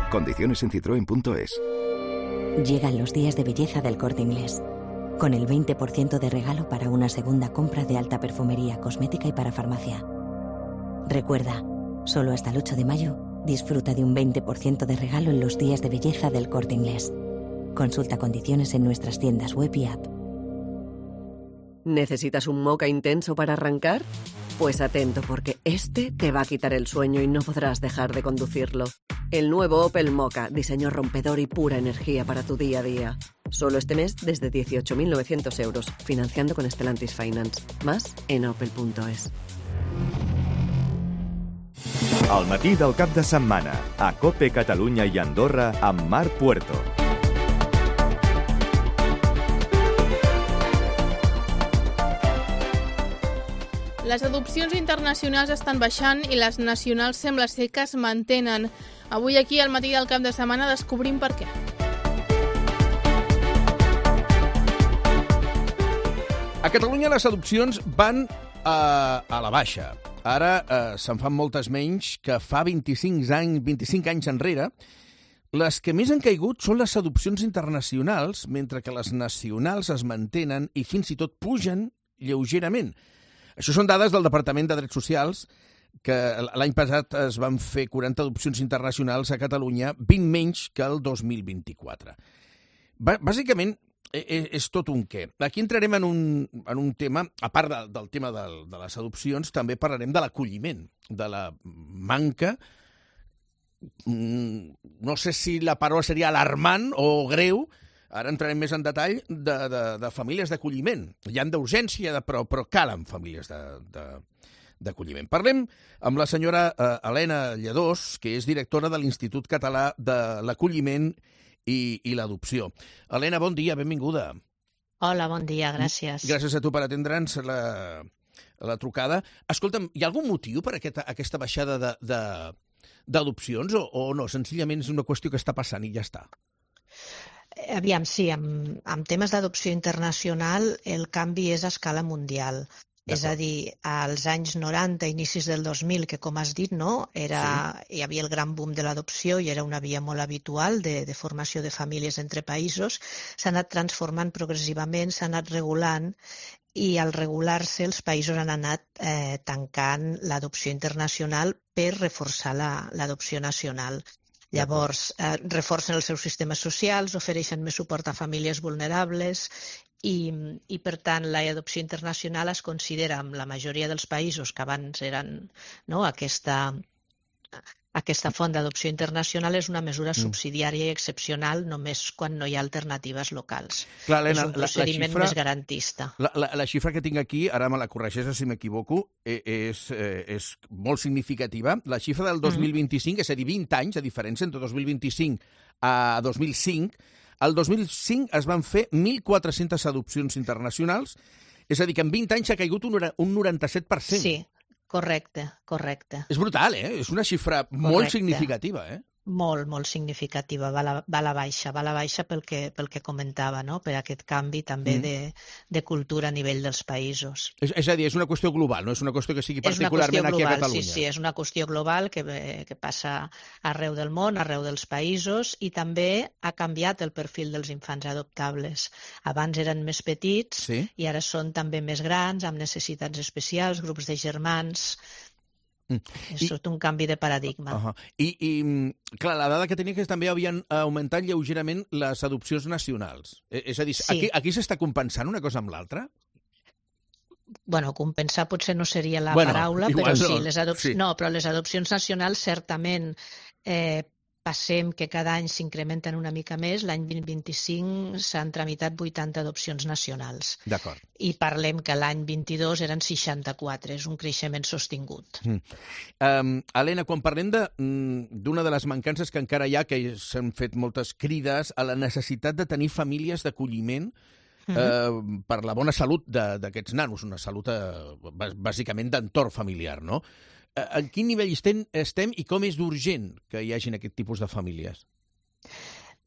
Condiciones en citroen.es. Llegan los días de belleza del Corte Inglés. Con el 20% de regalo para una segunda compra de alta perfumería, cosmética y para farmacia. Recuerda, solo hasta el 8 de mayo, disfruta de un 20% de regalo en los días de belleza del Corte Inglés. Consulta condiciones en nuestras tiendas web y app. ¿Necesitas un moca intenso para arrancar? Pues atento, porque este te va a quitar el sueño y no podrás dejar de conducirlo. El nuevo Opel Mokka, diseño rompedor y pura energía para tu día a día. Solo este mes desde 18.900 euros, financiando con Stellantis Finance. Más en opel.es. Al matí del cap de setmana, a COPE Catalunya i Andorra amb Marc Puerto. Les adopcions internacionals estan baixant i les nacionals sembla ser que es mantenen. Avui aquí, al matí del cap de setmana, descobrim per què. A Catalunya les adopcions van a la baixa. Ara se'n fan moltes menys que fa 25 anys enrere. Les que més han caigut són les adopcions internacionals, mentre que les nacionals es mantenen i fins i tot pugen lleugerament. Això són dades del Departament de Drets Socials, que l'any passat es van fer 40 adopcions internacionals a Catalunya, 20 menys que el 2024. Bàsicament, és tot un què. Aquí entrarem en un tema, a part del tema de les adopcions, també parlarem de l'acolliment, de la manca, no sé si la paraula seria alarmant o greu, ara entrarem més en detall, de famílies d'acolliment. Hi han d'urgència, però calen famílies d'acolliment. Parlem amb la senyora Helena Lledós, que és directora de l'Institut Català de l'Acolliment i l'Adopció. Helena, bon dia, benvinguda. Hola, bon dia, gràcies. Gràcies a tu per atendre'ns la trucada. Escolta'm, hi ha algun motiu per aquesta baixada d'adopcions o no? Senzillament és una qüestió que està passant i ja està. Aviam, sí, amb temes d'adopció internacional el canvi és a escala mundial. És a dir, als anys 90, inicis del 2000, que com has dit, no, hi havia el gran boom de l'adopció i era una via molt habitual de formació de famílies entre països, s'ha anat transformant progressivament, s'ha anat regulant i al regular-se els països han anat tancant l'adopció internacional per reforçar l'adopció nacional. Llavors, reforcen els seus sistemes socials, ofereixen més suport a famílies vulnerables i per tant, l'adopció internacional es considera en la majoria dels països que abans eren aquesta font d'adopció internacional és una mesura subsidiària i excepcional només quan no hi ha alternatives locals. Clar, Helena, és un procediment més garantista. La xifra que tinc aquí, ara me la corregeixes si m'equivoco, és molt significativa. La xifra del 2025, és a dir, 20 anys de diferència entre 2025 a 2005. El 2005 es van fer 1.400 adopcions internacionals, és a dir, que en 20 anys s'ha caigut un 97%. Sí, correcte. És brutal, És una xifra molt significativa, Molt, molt significativa. Va a la baixa pel que comentava, no? Per aquest canvi també de cultura a nivell dels països. És a dir, és una qüestió global, no és una qüestió que sigui particularment aquí a Catalunya. Sí, és una qüestió global que passa arreu del món, arreu dels països i també ha canviat el perfil dels infants adoptables. Abans eren més petits i ara són també més grans, amb necessitats especials, grups de germans. És tot un canvi de paradigma. I, clar, la dada que tenia que també havien augmentat lleugerament les adopcions nacionals. És a dir, aquí s'està compensant una cosa amb l'altra? Bueno, compensar potser no seria la paraula, però sí, però les adopcions nacionals certament passem que cada any s'incrementen una mica més. L'any 2025 s'han tramitat 80 adopcions nacionals. D'acord. I parlem que l'any 22 eren 64. És un creixement sostingut. Helena, quan parlem d'una de les mancances que encara hi ha, que s'han fet moltes crides a la necessitat de tenir famílies d'acolliment per la bona salut d'aquests nanos, una salut bàsicament d'entorn familiar, no? En quin nivell estem i com és d'urgent que hi hagin aquest tipus de famílies?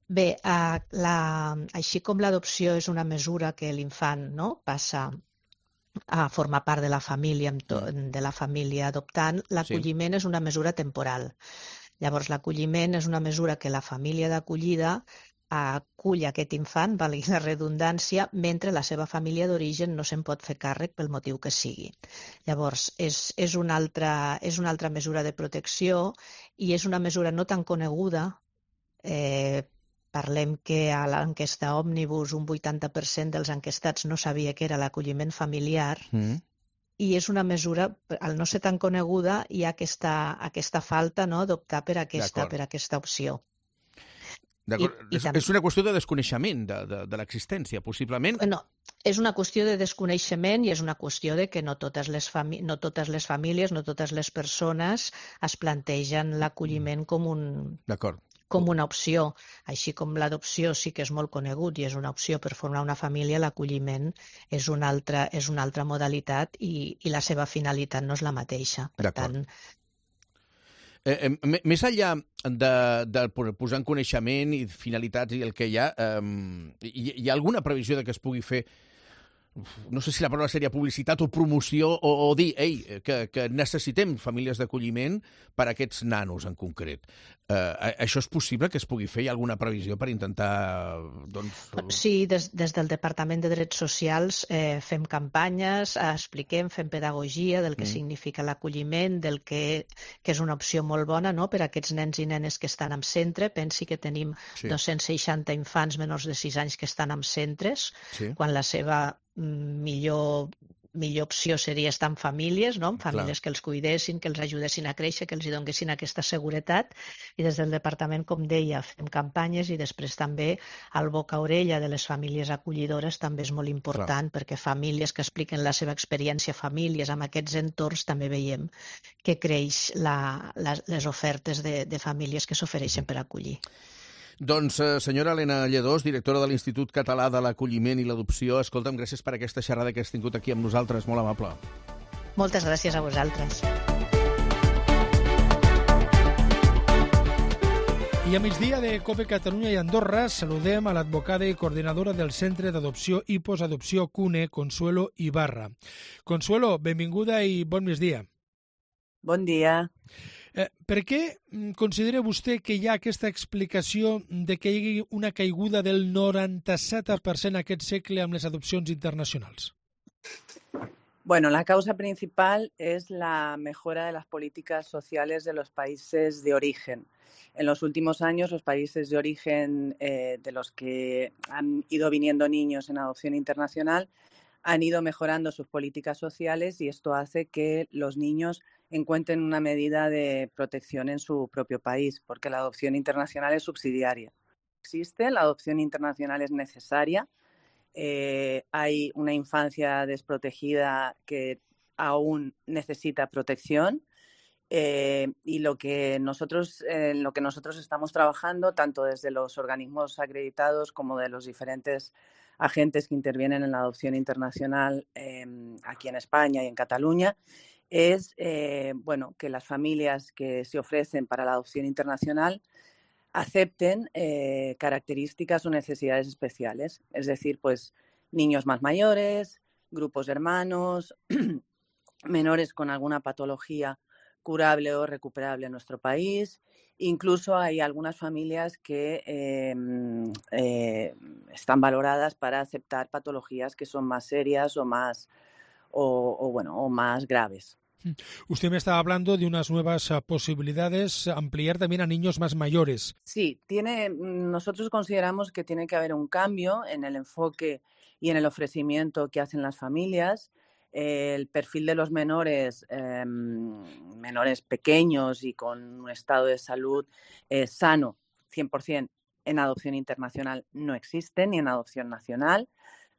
Bé, així com l'adopció és una mesura que l'infant passa a formar part de la família adoptant, l'acolliment és una mesura temporal. Llavors, l'acolliment és una mesura que la família d'acollida acull aquest infant, valgui la redundància, mentre la seva família d'origen no se'n pot fer càrrec pel motiu que sigui. Llavors, és una altra mesura de protecció i és una mesura no tan coneguda. Parlem que a l'enquesta Òmnibus un 80% dels enquestats no sabia què era l'acolliment familiar i és una mesura, al no ser tan coneguda, hi ha aquesta falta, no?, d'optar per aquesta opció. D'acord. És una qüestió de desconeixement de l'existència, possiblement? No, és una qüestió de desconeixement i és una qüestió de que no totes les famílies, no totes les persones es plantegen l'acolliment com una opció. Així com l'adopció sí que és molt conegut i és una opció per formar una família, l'acolliment és una altra modalitat i la seva finalitat no és la mateixa. Per tant, més enllà de posar en coneixement i finalitats i el que hi ha alguna previsió de que es pugui fer, no sé si la paraula seria publicitat o promoció, o dir, que necessitem famílies d'acolliment per a aquests nanos en concret. Això és possible que es pugui fer? Hi ha alguna previsió per intentar... Sí, des del Departament de Drets Socials fem campanyes, expliquem, fem pedagogia del que significa l'acolliment, del que és una opció molt bona, no?, per a aquests nens i nenes que estan en centre. Pensi que tenim 260 infants menors de 6 anys que estan en centres, quan la seva millor opció seria estar en famílies, no?, en famílies que els cuidessin, que els ajudessin a créixer, que els donessin aquesta seguretat. I des del departament, com deia, fem campanyes i després també el boca a orella de les famílies acollidores també és molt important, perquè famílies que expliquen la seva experiència, famílies amb aquests entorns, també veiem que creix les ofertes de famílies que s'ofereixen per acollir. Doncs, senyora Helena Lledós, directora de l'Institut Català de l'Acolliment i l'Adopció, escolta'm, gràcies per aquesta xerrada que has tingut aquí amb nosaltres, molt amable. Moltes gràcies a vosaltres. I a migdia de COPE Catalunya i Andorra saludem a l'advocada i coordinadora del Centre d'Adopció i Postadopció CUNE, Consuelo Ibarra. Consuelo, benvinguda i bon migdia. Bon dia. Per què considera vostè que hi ha aquesta explicació de que hi hagi una caiguda del 97% aquest segle amb les adopcions internacionals? Bueno, la causa principal es la mejora de las políticas sociales de los países de origen. En los últimos años, los países de origen de los que han ido viniendo niños en adopción internacional han ido mejorando sus políticas sociales y esto hace que los niños encuentren una medida de protección en su propio país, porque la adopción internacional es subsidiaria. Existe, la adopción internacional es necesaria. Hay una infancia desprotegida que aún necesita protección y lo que nosotros estamos trabajando, tanto desde los organismos acreditados como de los diferentes agentes que intervienen en la adopción internacional aquí en España y en Cataluña, es que las familias que se ofrecen para la adopción internacional acepten características o necesidades especiales, es decir, pues niños más mayores, grupos de hermanos, menores con alguna patología curable o recuperable en nuestro país. Incluso hay algunas familias que están valoradas para aceptar patologías que son más serias o más graves. Usted me estaba hablando de unas nuevas posibilidades, ampliar también a niños más mayores. Sí, nosotros consideramos que tiene que haber un cambio en el enfoque y en el ofrecimiento que hacen las familias. El perfil de los menores pequeños y con un estado de salud sano, 100%, en adopción internacional no existe, ni en adopción nacional.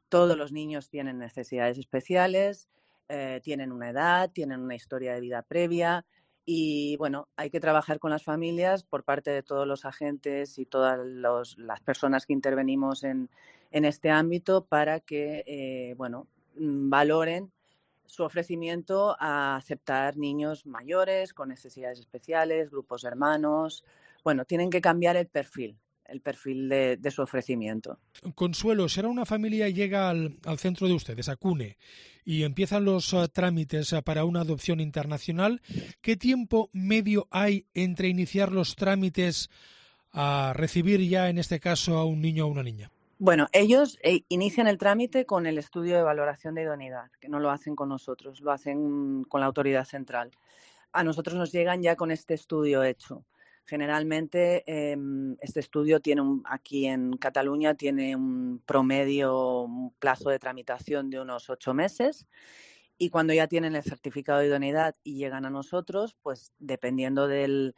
Todos los niños tienen necesidades especiales, tienen una edad, tienen una historia de vida previa y, bueno, hay que trabajar con las familias por parte de todos los agentes y todas las personas que intervenimos en este ámbito para que, valoren su ofrecimiento a aceptar niños mayores con necesidades especiales, grupos de hermanos. Bueno, tienen que cambiar el perfil de su ofrecimiento. Consuelo, si ahora una familia llega al centro de ustedes, a CUNE, y empiezan los trámites para una adopción internacional, ¿qué tiempo medio hay entre iniciar los trámites a recibir ya, en este caso, a un niño o una niña? Bueno, ellos inician el trámite con el estudio de valoración de idoneidad, que no lo hacen con nosotros, lo hacen con la autoridad central. A nosotros nos llegan ya con este estudio hecho. Generalmente este estudio aquí en Cataluña tiene un plazo de tramitación de unos 8 meses Y cuando ya tienen el certificado de idoneidad y llegan a nosotros, pues dependiendo del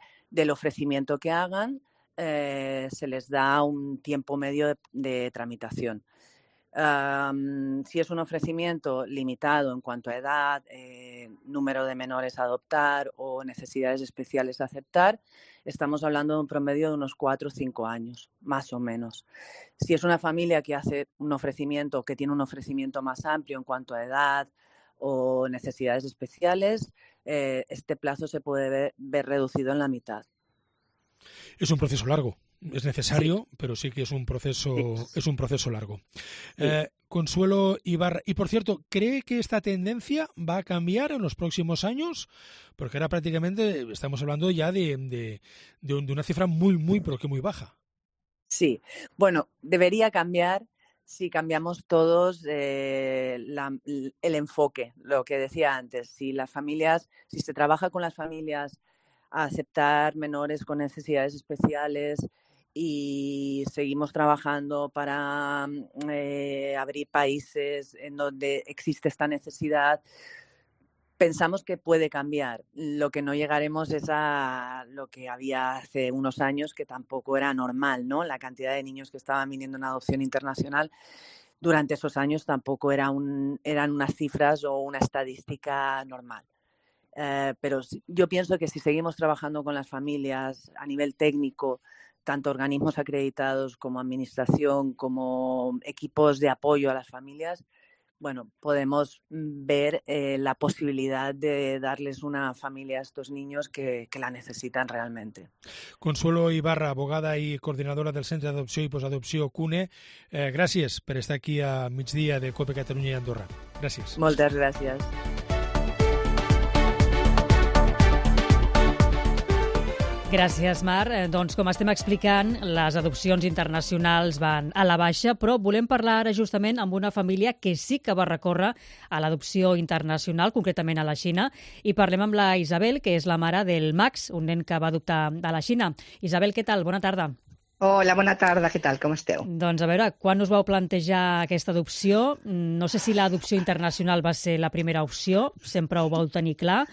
ofrecimiento que hagan, se les da un tiempo medio de tramitación. Si es un ofrecimiento limitado en cuanto a edad, número de menores a adoptar o necesidades especiales a aceptar, estamos hablando de un promedio de unos 4 o 5 años, más o menos. Si es una familia que hace un ofrecimiento, que tiene un ofrecimiento más amplio en cuanto a edad o necesidades especiales, este plazo se puede ver reducido en la mitad. Es un proceso largo. Es necesario, sí, pero sí que es un proceso, sí, es un proceso largo. Sí. Consuelo Ibarra. Y por cierto, ¿cree que esta tendencia va a cambiar en los próximos años? Porque ahora prácticamente estamos hablando ya de una cifra muy, pero que muy baja. Sí, bueno, debería cambiar si cambiamos todos el enfoque, lo que decía antes. Si se trabaja con las familias a aceptar menores con necesidades especiales y seguimos trabajando para abrir países en donde existe esta necesidad, pensamos que puede cambiar. Lo que no llegaremos es a lo que había hace unos años, que tampoco era normal, ¿no? La cantidad de niños que estaban viniendo en adopción internacional durante esos años tampoco eran unas cifras o una estadística normal. Pero yo pienso que si seguimos trabajando con las familias a nivel técnico, tanto organismos acreditados como administración, como equipos de apoyo a las familias, bueno, podemos ver la posibilidad de darles una familia a estos niños que la necesitan realmente. Consuelo Ibarra, abogada i coordinadora del Centre d'Adopció i Postadopció CUNE, gràcies per estar aquí a migdia de COPE Catalunya i Andorra. Gràcies. Moltes gràcies. Gràcies, Mar. Doncs, com estem explicant, les adopcions internacionals van a la baixa, però volem parlar ara justament amb una família que sí que va recórrer a l'adopció internacional, concretament a la Xina, i parlem amb la Isabel, que és la mare del Max, un nen que va adoptar a la Xina. Isabel, què tal? Bona tarda. Hola, bona tarda, què tal? Com esteu? Doncs a veure, quan us vau plantejar aquesta adopció? No sé si l'adopció internacional va ser la primera opció, sempre ho vau tenir clar,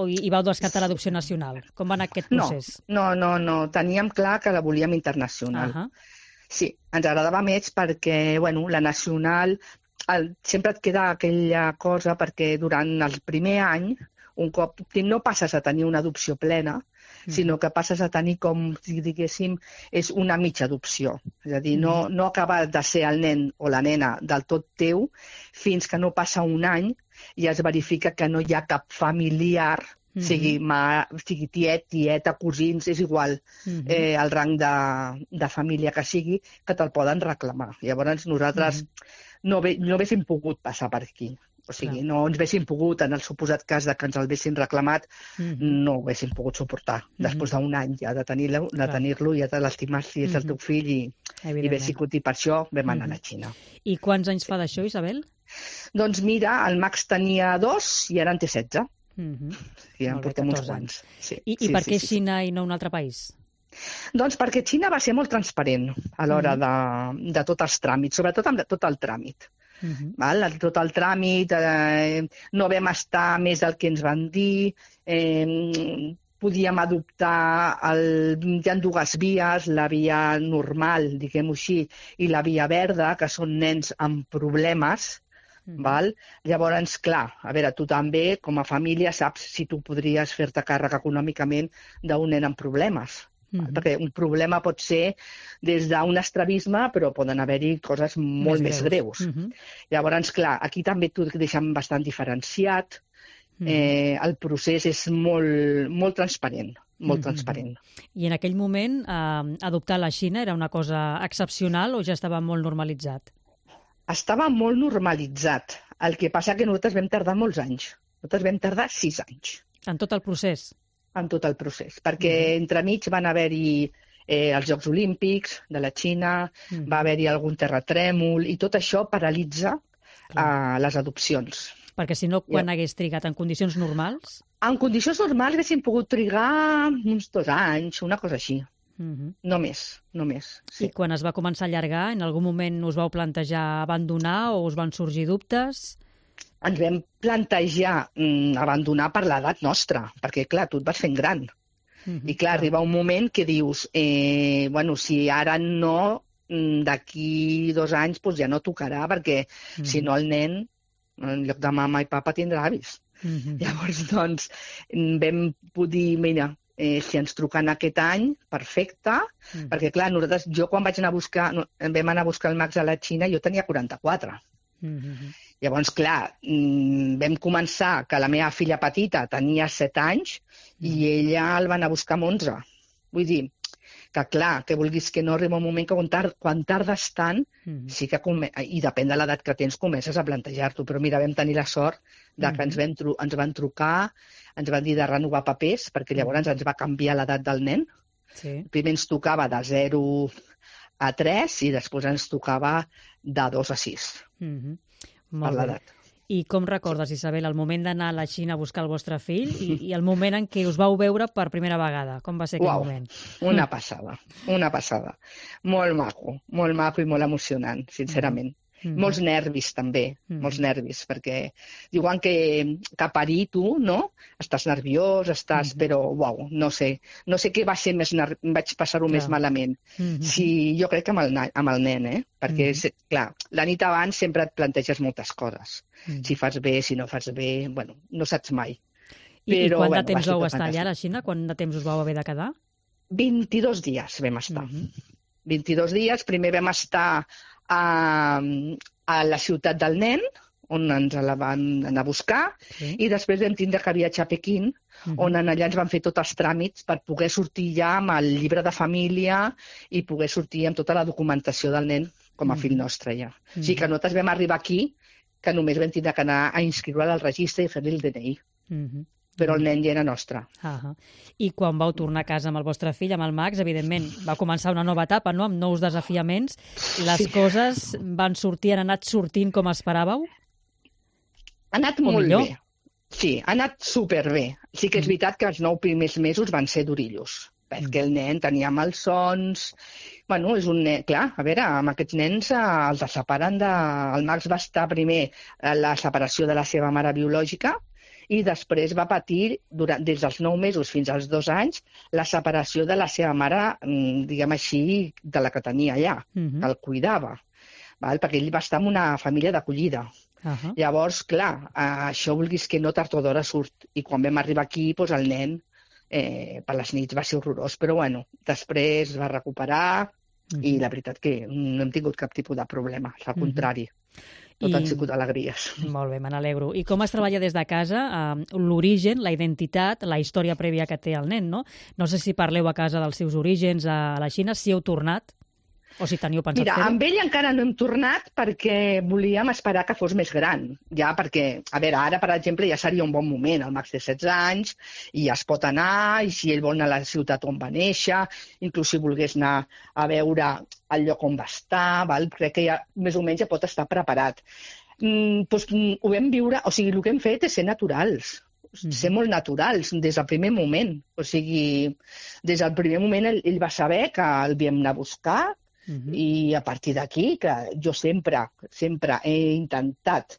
i vau descartar l'adopció nacional? Com va anar aquest procés? No. Teníem clar que la volíem internacional. Sí, ens agradava més perquè, bueno, la nacional sempre et queda aquella cosa perquè durant el primer any, un cop no passes a tenir una adopció plena, sinó que passes a tenir, com si diguéssim, és una mitja adopció. És a dir, no acaba de ser el nen o la nena del tot teu fins que no passa un any i es verifica que no hi ha cap familiar, sigui tiet, tieta, cosins, és igual el rang de família que sigui, que te'l poden reclamar. Llavors nosaltres no haguéssim pogut passar per aquí. O sigui, no ens haguéssim pogut, en el suposat cas de que ens el haguessin reclamat, no ho haguéssim pogut suportar. Després d'un any ja de tenir-lo, ja de l'estimar si és el teu fill i haver sigut, i per això vam anar a la Xina. I quants anys fa d'això, Isabel? Doncs mira, el Max tenia 2 i ara en té 16. I en portem uns quants. I per què Xina i no un altre país? Doncs perquè Xina va ser molt transparent a l'hora de tots els tràmits, sobretot amb tot el tràmit. Tot el tràmit, no vam estar més del que ens van dir, podíem adoptar, hi ha dues vies, la via normal, diguem-ho així, i la via verda, que són nens amb problemes. Llavors, clar, a veure, tu també, com a família, saps si tu podries fer-te càrrec econòmicament d'un nen amb problemes. Perquè un problema pot ser des d'un estrabisme, però poden haver-hi coses molt més greus. Llavors, clar, aquí també t'ho deixem bastant diferenciat. El procés és molt transparent, molt transparent. I en aquell moment, adoptar a la Xina era una cosa excepcional o ja estava molt normalitzat? Estava molt normalitzat. El que passa que nosaltres vam tardar molts anys. Nosaltres vam tardar 6 anys. En tot el procés? En tot el procés, perquè entremig van haver-hi els Jocs Olímpics de la Xina, va haver-hi algun terratrèmol, i tot això paralitza les adopcions. Perquè si no, quan hagués trigat? En condicions normals? En condicions normals haguéssim pogut trigar uns 2 anys, una cosa així. No més. I quan es va començar a allargar, en algun moment us vau plantejar abandonar o us van sorgir dubtes? ens vam plantejar abandonar per l'edat nostra, perquè, clar, tu et vas fent gran. I, clar, arriba un moment que dius, bueno, si ara no, d'aquí 2 anys doncs ja no tocarà, perquè si no el nen, en lloc de mama i papa, tindrà avis. Llavors, doncs, vam dir, mira, si ens truquen aquest any, perfecte, perquè, clar, nosaltres, jo quan vam anar a buscar el Max a la Xina, jo tenia 44. Llavors, clar, vam començar que la meva filla petita tenia 7 anys i ella el va anar a buscar amb 11. Vull dir, que clar, que vulguis que no arriba un moment que quan tardes tant, sí que i depèn de l'edat que tens, comences a plantejar-t'ho. Però mira, vam tenir la sort de que ens van trucar, ens van dir de renovar papers, perquè llavors ens va canviar l'edat del nen. Primer ens tocava de 0 a 3 i després ens tocava de 2 a 6. Per l'edat. I com recordes, Isabel, el moment d'anar a la Xina a buscar el vostre fill i el moment en què us vau veure per primera vegada? Com va ser aquell moment? Una passada, una passada. Molt maco i molt emocionant, sincerament. Molts nervis, també, molts nervis, perquè diuen que parir tu, no? Estàs nerviós, però, uau, no sé què va ser vaig passar-ho més malament. Sí, jo crec que amb el nen, perquè, clar, la nit abans sempre et planteges moltes coses. Si fas bé, si no fas bé, bueno, no saps mai. I quant de temps vau estar allà a la Xina? Quant de temps us vau haver de quedar? 22 dies vam estar. 22 dies, primer vam estar a la ciutat del nen, on ens la van anar a buscar, i després vam tindre que viatjar a Pequín, on allà ens van fer tots els tràmits per poder sortir ja amb el llibre de família i poder sortir amb tota la documentació del nen com a fill nostre ja. O sigui que nosaltres vam arribar aquí, que només vam tindre que anar a inscriure-la al registre i fer-li el DNI. Però el nen ja era nostre. I quan vau tornar a casa amb el vostre fill, amb el Max, evidentment, va començar una nova etapa, no? Amb nous desafiaments. Les coses van sortir, han anat sortint com esperàveu? Ha anat molt bé. Sí, ha anat superbé. Sí que és veritat que els 9 primers mesos van ser durillos, perquè el nen tenia malsons. Bueno, és un nen... Clar, a veure, amb aquests nens els separen de... El Max va estar primer la separació de la seva mare biològica i després va patir, des dels 9 mesos fins als 2 anys, la separació de la seva mare, diguem així, de la que tenia allà, que el cuidava, perquè ell va estar en una família d'acollida. Llavors, clar, això vulguis que no, tard o d'hora surt. I quan vam arribar aquí, el nen per les nits va ser horrorós, però bueno, després va recuperar i la veritat que no hem tingut cap tipus de problema, al contrari. Tot han sigut alegries. Molt bé, me n'alegro. I com es treballa des de casa l'origen, la identitat, la història prèvia que té el nen, no? No sé si parleu a casa dels seus orígens a la Xina, si heu tornat o si teniu pensat fer-ho. Mira, amb ell encara no hem tornat perquè volíem esperar que fos més gran. Ja perquè, a veure, ara, per exemple, ja seria un bon moment. El Max té 16 anys i ja es pot anar, i si ell vol anar a la ciutat on va néixer, inclús si volgués anar a veure el lloc on va estar, crec que ja més o menys ja pot estar preparat. Ho vam viure, o sigui, el que hem fet és ser naturals, ser molt naturals des del primer moment. O sigui, des del primer moment ell va saber que el havíem d'anar a buscar, i a partir d'aquí, que jo sempre he intentat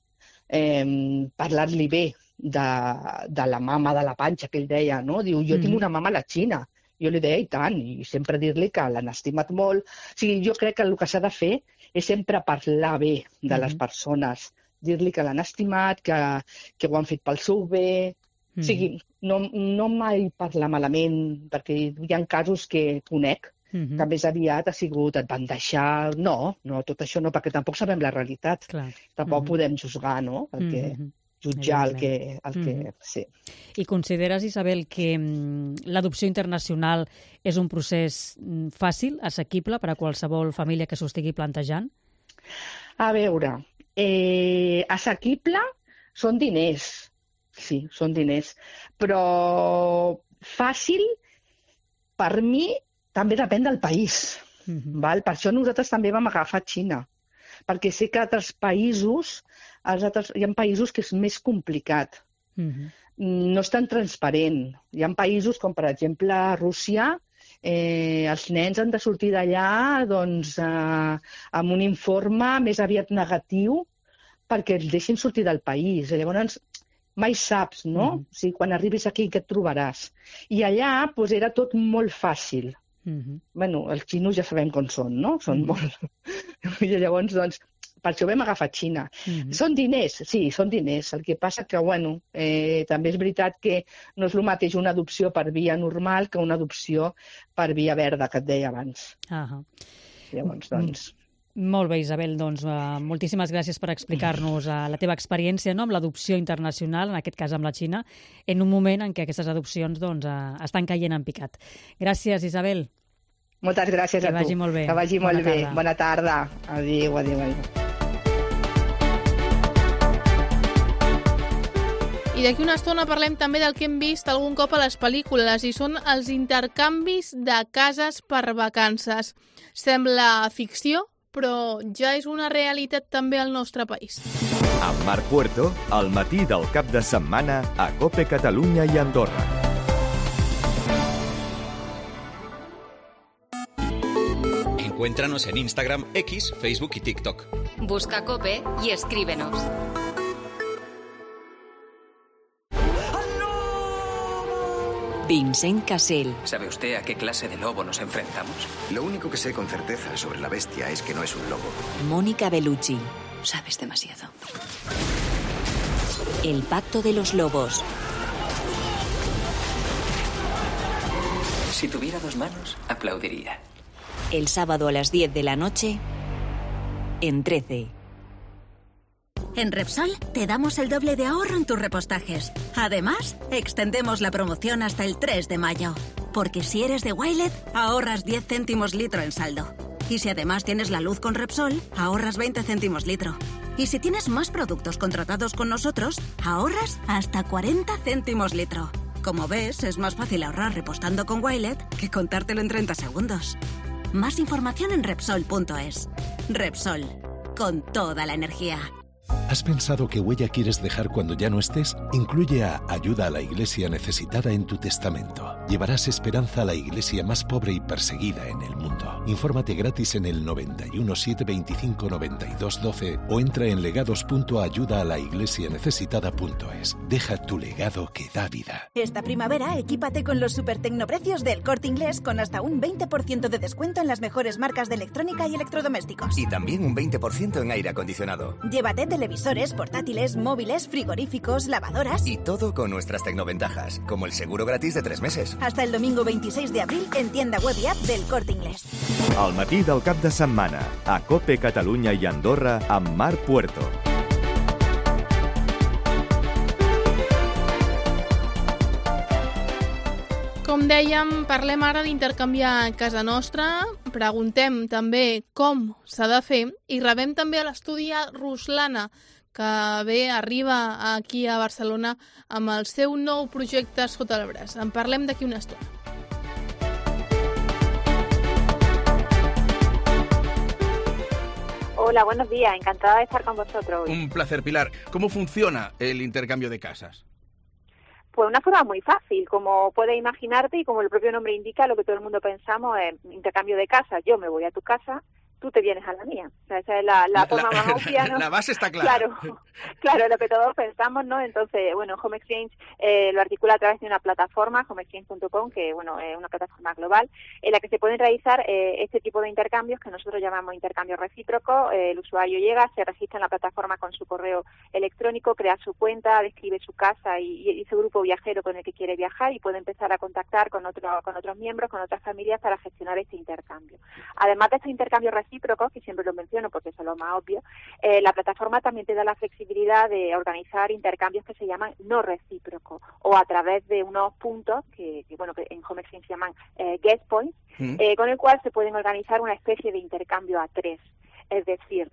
parlar-li bé de la mama de la panxa, que ell deia, no? Diu, jo tinc una mama a la Xina. Jo li deia, i tant, i sempre dir-li que l'han estimat molt. O sigui, jo crec que el que s'ha de fer és sempre parlar bé de les persones, dir-li que l'han estimat, que ho han fet pel seu bé. O sigui, no mai parlar malament, perquè hi ha casos que conec, que més aviat ha sigut, et van deixar... No, tot això no, perquè tampoc sabem la realitat. Tampoc podem juzgar, no? Jutjar el que... Sí. I consideres, Isabel, que l'adopció internacional és un procés fàcil, assequible per a qualsevol família que s'ho estigui plantejant? A veure, assequible són diners. Sí, són diners. Però fàcil, per mi, també depèn del país. Per això nosaltres també vam agafar Xina, perquè sé que altres països, hi ha països que és més complicat. No és tan transparent. Hi ha països com, per exemple, Rússia, els nens han de sortir d'allà amb un informe més aviat negatiu perquè els deixin sortir del país. Llavors, mai saps, no? O sigui, quan arribis aquí, què et trobaràs? I allà doncs, era tot molt fàcil. Bueno, els xinos ja sabem com són, no? Són molt... I llavors, doncs, per això vam agafar Xina. Són diners, sí, són diners. El que passa que, bueno, també és veritat que no és el mateix una adopció per via normal que una adopció per via verda, que et deia abans. Llavors, doncs... Molt bé, Isabel, doncs moltíssimes gràcies per explicar-nos la teva experiència amb l'adopció internacional, en aquest cas amb la Xina, en un moment en què aquestes adopcions estan caient en picat. Gràcies, Isabel. Moltes gràcies a tu. Que vagi molt bé. Que vagi molt bé. Bona tarda. Adéu, adéu, adéu. I d'aquí una estona parlem també del que hem vist algun cop a les pel·lícules, i són els intercanvis de cases per vacances. Sembla ficció, però ja és una realitat també al nostre país. Amb Marc Puerto, al matí del cap de setmana a COPE Catalunya i Andorra. Encuéntranos en Instagram, X, Facebook y TikTok. Busca COPE y escríbenos. Vincent Cassel. ¿Sabe usted a qué clase de lobo nos enfrentamos? Lo único que sé con certeza sobre la bestia es que no es un lobo. Mónica Bellucci. Sabes demasiado. El pacto de los lobos. Si tuviera 2 manos, aplaudiría. El sábado a las 10 de la noche, en 13. En Repsol te damos el doble de ahorro en tus repostajes. Además, extendemos la promoción hasta el 3 de mayo. Porque si eres de Wilet, ahorras 10 céntimos litro en saldo. Y si además tienes la luz con Repsol, ahorras 20 céntimos litro. Y si tienes más productos contratados con nosotros, ahorras hasta 40 céntimos litro. Como ves, es más fácil ahorrar repostando con Wilet que contártelo en 30 segundos. Más información en Repsol.es. Repsol, con toda la energía. ¿Has pensado qué huella quieres dejar cuando ya no estés? Incluye a Ayuda a la Iglesia Necesitada en tu testamento. Llevarás esperanza a la iglesia más pobre y perseguida en el mundo. Infórmate gratis en el 91 725 92 12 o entra en legados.ayudaalaIglesianecesitada.es. Deja tu legado que da vida. Esta primavera, equípate con los super tecnoprecios del Corte Inglés con hasta un 20% de descuento en las mejores marcas de electrónica y electrodomésticos. Y también un 20% en aire acondicionado. Llévate televisores, portátiles, móviles, frigoríficos, lavadoras... Y todo con nuestras tecnoventajas, como el seguro gratis de 3 meses. Hasta el domingo 26 de abril en tienda web y app del Corte Inglés. Al matí del cap de setmana, a COPE Catalunya i Andorra, amb Marc Puerto. Com dèiem, parlem ara d'intercanviar casa nostra, preguntem també com s'ha de fer i rebem també a l'estudi a Ruslana, que arriba aquí a Barcelona amb el seu nou projecte sota el braç. En parlem d'aquí una estona. Hola, buenos días. Encantada de estar con vosotros hoy. Un placer, Pilar. ¿Cómo funciona el intercambio de casas? Pues una forma muy fácil, como puedes imaginarte y como el propio nombre indica, lo que todo el mundo pensamos es intercambio de casas. Yo me voy a tu casa, tú te vienes a la mía. O sea, esa es la forma más obvia, ¿no? La base está clara. Claro, lo que todos pensamos, ¿no? Entonces, bueno, Home Exchange lo articula a través de una plataforma, homeexchange.com, que, bueno, es una plataforma global, en la que se pueden realizar este tipo de intercambios que nosotros llamamos intercambio recíproco. El usuario llega, se registra en la plataforma con su correo electrónico, crea su cuenta, describe su casa y su grupo viajero con el que quiere viajar y puede empezar a contactar con otros miembros, con otras familias para gestionar este intercambio. Además de este intercambio recíproco, que siempre lo menciono porque es lo más obvio, la plataforma también te da la flexibilidad de organizar intercambios que se llaman no recíprocos o a través de unos puntos que en Home Exchange se llaman guest points, con el cual se pueden organizar una especie de intercambio a 3. Es decir,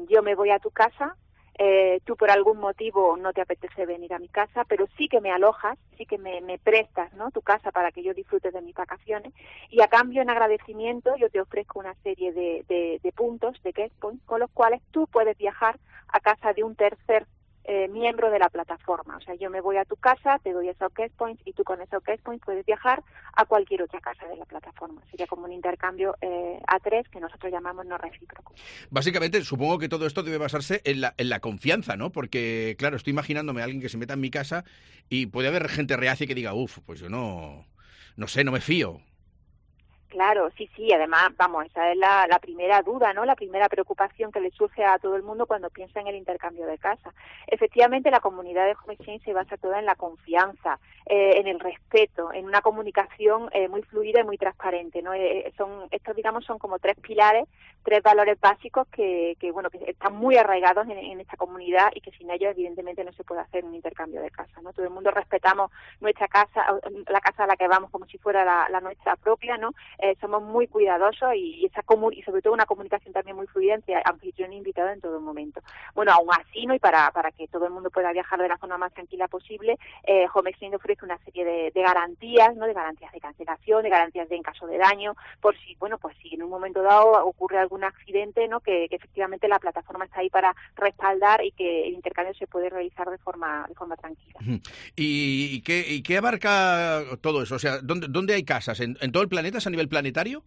yo me voy a tu casa, tú por algún motivo no te apetece venir a mi casa, pero sí que me alojas, sí que me prestas, ¿no?, tu casa para que yo disfrute de mis vacaciones, y a cambio, en agradecimiento, yo te ofrezco una serie de puntos, de guest points, con los cuales tú puedes viajar a casa de un tercer miembro de la plataforma. O sea, yo me voy a tu casa, te doy esos guest points y tú con esos guest points puedes viajar a cualquier otra casa de la plataforma. Sería como un intercambio A3 que nosotros llamamos no recíproco. Básicamente, supongo que todo esto debe basarse en la confianza, ¿no? Porque, claro, estoy imaginándome a alguien que se meta en mi casa y puede haber gente reacia que diga, pues yo no sé, no me fío. Claro, sí, además, vamos, esa es la primera duda, ¿no? La primera preocupación que le surge a todo el mundo cuando piensa en el intercambio de casa. Efectivamente, la comunidad de Home Exchange se basa toda en la confianza, en el respeto, en una comunicación muy fluida y muy transparente, ¿no? Estos, digamos, son como 3 pilares, 3 valores básicos que están muy arraigados en esta comunidad y que sin ellos, evidentemente, no se puede hacer un intercambio de casa, ¿no? Todo el mundo respetamos nuestra casa, la casa a la que vamos como si fuera la nuestra propia, ¿no? Somos muy cuidadosos y sobre todo una comunicación también muy fluida entre anfitrión e invitado en todo momento. Bueno, aún así, ¿no? Y para que todo el mundo pueda viajar de la forma más tranquila posible, Home Exchange ofrece una serie de garantías, ¿no? De garantías de cancelación, de garantías en caso de daño, por si, si en un momento dado ocurre algún accidente, ¿no? Que efectivamente la plataforma está ahí para respaldar y que el intercambio se puede realizar de forma tranquila. ¿Y qué abarca todo eso? O sea, ¿dónde hay casas? ¿En todo el planeta? ¿Es a nivel planetario?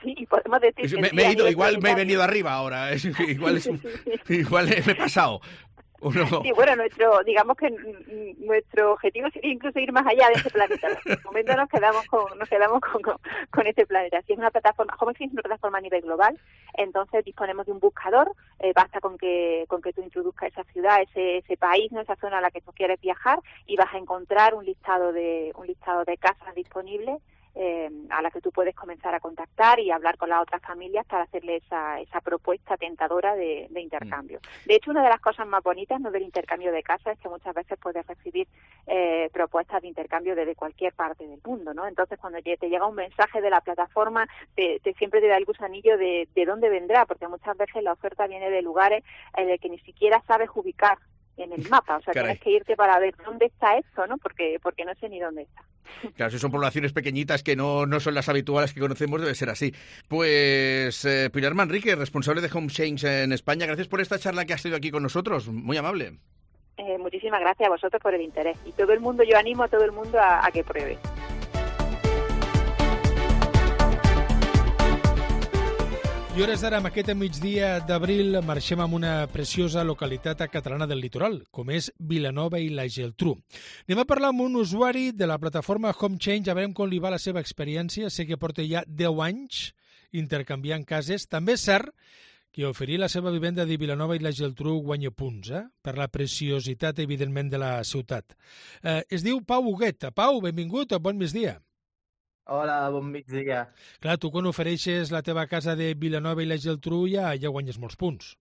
Sí, podemos decir que me he ido, igual me he venido arriba ahora. Igual me he pasado. Sí, bueno, digamos que nuestro objetivo sería incluso ir más allá de este planeta. En este momento nos quedamos con este planeta. Si es una plataforma, Home Exchange es una plataforma a nivel global, entonces disponemos de un buscador, basta con que tú introduzcas esa ciudad, ese país, ¿no? Esa zona a la que tú quieres viajar y vas a encontrar un listado de casas disponibles a la que tú puedes comenzar a contactar y hablar con las otras familias para hacerle esa propuesta tentadora de intercambio. De hecho, una de las cosas más bonitas, ¿no? Del intercambio de casas es que muchas veces puedes recibir propuestas de intercambio desde cualquier parte del mundo, ¿no? Entonces, cuando te llega un mensaje de la plataforma, siempre te da el gusanillo de dónde vendrá, porque muchas veces la oferta viene de lugares en los que ni siquiera sabes ubicar en el mapa, o sea, Caray. Tienes que irte para ver dónde está esto, ¿no? Porque no sé ni dónde está. Claro, si son poblaciones pequeñitas que no son las habituales que conocemos, debe ser así. Pues Pilar Manrique, responsable de Home Exchange en España, gracias por esta charla que has tenido aquí con nosotros, muy amable. Muchísimas gracias a vosotros por el interés. Y yo animo a todo el mundo a que pruebe. I hores d'ara, amb aquest migdia d'abril, marxem amb una preciosa localitat catalana del litoral, com és Vilanova i la Geltrú. Anem a parlar amb un usuari de la plataforma Home Exchange, a veure com li va la seva experiència. Sé que porta ja 10 anys intercanviant cases. També és cert que oferir la seva vivenda de Vilanova i la Geltrú guanya punts, per la preciositat, evidentment, de la ciutat. Es diu Pau Huguet. Pau, benvingut, bon migdia. Hola, bon migdia. Clar, tu quan ofereixes la teva casa de Vilanova i la Geltrú ja guanyes molts punts.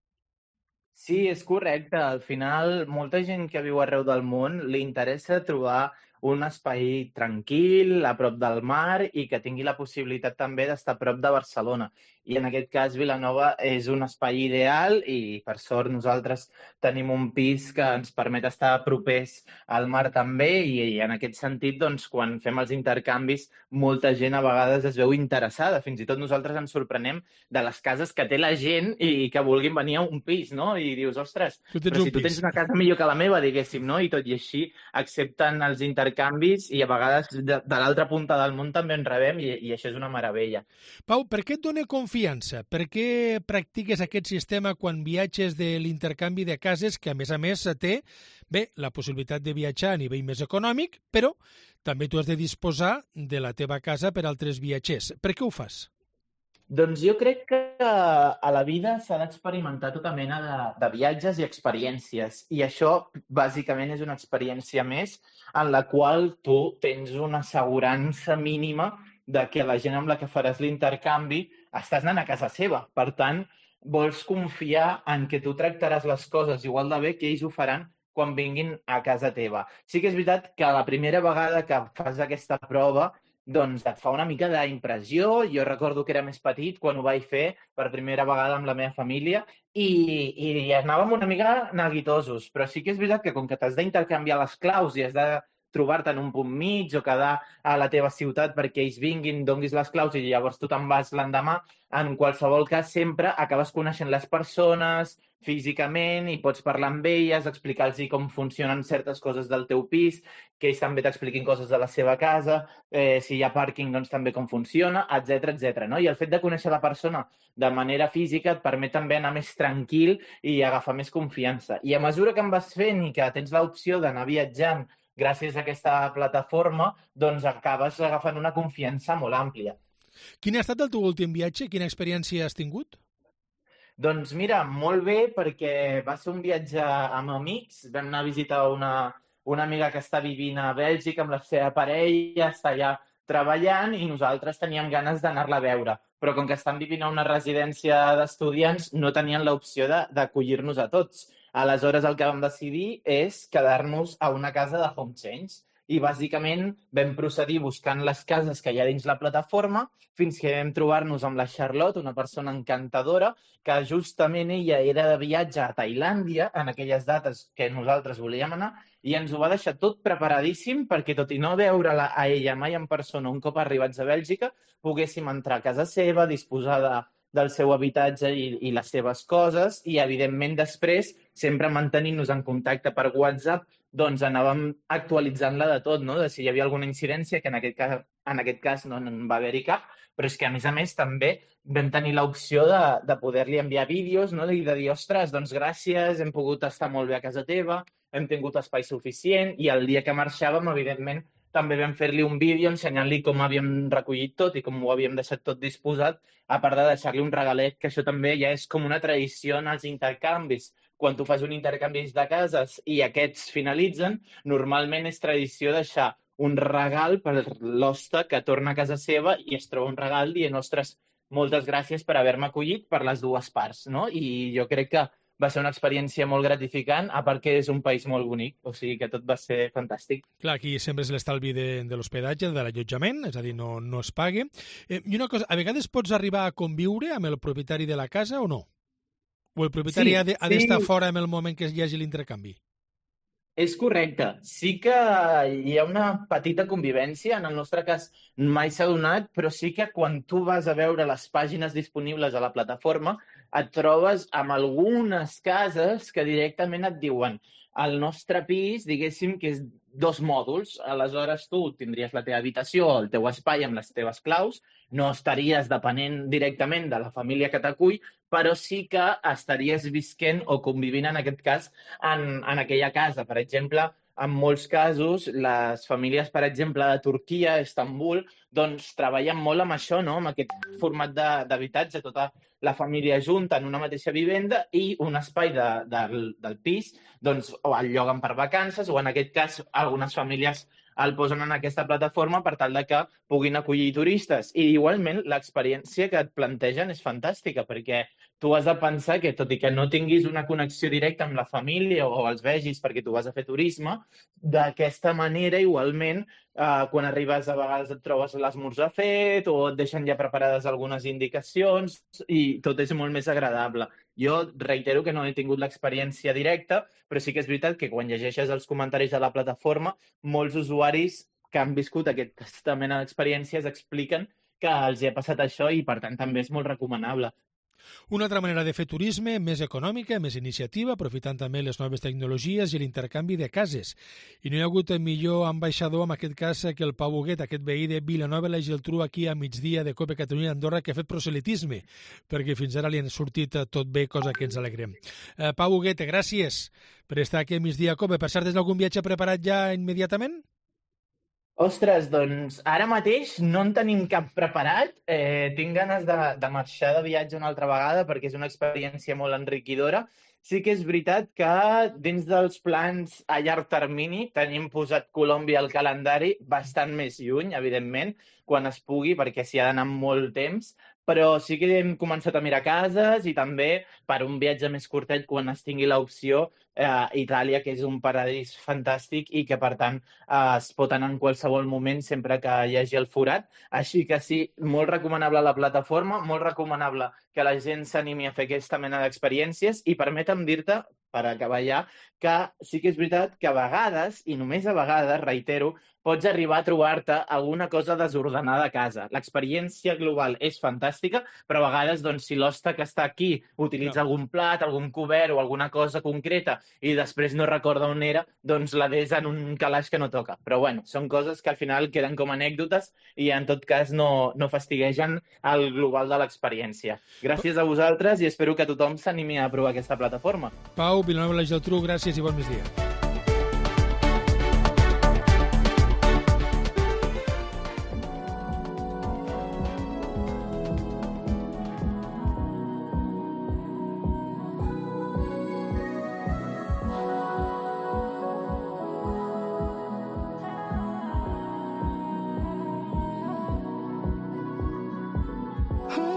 Sí, és correcte. Al final, molta gent que viu arreu del món li interessa trobar un espai tranquil, a prop del mar i que tingui la possibilitat també d'estar a prop de Barcelona. I en aquest cas Vilanova és un espai ideal i per sort nosaltres tenim un pis que ens permet estar propers al mar també i en aquest sentit, doncs, quan fem els intercanvis, molta gent a vegades es veu interessada. Fins i tot nosaltres ens sorprenem de les cases que té la gent i que vulguin venir a un pis, no? I dius, ostres, però si tu tens una casa millor que la meva, diguéssim, no? I tot i així accepten els intercanvis i a vegades de l'altra punta del món també en rebem i això és una meravella. Pau, per què et dona confiança? Per què practiques aquest sistema quan viatges de l'intercanvi de cases que, a més, té la possibilitat de viatjar a nivell més econòmic, però també tu has de disposar de la teva casa per altres viatgers. Per què ho fas? Doncs jo crec que a la vida s'ha d'experimentar tota mena de viatges i experiències i això bàsicament és una experiència més en la qual tu tens una assegurança mínima de que la gent amb la que faràs l'intercanvi estàs anant a casa seva. Per tant, vols confiar en que tu tractaràs les coses igual de bé que ells ho faran quan vinguin a casa teva. Sí que és veritat que la primera vegada que fas aquesta prova doncs et fa una mica d'impressió. Jo recordo que era més petit quan ho vaig fer per primera vegada amb la meva família i anàvem una mica neguitosos, però sí que és veritat que com que t'has d'intercanviar les claus i has de trobar-te en un punt mig o quedar a la teva ciutat perquè ells vinguin, donguis les claus i llavors tu te'n vas l'endemà. En qualsevol cas, sempre acabes coneixent les persones físicament i pots parlar amb elles, explicar-los com funcionen certes coses del teu pis, que ells també t'expliquin coses de la seva casa, si hi ha pàrquing, doncs també com funciona, etc. No? I el fet de conèixer la persona de manera física et permet també anar més tranquil i agafar més confiança. I a mesura que en vas fent i que tens l'opció d'anar viatjant gràcies a aquesta plataforma, doncs acabes agafant una confiança molt àmplia. Quin ha estat el teu últim viatge? Quina experiència has tingut? Doncs mira, molt bé, perquè va ser un viatge amb amics. Vam anar a visitar una amiga que està vivint a Bèlgica amb la seva parella, està allà treballant i nosaltres teníem ganes d'anar-la a veure. Però com que estan vivint a una residència d'estudiants, no tenien l'opció d'acollir-nos a tots. Aleshores, el que vam decidir és quedar-nos a una casa de Home Change. I bàsicament vam procedir buscant les cases que hi ha dins la plataforma fins que vam trobar-nos amb la Charlotte, una persona encantadora, que justament ella era de viatge a Tailàndia en aquelles dates que nosaltres volíem anar i ens ho va deixar tot preparadíssim perquè, tot i no veure-la a ella mai en persona un cop arribats a Bèlgica, poguéssim entrar a casa seva, disposar del seu habitatge i les seves coses i, evidentment, després, sempre mantenint-nos en contacte per WhatsApp, doncs anàvem actualitzant-la de tot, no? De si hi havia alguna incidència, que en aquest cas no en va haver-hi cap, però és que, a més, també vam tenir l'opció de poder-li enviar vídeos, no? I de dir, ostres, doncs gràcies, hem pogut estar molt bé a casa teva, hem tingut espai suficient, i el dia que marxàvem, evidentment, també vam fer-li un vídeo ensenyant-li com havíem recollit tot i com ho havíem deixat tot disposat, a part de deixar-li un regalet, que això també ja és com una tradició en els intercanvis. Quan tu fas un intercanvi de cases i aquests finalitzen, normalment és tradició deixar un regal per l'hoste que torna a casa seva i es troba un regal dient, ostres, moltes gràcies per haver-me acollit per les dues parts, no? I jo crec que va ser una experiència molt gratificant, a part que és un país molt bonic, o sigui que tot va ser fantàstic. Clar, aquí sempre és l'estalvi de l'hospedatge, de l'allotjament, és a dir, no es pague. I una cosa, a vegades pots arribar a conviure amb el propietari de la casa o no? O el propietari ha d'estar fora en el moment que hi hagi l'intercanvi? És correcte. Sí que hi ha una petita convivència. En el nostre cas mai s'ha donat, però sí que quan tu vas a veure les pàgines disponibles a la plataforma et trobes amb algunes cases que directament et diuen el nostre pis, diguéssim, que és 2 mòduls. Aleshores, tu tindries la teva habitació, el teu espai amb les teves claus, no estaries depenent directament de la família que t'acull, però sí que estaries visquent o convivint, en aquest cas, en aquella casa. Per exemple, en molts casos, les famílies, per exemple, de Turquia, Istanbul, doncs treballen molt amb això, no? Amb aquest format d'habitatge, tota la família junta en una mateixa vivenda i un espai del pis, doncs, o el lloguen per vacances, o en aquest cas, algunes famílies el posen en aquesta plataforma per tal de que puguin acollir turistes. I igualment l'experiència que et plantegen és fantàstica, perquè tu has de pensar que, tot i que no tinguis una connexió directa amb la família o els vegis perquè tu vas a fer turisme, d'aquesta manera, igualment, quan arribes a vegades et trobes l'esmorzar fet o et deixen ja preparades algunes indicacions i tot és molt més agradable. Jo reitero que no he tingut l'experiència directa, però sí que és veritat que quan llegeixes els comentaris de la plataforma, molts usuaris que han viscut aquesta mena d'experiències expliquen que els hi ha passat això i, per tant, també és molt recomanable. Una altra manera de fer turisme, més econòmica, més iniciativa, aprofitant també les noves tecnologies i l'intercanvi de cases. I no hi ha hagut millor ambaixador, en aquest cas, que el Pau Huguet, aquest veí de Vilanova i la Geltrú, aquí a migdia de Cope Catalunya Andorra, que ha fet proselitisme, perquè fins ara li han sortit tot bé, cosa que ens alegrem. Pau Huguet, gràcies per estar aquí a migdia a Cope. Per cert, tens algun viatge preparat ja immediatament? Ostres, doncs ara mateix no en tenim cap preparat. Tinc ganes de marxar de viatge una altra vegada perquè és una experiència molt enriquidora. Sí que és veritat que dins dels plans a llarg termini tenim posat Colòmbia al calendari bastant més lluny, evidentment, quan es pugui, perquè s'hi ha d'anar molt temps, però sí que hem començat a mirar cases i també per un viatge més curtet quan es tingui l'opció Itàlia, que és un paradís fantàstic i que, per tant, es pot anar en qualsevol moment sempre que hi hagi el forat. Així que sí, molt recomanable la plataforma, molt recomanable que la gent s'animi a fer aquesta mena d'experiències i permetem dir-te per acabar ja, que sí que és veritat que a vegades, i només a vegades, reitero, pots arribar a trobar-te alguna cosa desordenada a casa. L'experiència global és fantàstica, però a vegades, doncs, si l'hoste que està aquí utilitza algun plat, algun cobert o alguna cosa concreta i després no recorda on era, doncs la des en un calaix que no toca. Però bueno, són coses que al final queden com anècdotes i en tot cas no fastiguegen el global de l'experiència. Gràcies a vosaltres i espero que tothom s'animi a provar aquesta plataforma. Pau, Vilanova i la Geltrú, gràcies i bon migdia.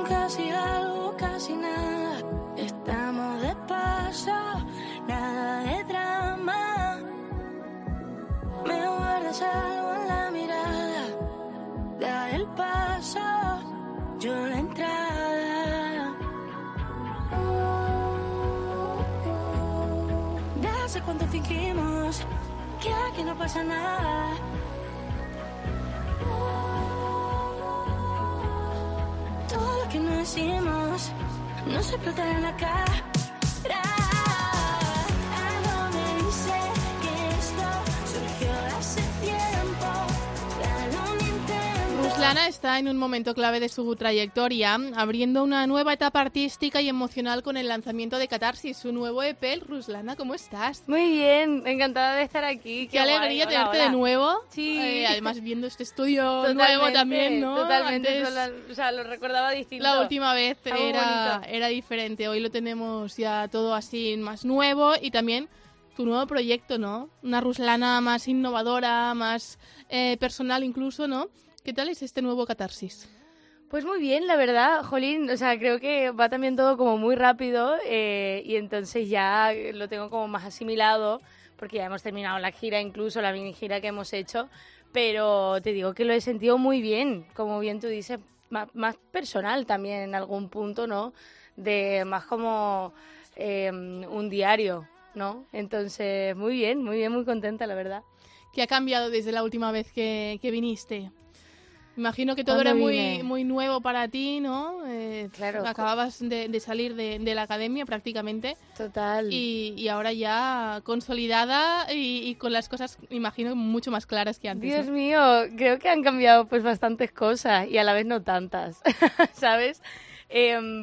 Casi algo, casi nada, estamos de paso, nada de drama. Me guardas algo en la mirada, da el paso, yo la entrada. De hace cuánto fingimos que aquí no pasa nada. Todo lo que no decimos no se explota en la cara. Algo me dice que esto surgió hace tiempo. Dale un intento. Ruslana está en un momento clave de su trayectoria, abriendo una nueva etapa artística y emocional con el lanzamiento de Catarsis, su nuevo EP. Ruslana, ¿cómo estás? Muy bien, encantada de estar aquí. Qué alegría guay. tenerte Hola. de nuevo. Sí. Además, viendo este estudio nuevo también, ¿no? Totalmente, Antes, o sea, lo recordaba distinto. la última vez Algo bonito. era diferente. Hoy lo tenemos ya todo así más nuevo y también tu nuevo proyecto, ¿no? Una Ruslana más innovadora, más personal incluso, ¿no? ¿Qué tal es este nuevo Catarsis? Pues muy bien, la verdad, jolín, o sea, creo que va también todo como muy rápido y entonces ya lo tengo como más asimilado porque ya hemos terminado la gira, incluso la mini gira que hemos hecho, pero te digo que lo he sentido muy bien, como bien tú dices, más personal también en algún punto, ¿no? De más como un diario, ¿no? Entonces, muy bien, muy contenta, la verdad. ¿Qué ha cambiado desde la última vez que viniste? Imagino que todo ¿Cuándo era vine? muy nuevo para ti, ¿no? Claro. Acababas de salir de la academia prácticamente. Total. Y ahora ya consolidada y con las cosas, imagino, mucho más claras que antes. Dios ¿no? mío, creo que han cambiado pues bastantes cosas y a la vez no tantas, ¿sabes?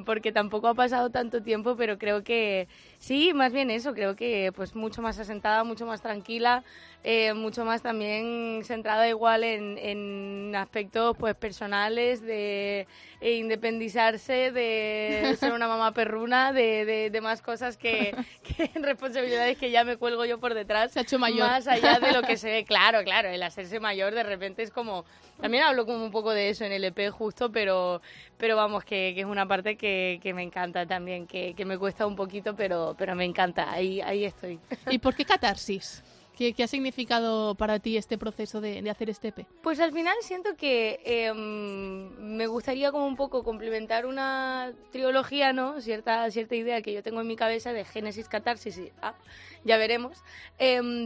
Porque tampoco ha pasado tanto tiempo, pero creo que sí, más bien eso, creo que pues mucho más asentada, mucho más tranquila, mucho más también centrada igual en aspectos pues personales, de independizarse, de ser una mamá perruna, de más cosas que responsabilidades que ya me cuelgo yo por detrás. Se ha hecho mayor. Más allá de lo que se ve, claro, el hacerse mayor de repente es como... También hablo como un poco de eso en el EP justo, pero vamos, que es una parte que me encanta también, que me cuesta un poquito, pero me encanta, ahí estoy. ¿Y por qué Catarsis? ¿Qué ha significado para ti este proceso de hacer este EP? Pues al final siento que me gustaría como un poco complementar una trilogía, ¿no? Cierta idea que yo tengo en mi cabeza de Génesis, Catarsis y ya veremos.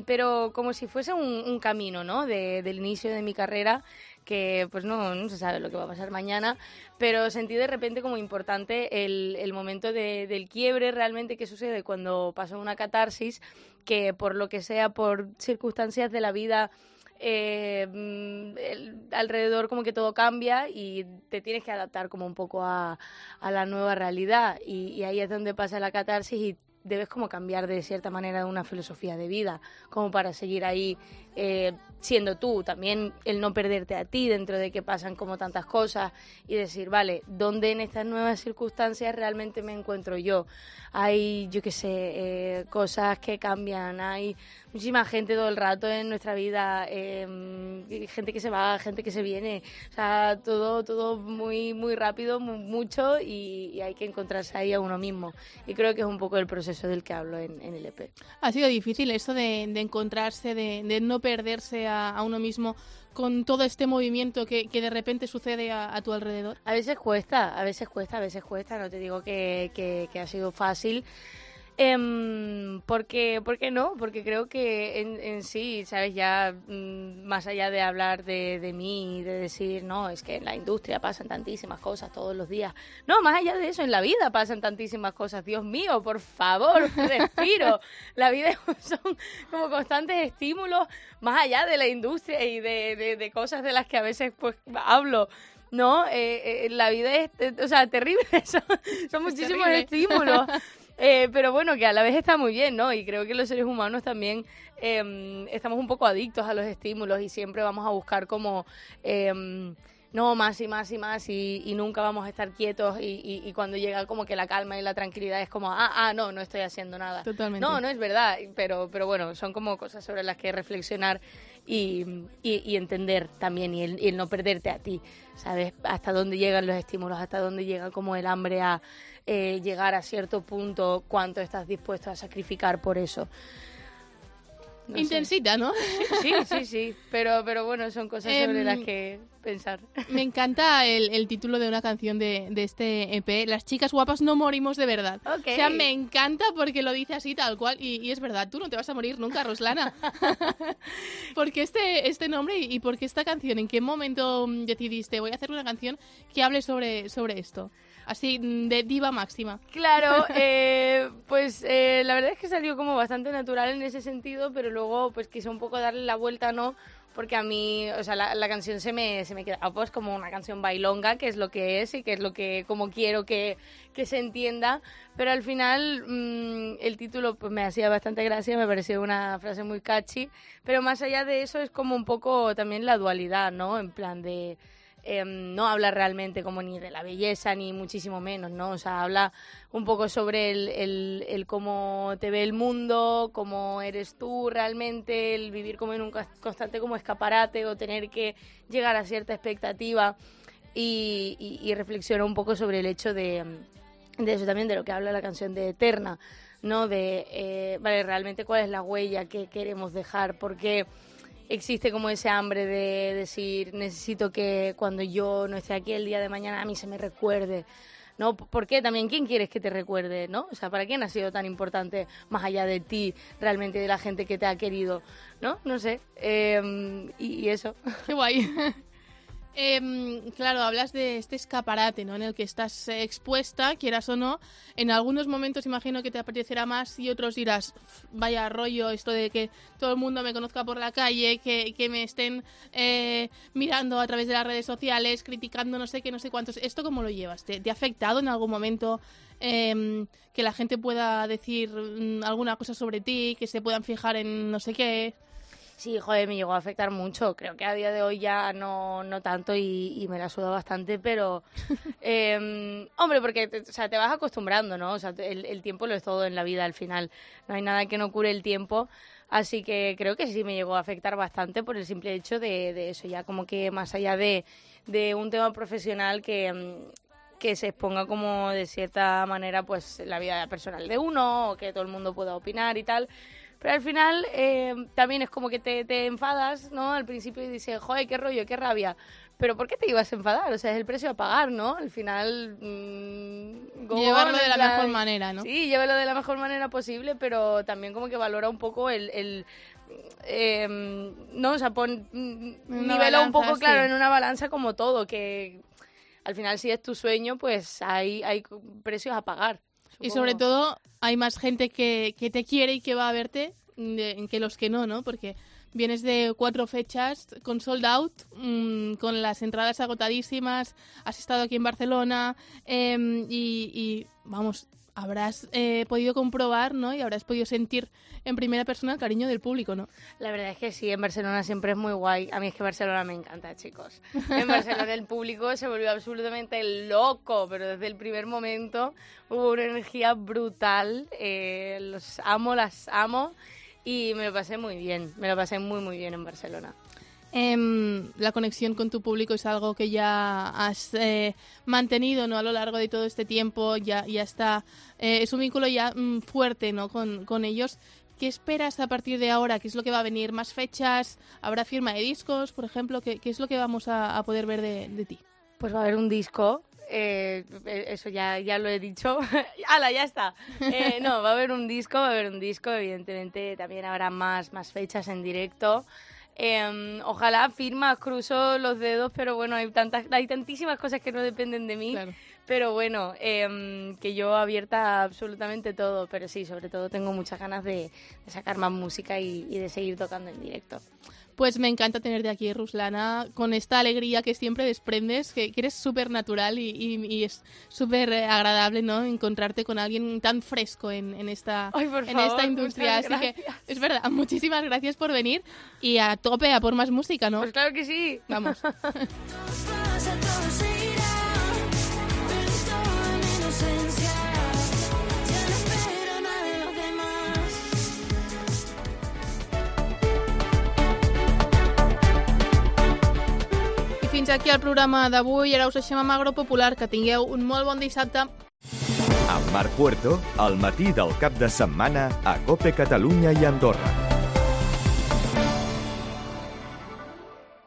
Pero como si fuese un camino, ¿no? Del inicio de mi carrera, que pues no se sabe lo que va a pasar mañana, pero sentí de repente como importante el momento del quiebre realmente que sucede cuando pasa una catarsis, que por lo que sea, por circunstancias de la vida, alrededor como que todo cambia y te tienes que adaptar como un poco a la nueva realidad y ahí es donde pasa la catarsis y debes como cambiar de cierta manera una filosofía de vida como para seguir ahí siendo tú, también el no perderte a ti dentro de que pasan como tantas cosas y decir, vale, ¿dónde en estas nuevas circunstancias realmente me encuentro yo? Hay, yo qué sé, cosas que cambian, hay muchísima gente todo el rato en nuestra vida, gente que se va, gente que se viene, o sea, todo muy rápido, mucho y hay que encontrarse ahí a uno mismo y creo que es un poco el proceso del que hablo en el EP. ¿Ha sido difícil esto de encontrarse, de no perderse a uno mismo con todo este movimiento que de repente sucede a tu alrededor? A veces cuesta, no te digo que ha sido fácil. ¿Por qué no? Porque creo que en sí, ¿sabes? Ya más allá de hablar de mí y de decir, no, es que en la industria pasan tantísimas cosas todos los días. No, más allá de eso, en la vida pasan tantísimas cosas. Dios mío, por favor, respiro. La vida son como constantes estímulos más allá de la industria y de cosas de las que a veces pues hablo. No, la vida es, o sea, terrible. Son muchísimos estímulos. Pero bueno, que a la vez está muy bien, ¿no? Y creo que los seres humanos también estamos un poco adictos a los estímulos y siempre vamos a buscar como no, más y más y más y nunca vamos a estar quietos y cuando llega como que la calma y la tranquilidad es como, no estoy haciendo nada. Totalmente. No es verdad, pero bueno, son como cosas sobre las que reflexionar y entender también y el no perderte a ti, ¿sabes? Hasta dónde llegan los estímulos, hasta dónde llega como el hambre a llegar a cierto punto, cuánto estás dispuesto a sacrificar por eso. No Intensita, sé. ¿no? Sí, pero bueno, son cosas sobre las que pensar. Me encanta el título de una canción de este EP, Las chicas guapas no morimos de verdad. Okay. O sea, me encanta porque lo dice así tal cual y es verdad, tú no te vas a morir nunca, Ruslana. ¿Por qué este nombre y por qué esta canción? ¿En qué momento decidiste voy a hacer una canción que hable sobre esto? Así, de diva máxima. Claro, pues la verdad es que salió como bastante natural en ese sentido, pero luego pues quise un poco darle la vuelta, ¿no? Porque a mí, o sea, la canción se me queda pues como una canción bailonga, que es lo que es y que es lo que como quiero que se entienda, pero al final el título pues me hacía bastante gracia, me pareció una frase muy catchy, pero más allá de eso es como un poco también la dualidad, ¿no? En plan de no habla realmente como ni de la belleza ni muchísimo menos, ¿no? O sea, habla un poco sobre el cómo te ve el mundo, cómo eres tú realmente, el vivir como en un constante como escaparate o tener que llegar a cierta expectativa y reflexiona un poco sobre el hecho de eso también, de lo que habla la canción de Eterna, ¿no? De, vale, realmente cuál es la huella que queremos dejar, porque existe como ese hambre de decir, necesito que cuando yo no esté aquí el día de mañana a mí se me recuerde, ¿no? ¿Por qué? También, ¿quién quieres que te recuerde, no? O sea, ¿para quién ha sido tan importante más allá de ti, realmente de la gente que te ha querido, ¿no? No sé. Y eso. Qué guay. Claro, hablas de este escaparate, ¿no? En el que estás expuesta, quieras o no. En algunos momentos imagino que te apetecerá más y otros dirás, vaya rollo esto de que todo el mundo me conozca por la calle, que me estén mirando a través de las redes sociales, criticando no sé qué, no sé cuántos. ¿Esto cómo lo llevas? ¿Te ha afectado en algún momento que la gente pueda decir alguna cosa sobre ti, que se puedan fijar en no sé qué? Sí, joder, me llegó a afectar mucho. Creo que a día de hoy ya no tanto y me la suda bastante, pero... hombre, porque te vas acostumbrando, ¿no? O sea, el tiempo lo es todo en la vida al final. No hay nada que no cure el tiempo. Así que creo que sí me llegó a afectar bastante por el simple hecho de eso. Ya como que más allá de un tema profesional que se exponga como de cierta manera pues la vida personal de uno o que todo el mundo pueda opinar y tal... Pero al final también es como que te enfadas, ¿no? Al principio y dices, joder, qué rollo, qué rabia. Pero ¿por qué te ibas a enfadar? O sea, es el precio a pagar, ¿no? Al final... llevarlo de la mejor manera, ¿no? Sí, llévalo de la mejor manera posible, pero también como que valora un poco no, o sea, nivela un poco, claro, en una balanza como todo, que al final si es tu sueño, pues hay precios a pagar. Y sobre todo hay más gente que te quiere y que va a verte que los que no, Porque vienes de 4 fechas con sold out, con las entradas agotadísimas, has estado aquí en Barcelona y vamos, habrás podido comprobar, ¿no? Y habrás podido sentir en primera persona el cariño del público, ¿no? La verdad es que sí, en Barcelona siempre es muy guay. A mí es que Barcelona me encanta, chicos. En Barcelona el público se volvió absolutamente loco, pero desde el primer momento hubo una energía brutal. Los amo, las amo y me lo pasé muy bien. Me lo pasé muy, muy bien en Barcelona. La conexión con tu público es algo que ya has mantenido, ¿no? A lo largo de todo este tiempo, ya está, es un vínculo ya fuerte, ¿no? Con ellos. ¿Qué esperas a partir de ahora? ¿Qué es lo que va a venir? ¿Más fechas? ¿Habrá firma de discos, por ejemplo? ¿Qué es lo que vamos a poder ver de ti? Pues va a haber un disco Eso ya lo he dicho. ¡Hala, ya está! No, va a haber un disco, evidentemente también habrá más fechas en directo. Ojalá firmas, cruzo los dedos, pero bueno, hay tantísimas cosas que no dependen de mí, claro. Pero bueno, que yo abierta a absolutamente todo, pero sí, sobre todo tengo muchas ganas de sacar más música y de seguir tocando en directo. Pues me encanta tenerte aquí, Ruslana, con esta alegría que siempre desprendes, que eres súper natural y es súper agradable, ¿no? Encontrarte con alguien tan fresco en esta industria. Así que es verdad, muchísimas gracias por venir y a tope, a por más música, ¿no? Pues claro que sí. Vamos. Fins aquí el programa d'avui. Ara us deixem amb Agropopular. Que tingueu un molt bon dissabte. Amb Marc Puerto, al matí del cap de setmana a COPE Catalunya i Andorra.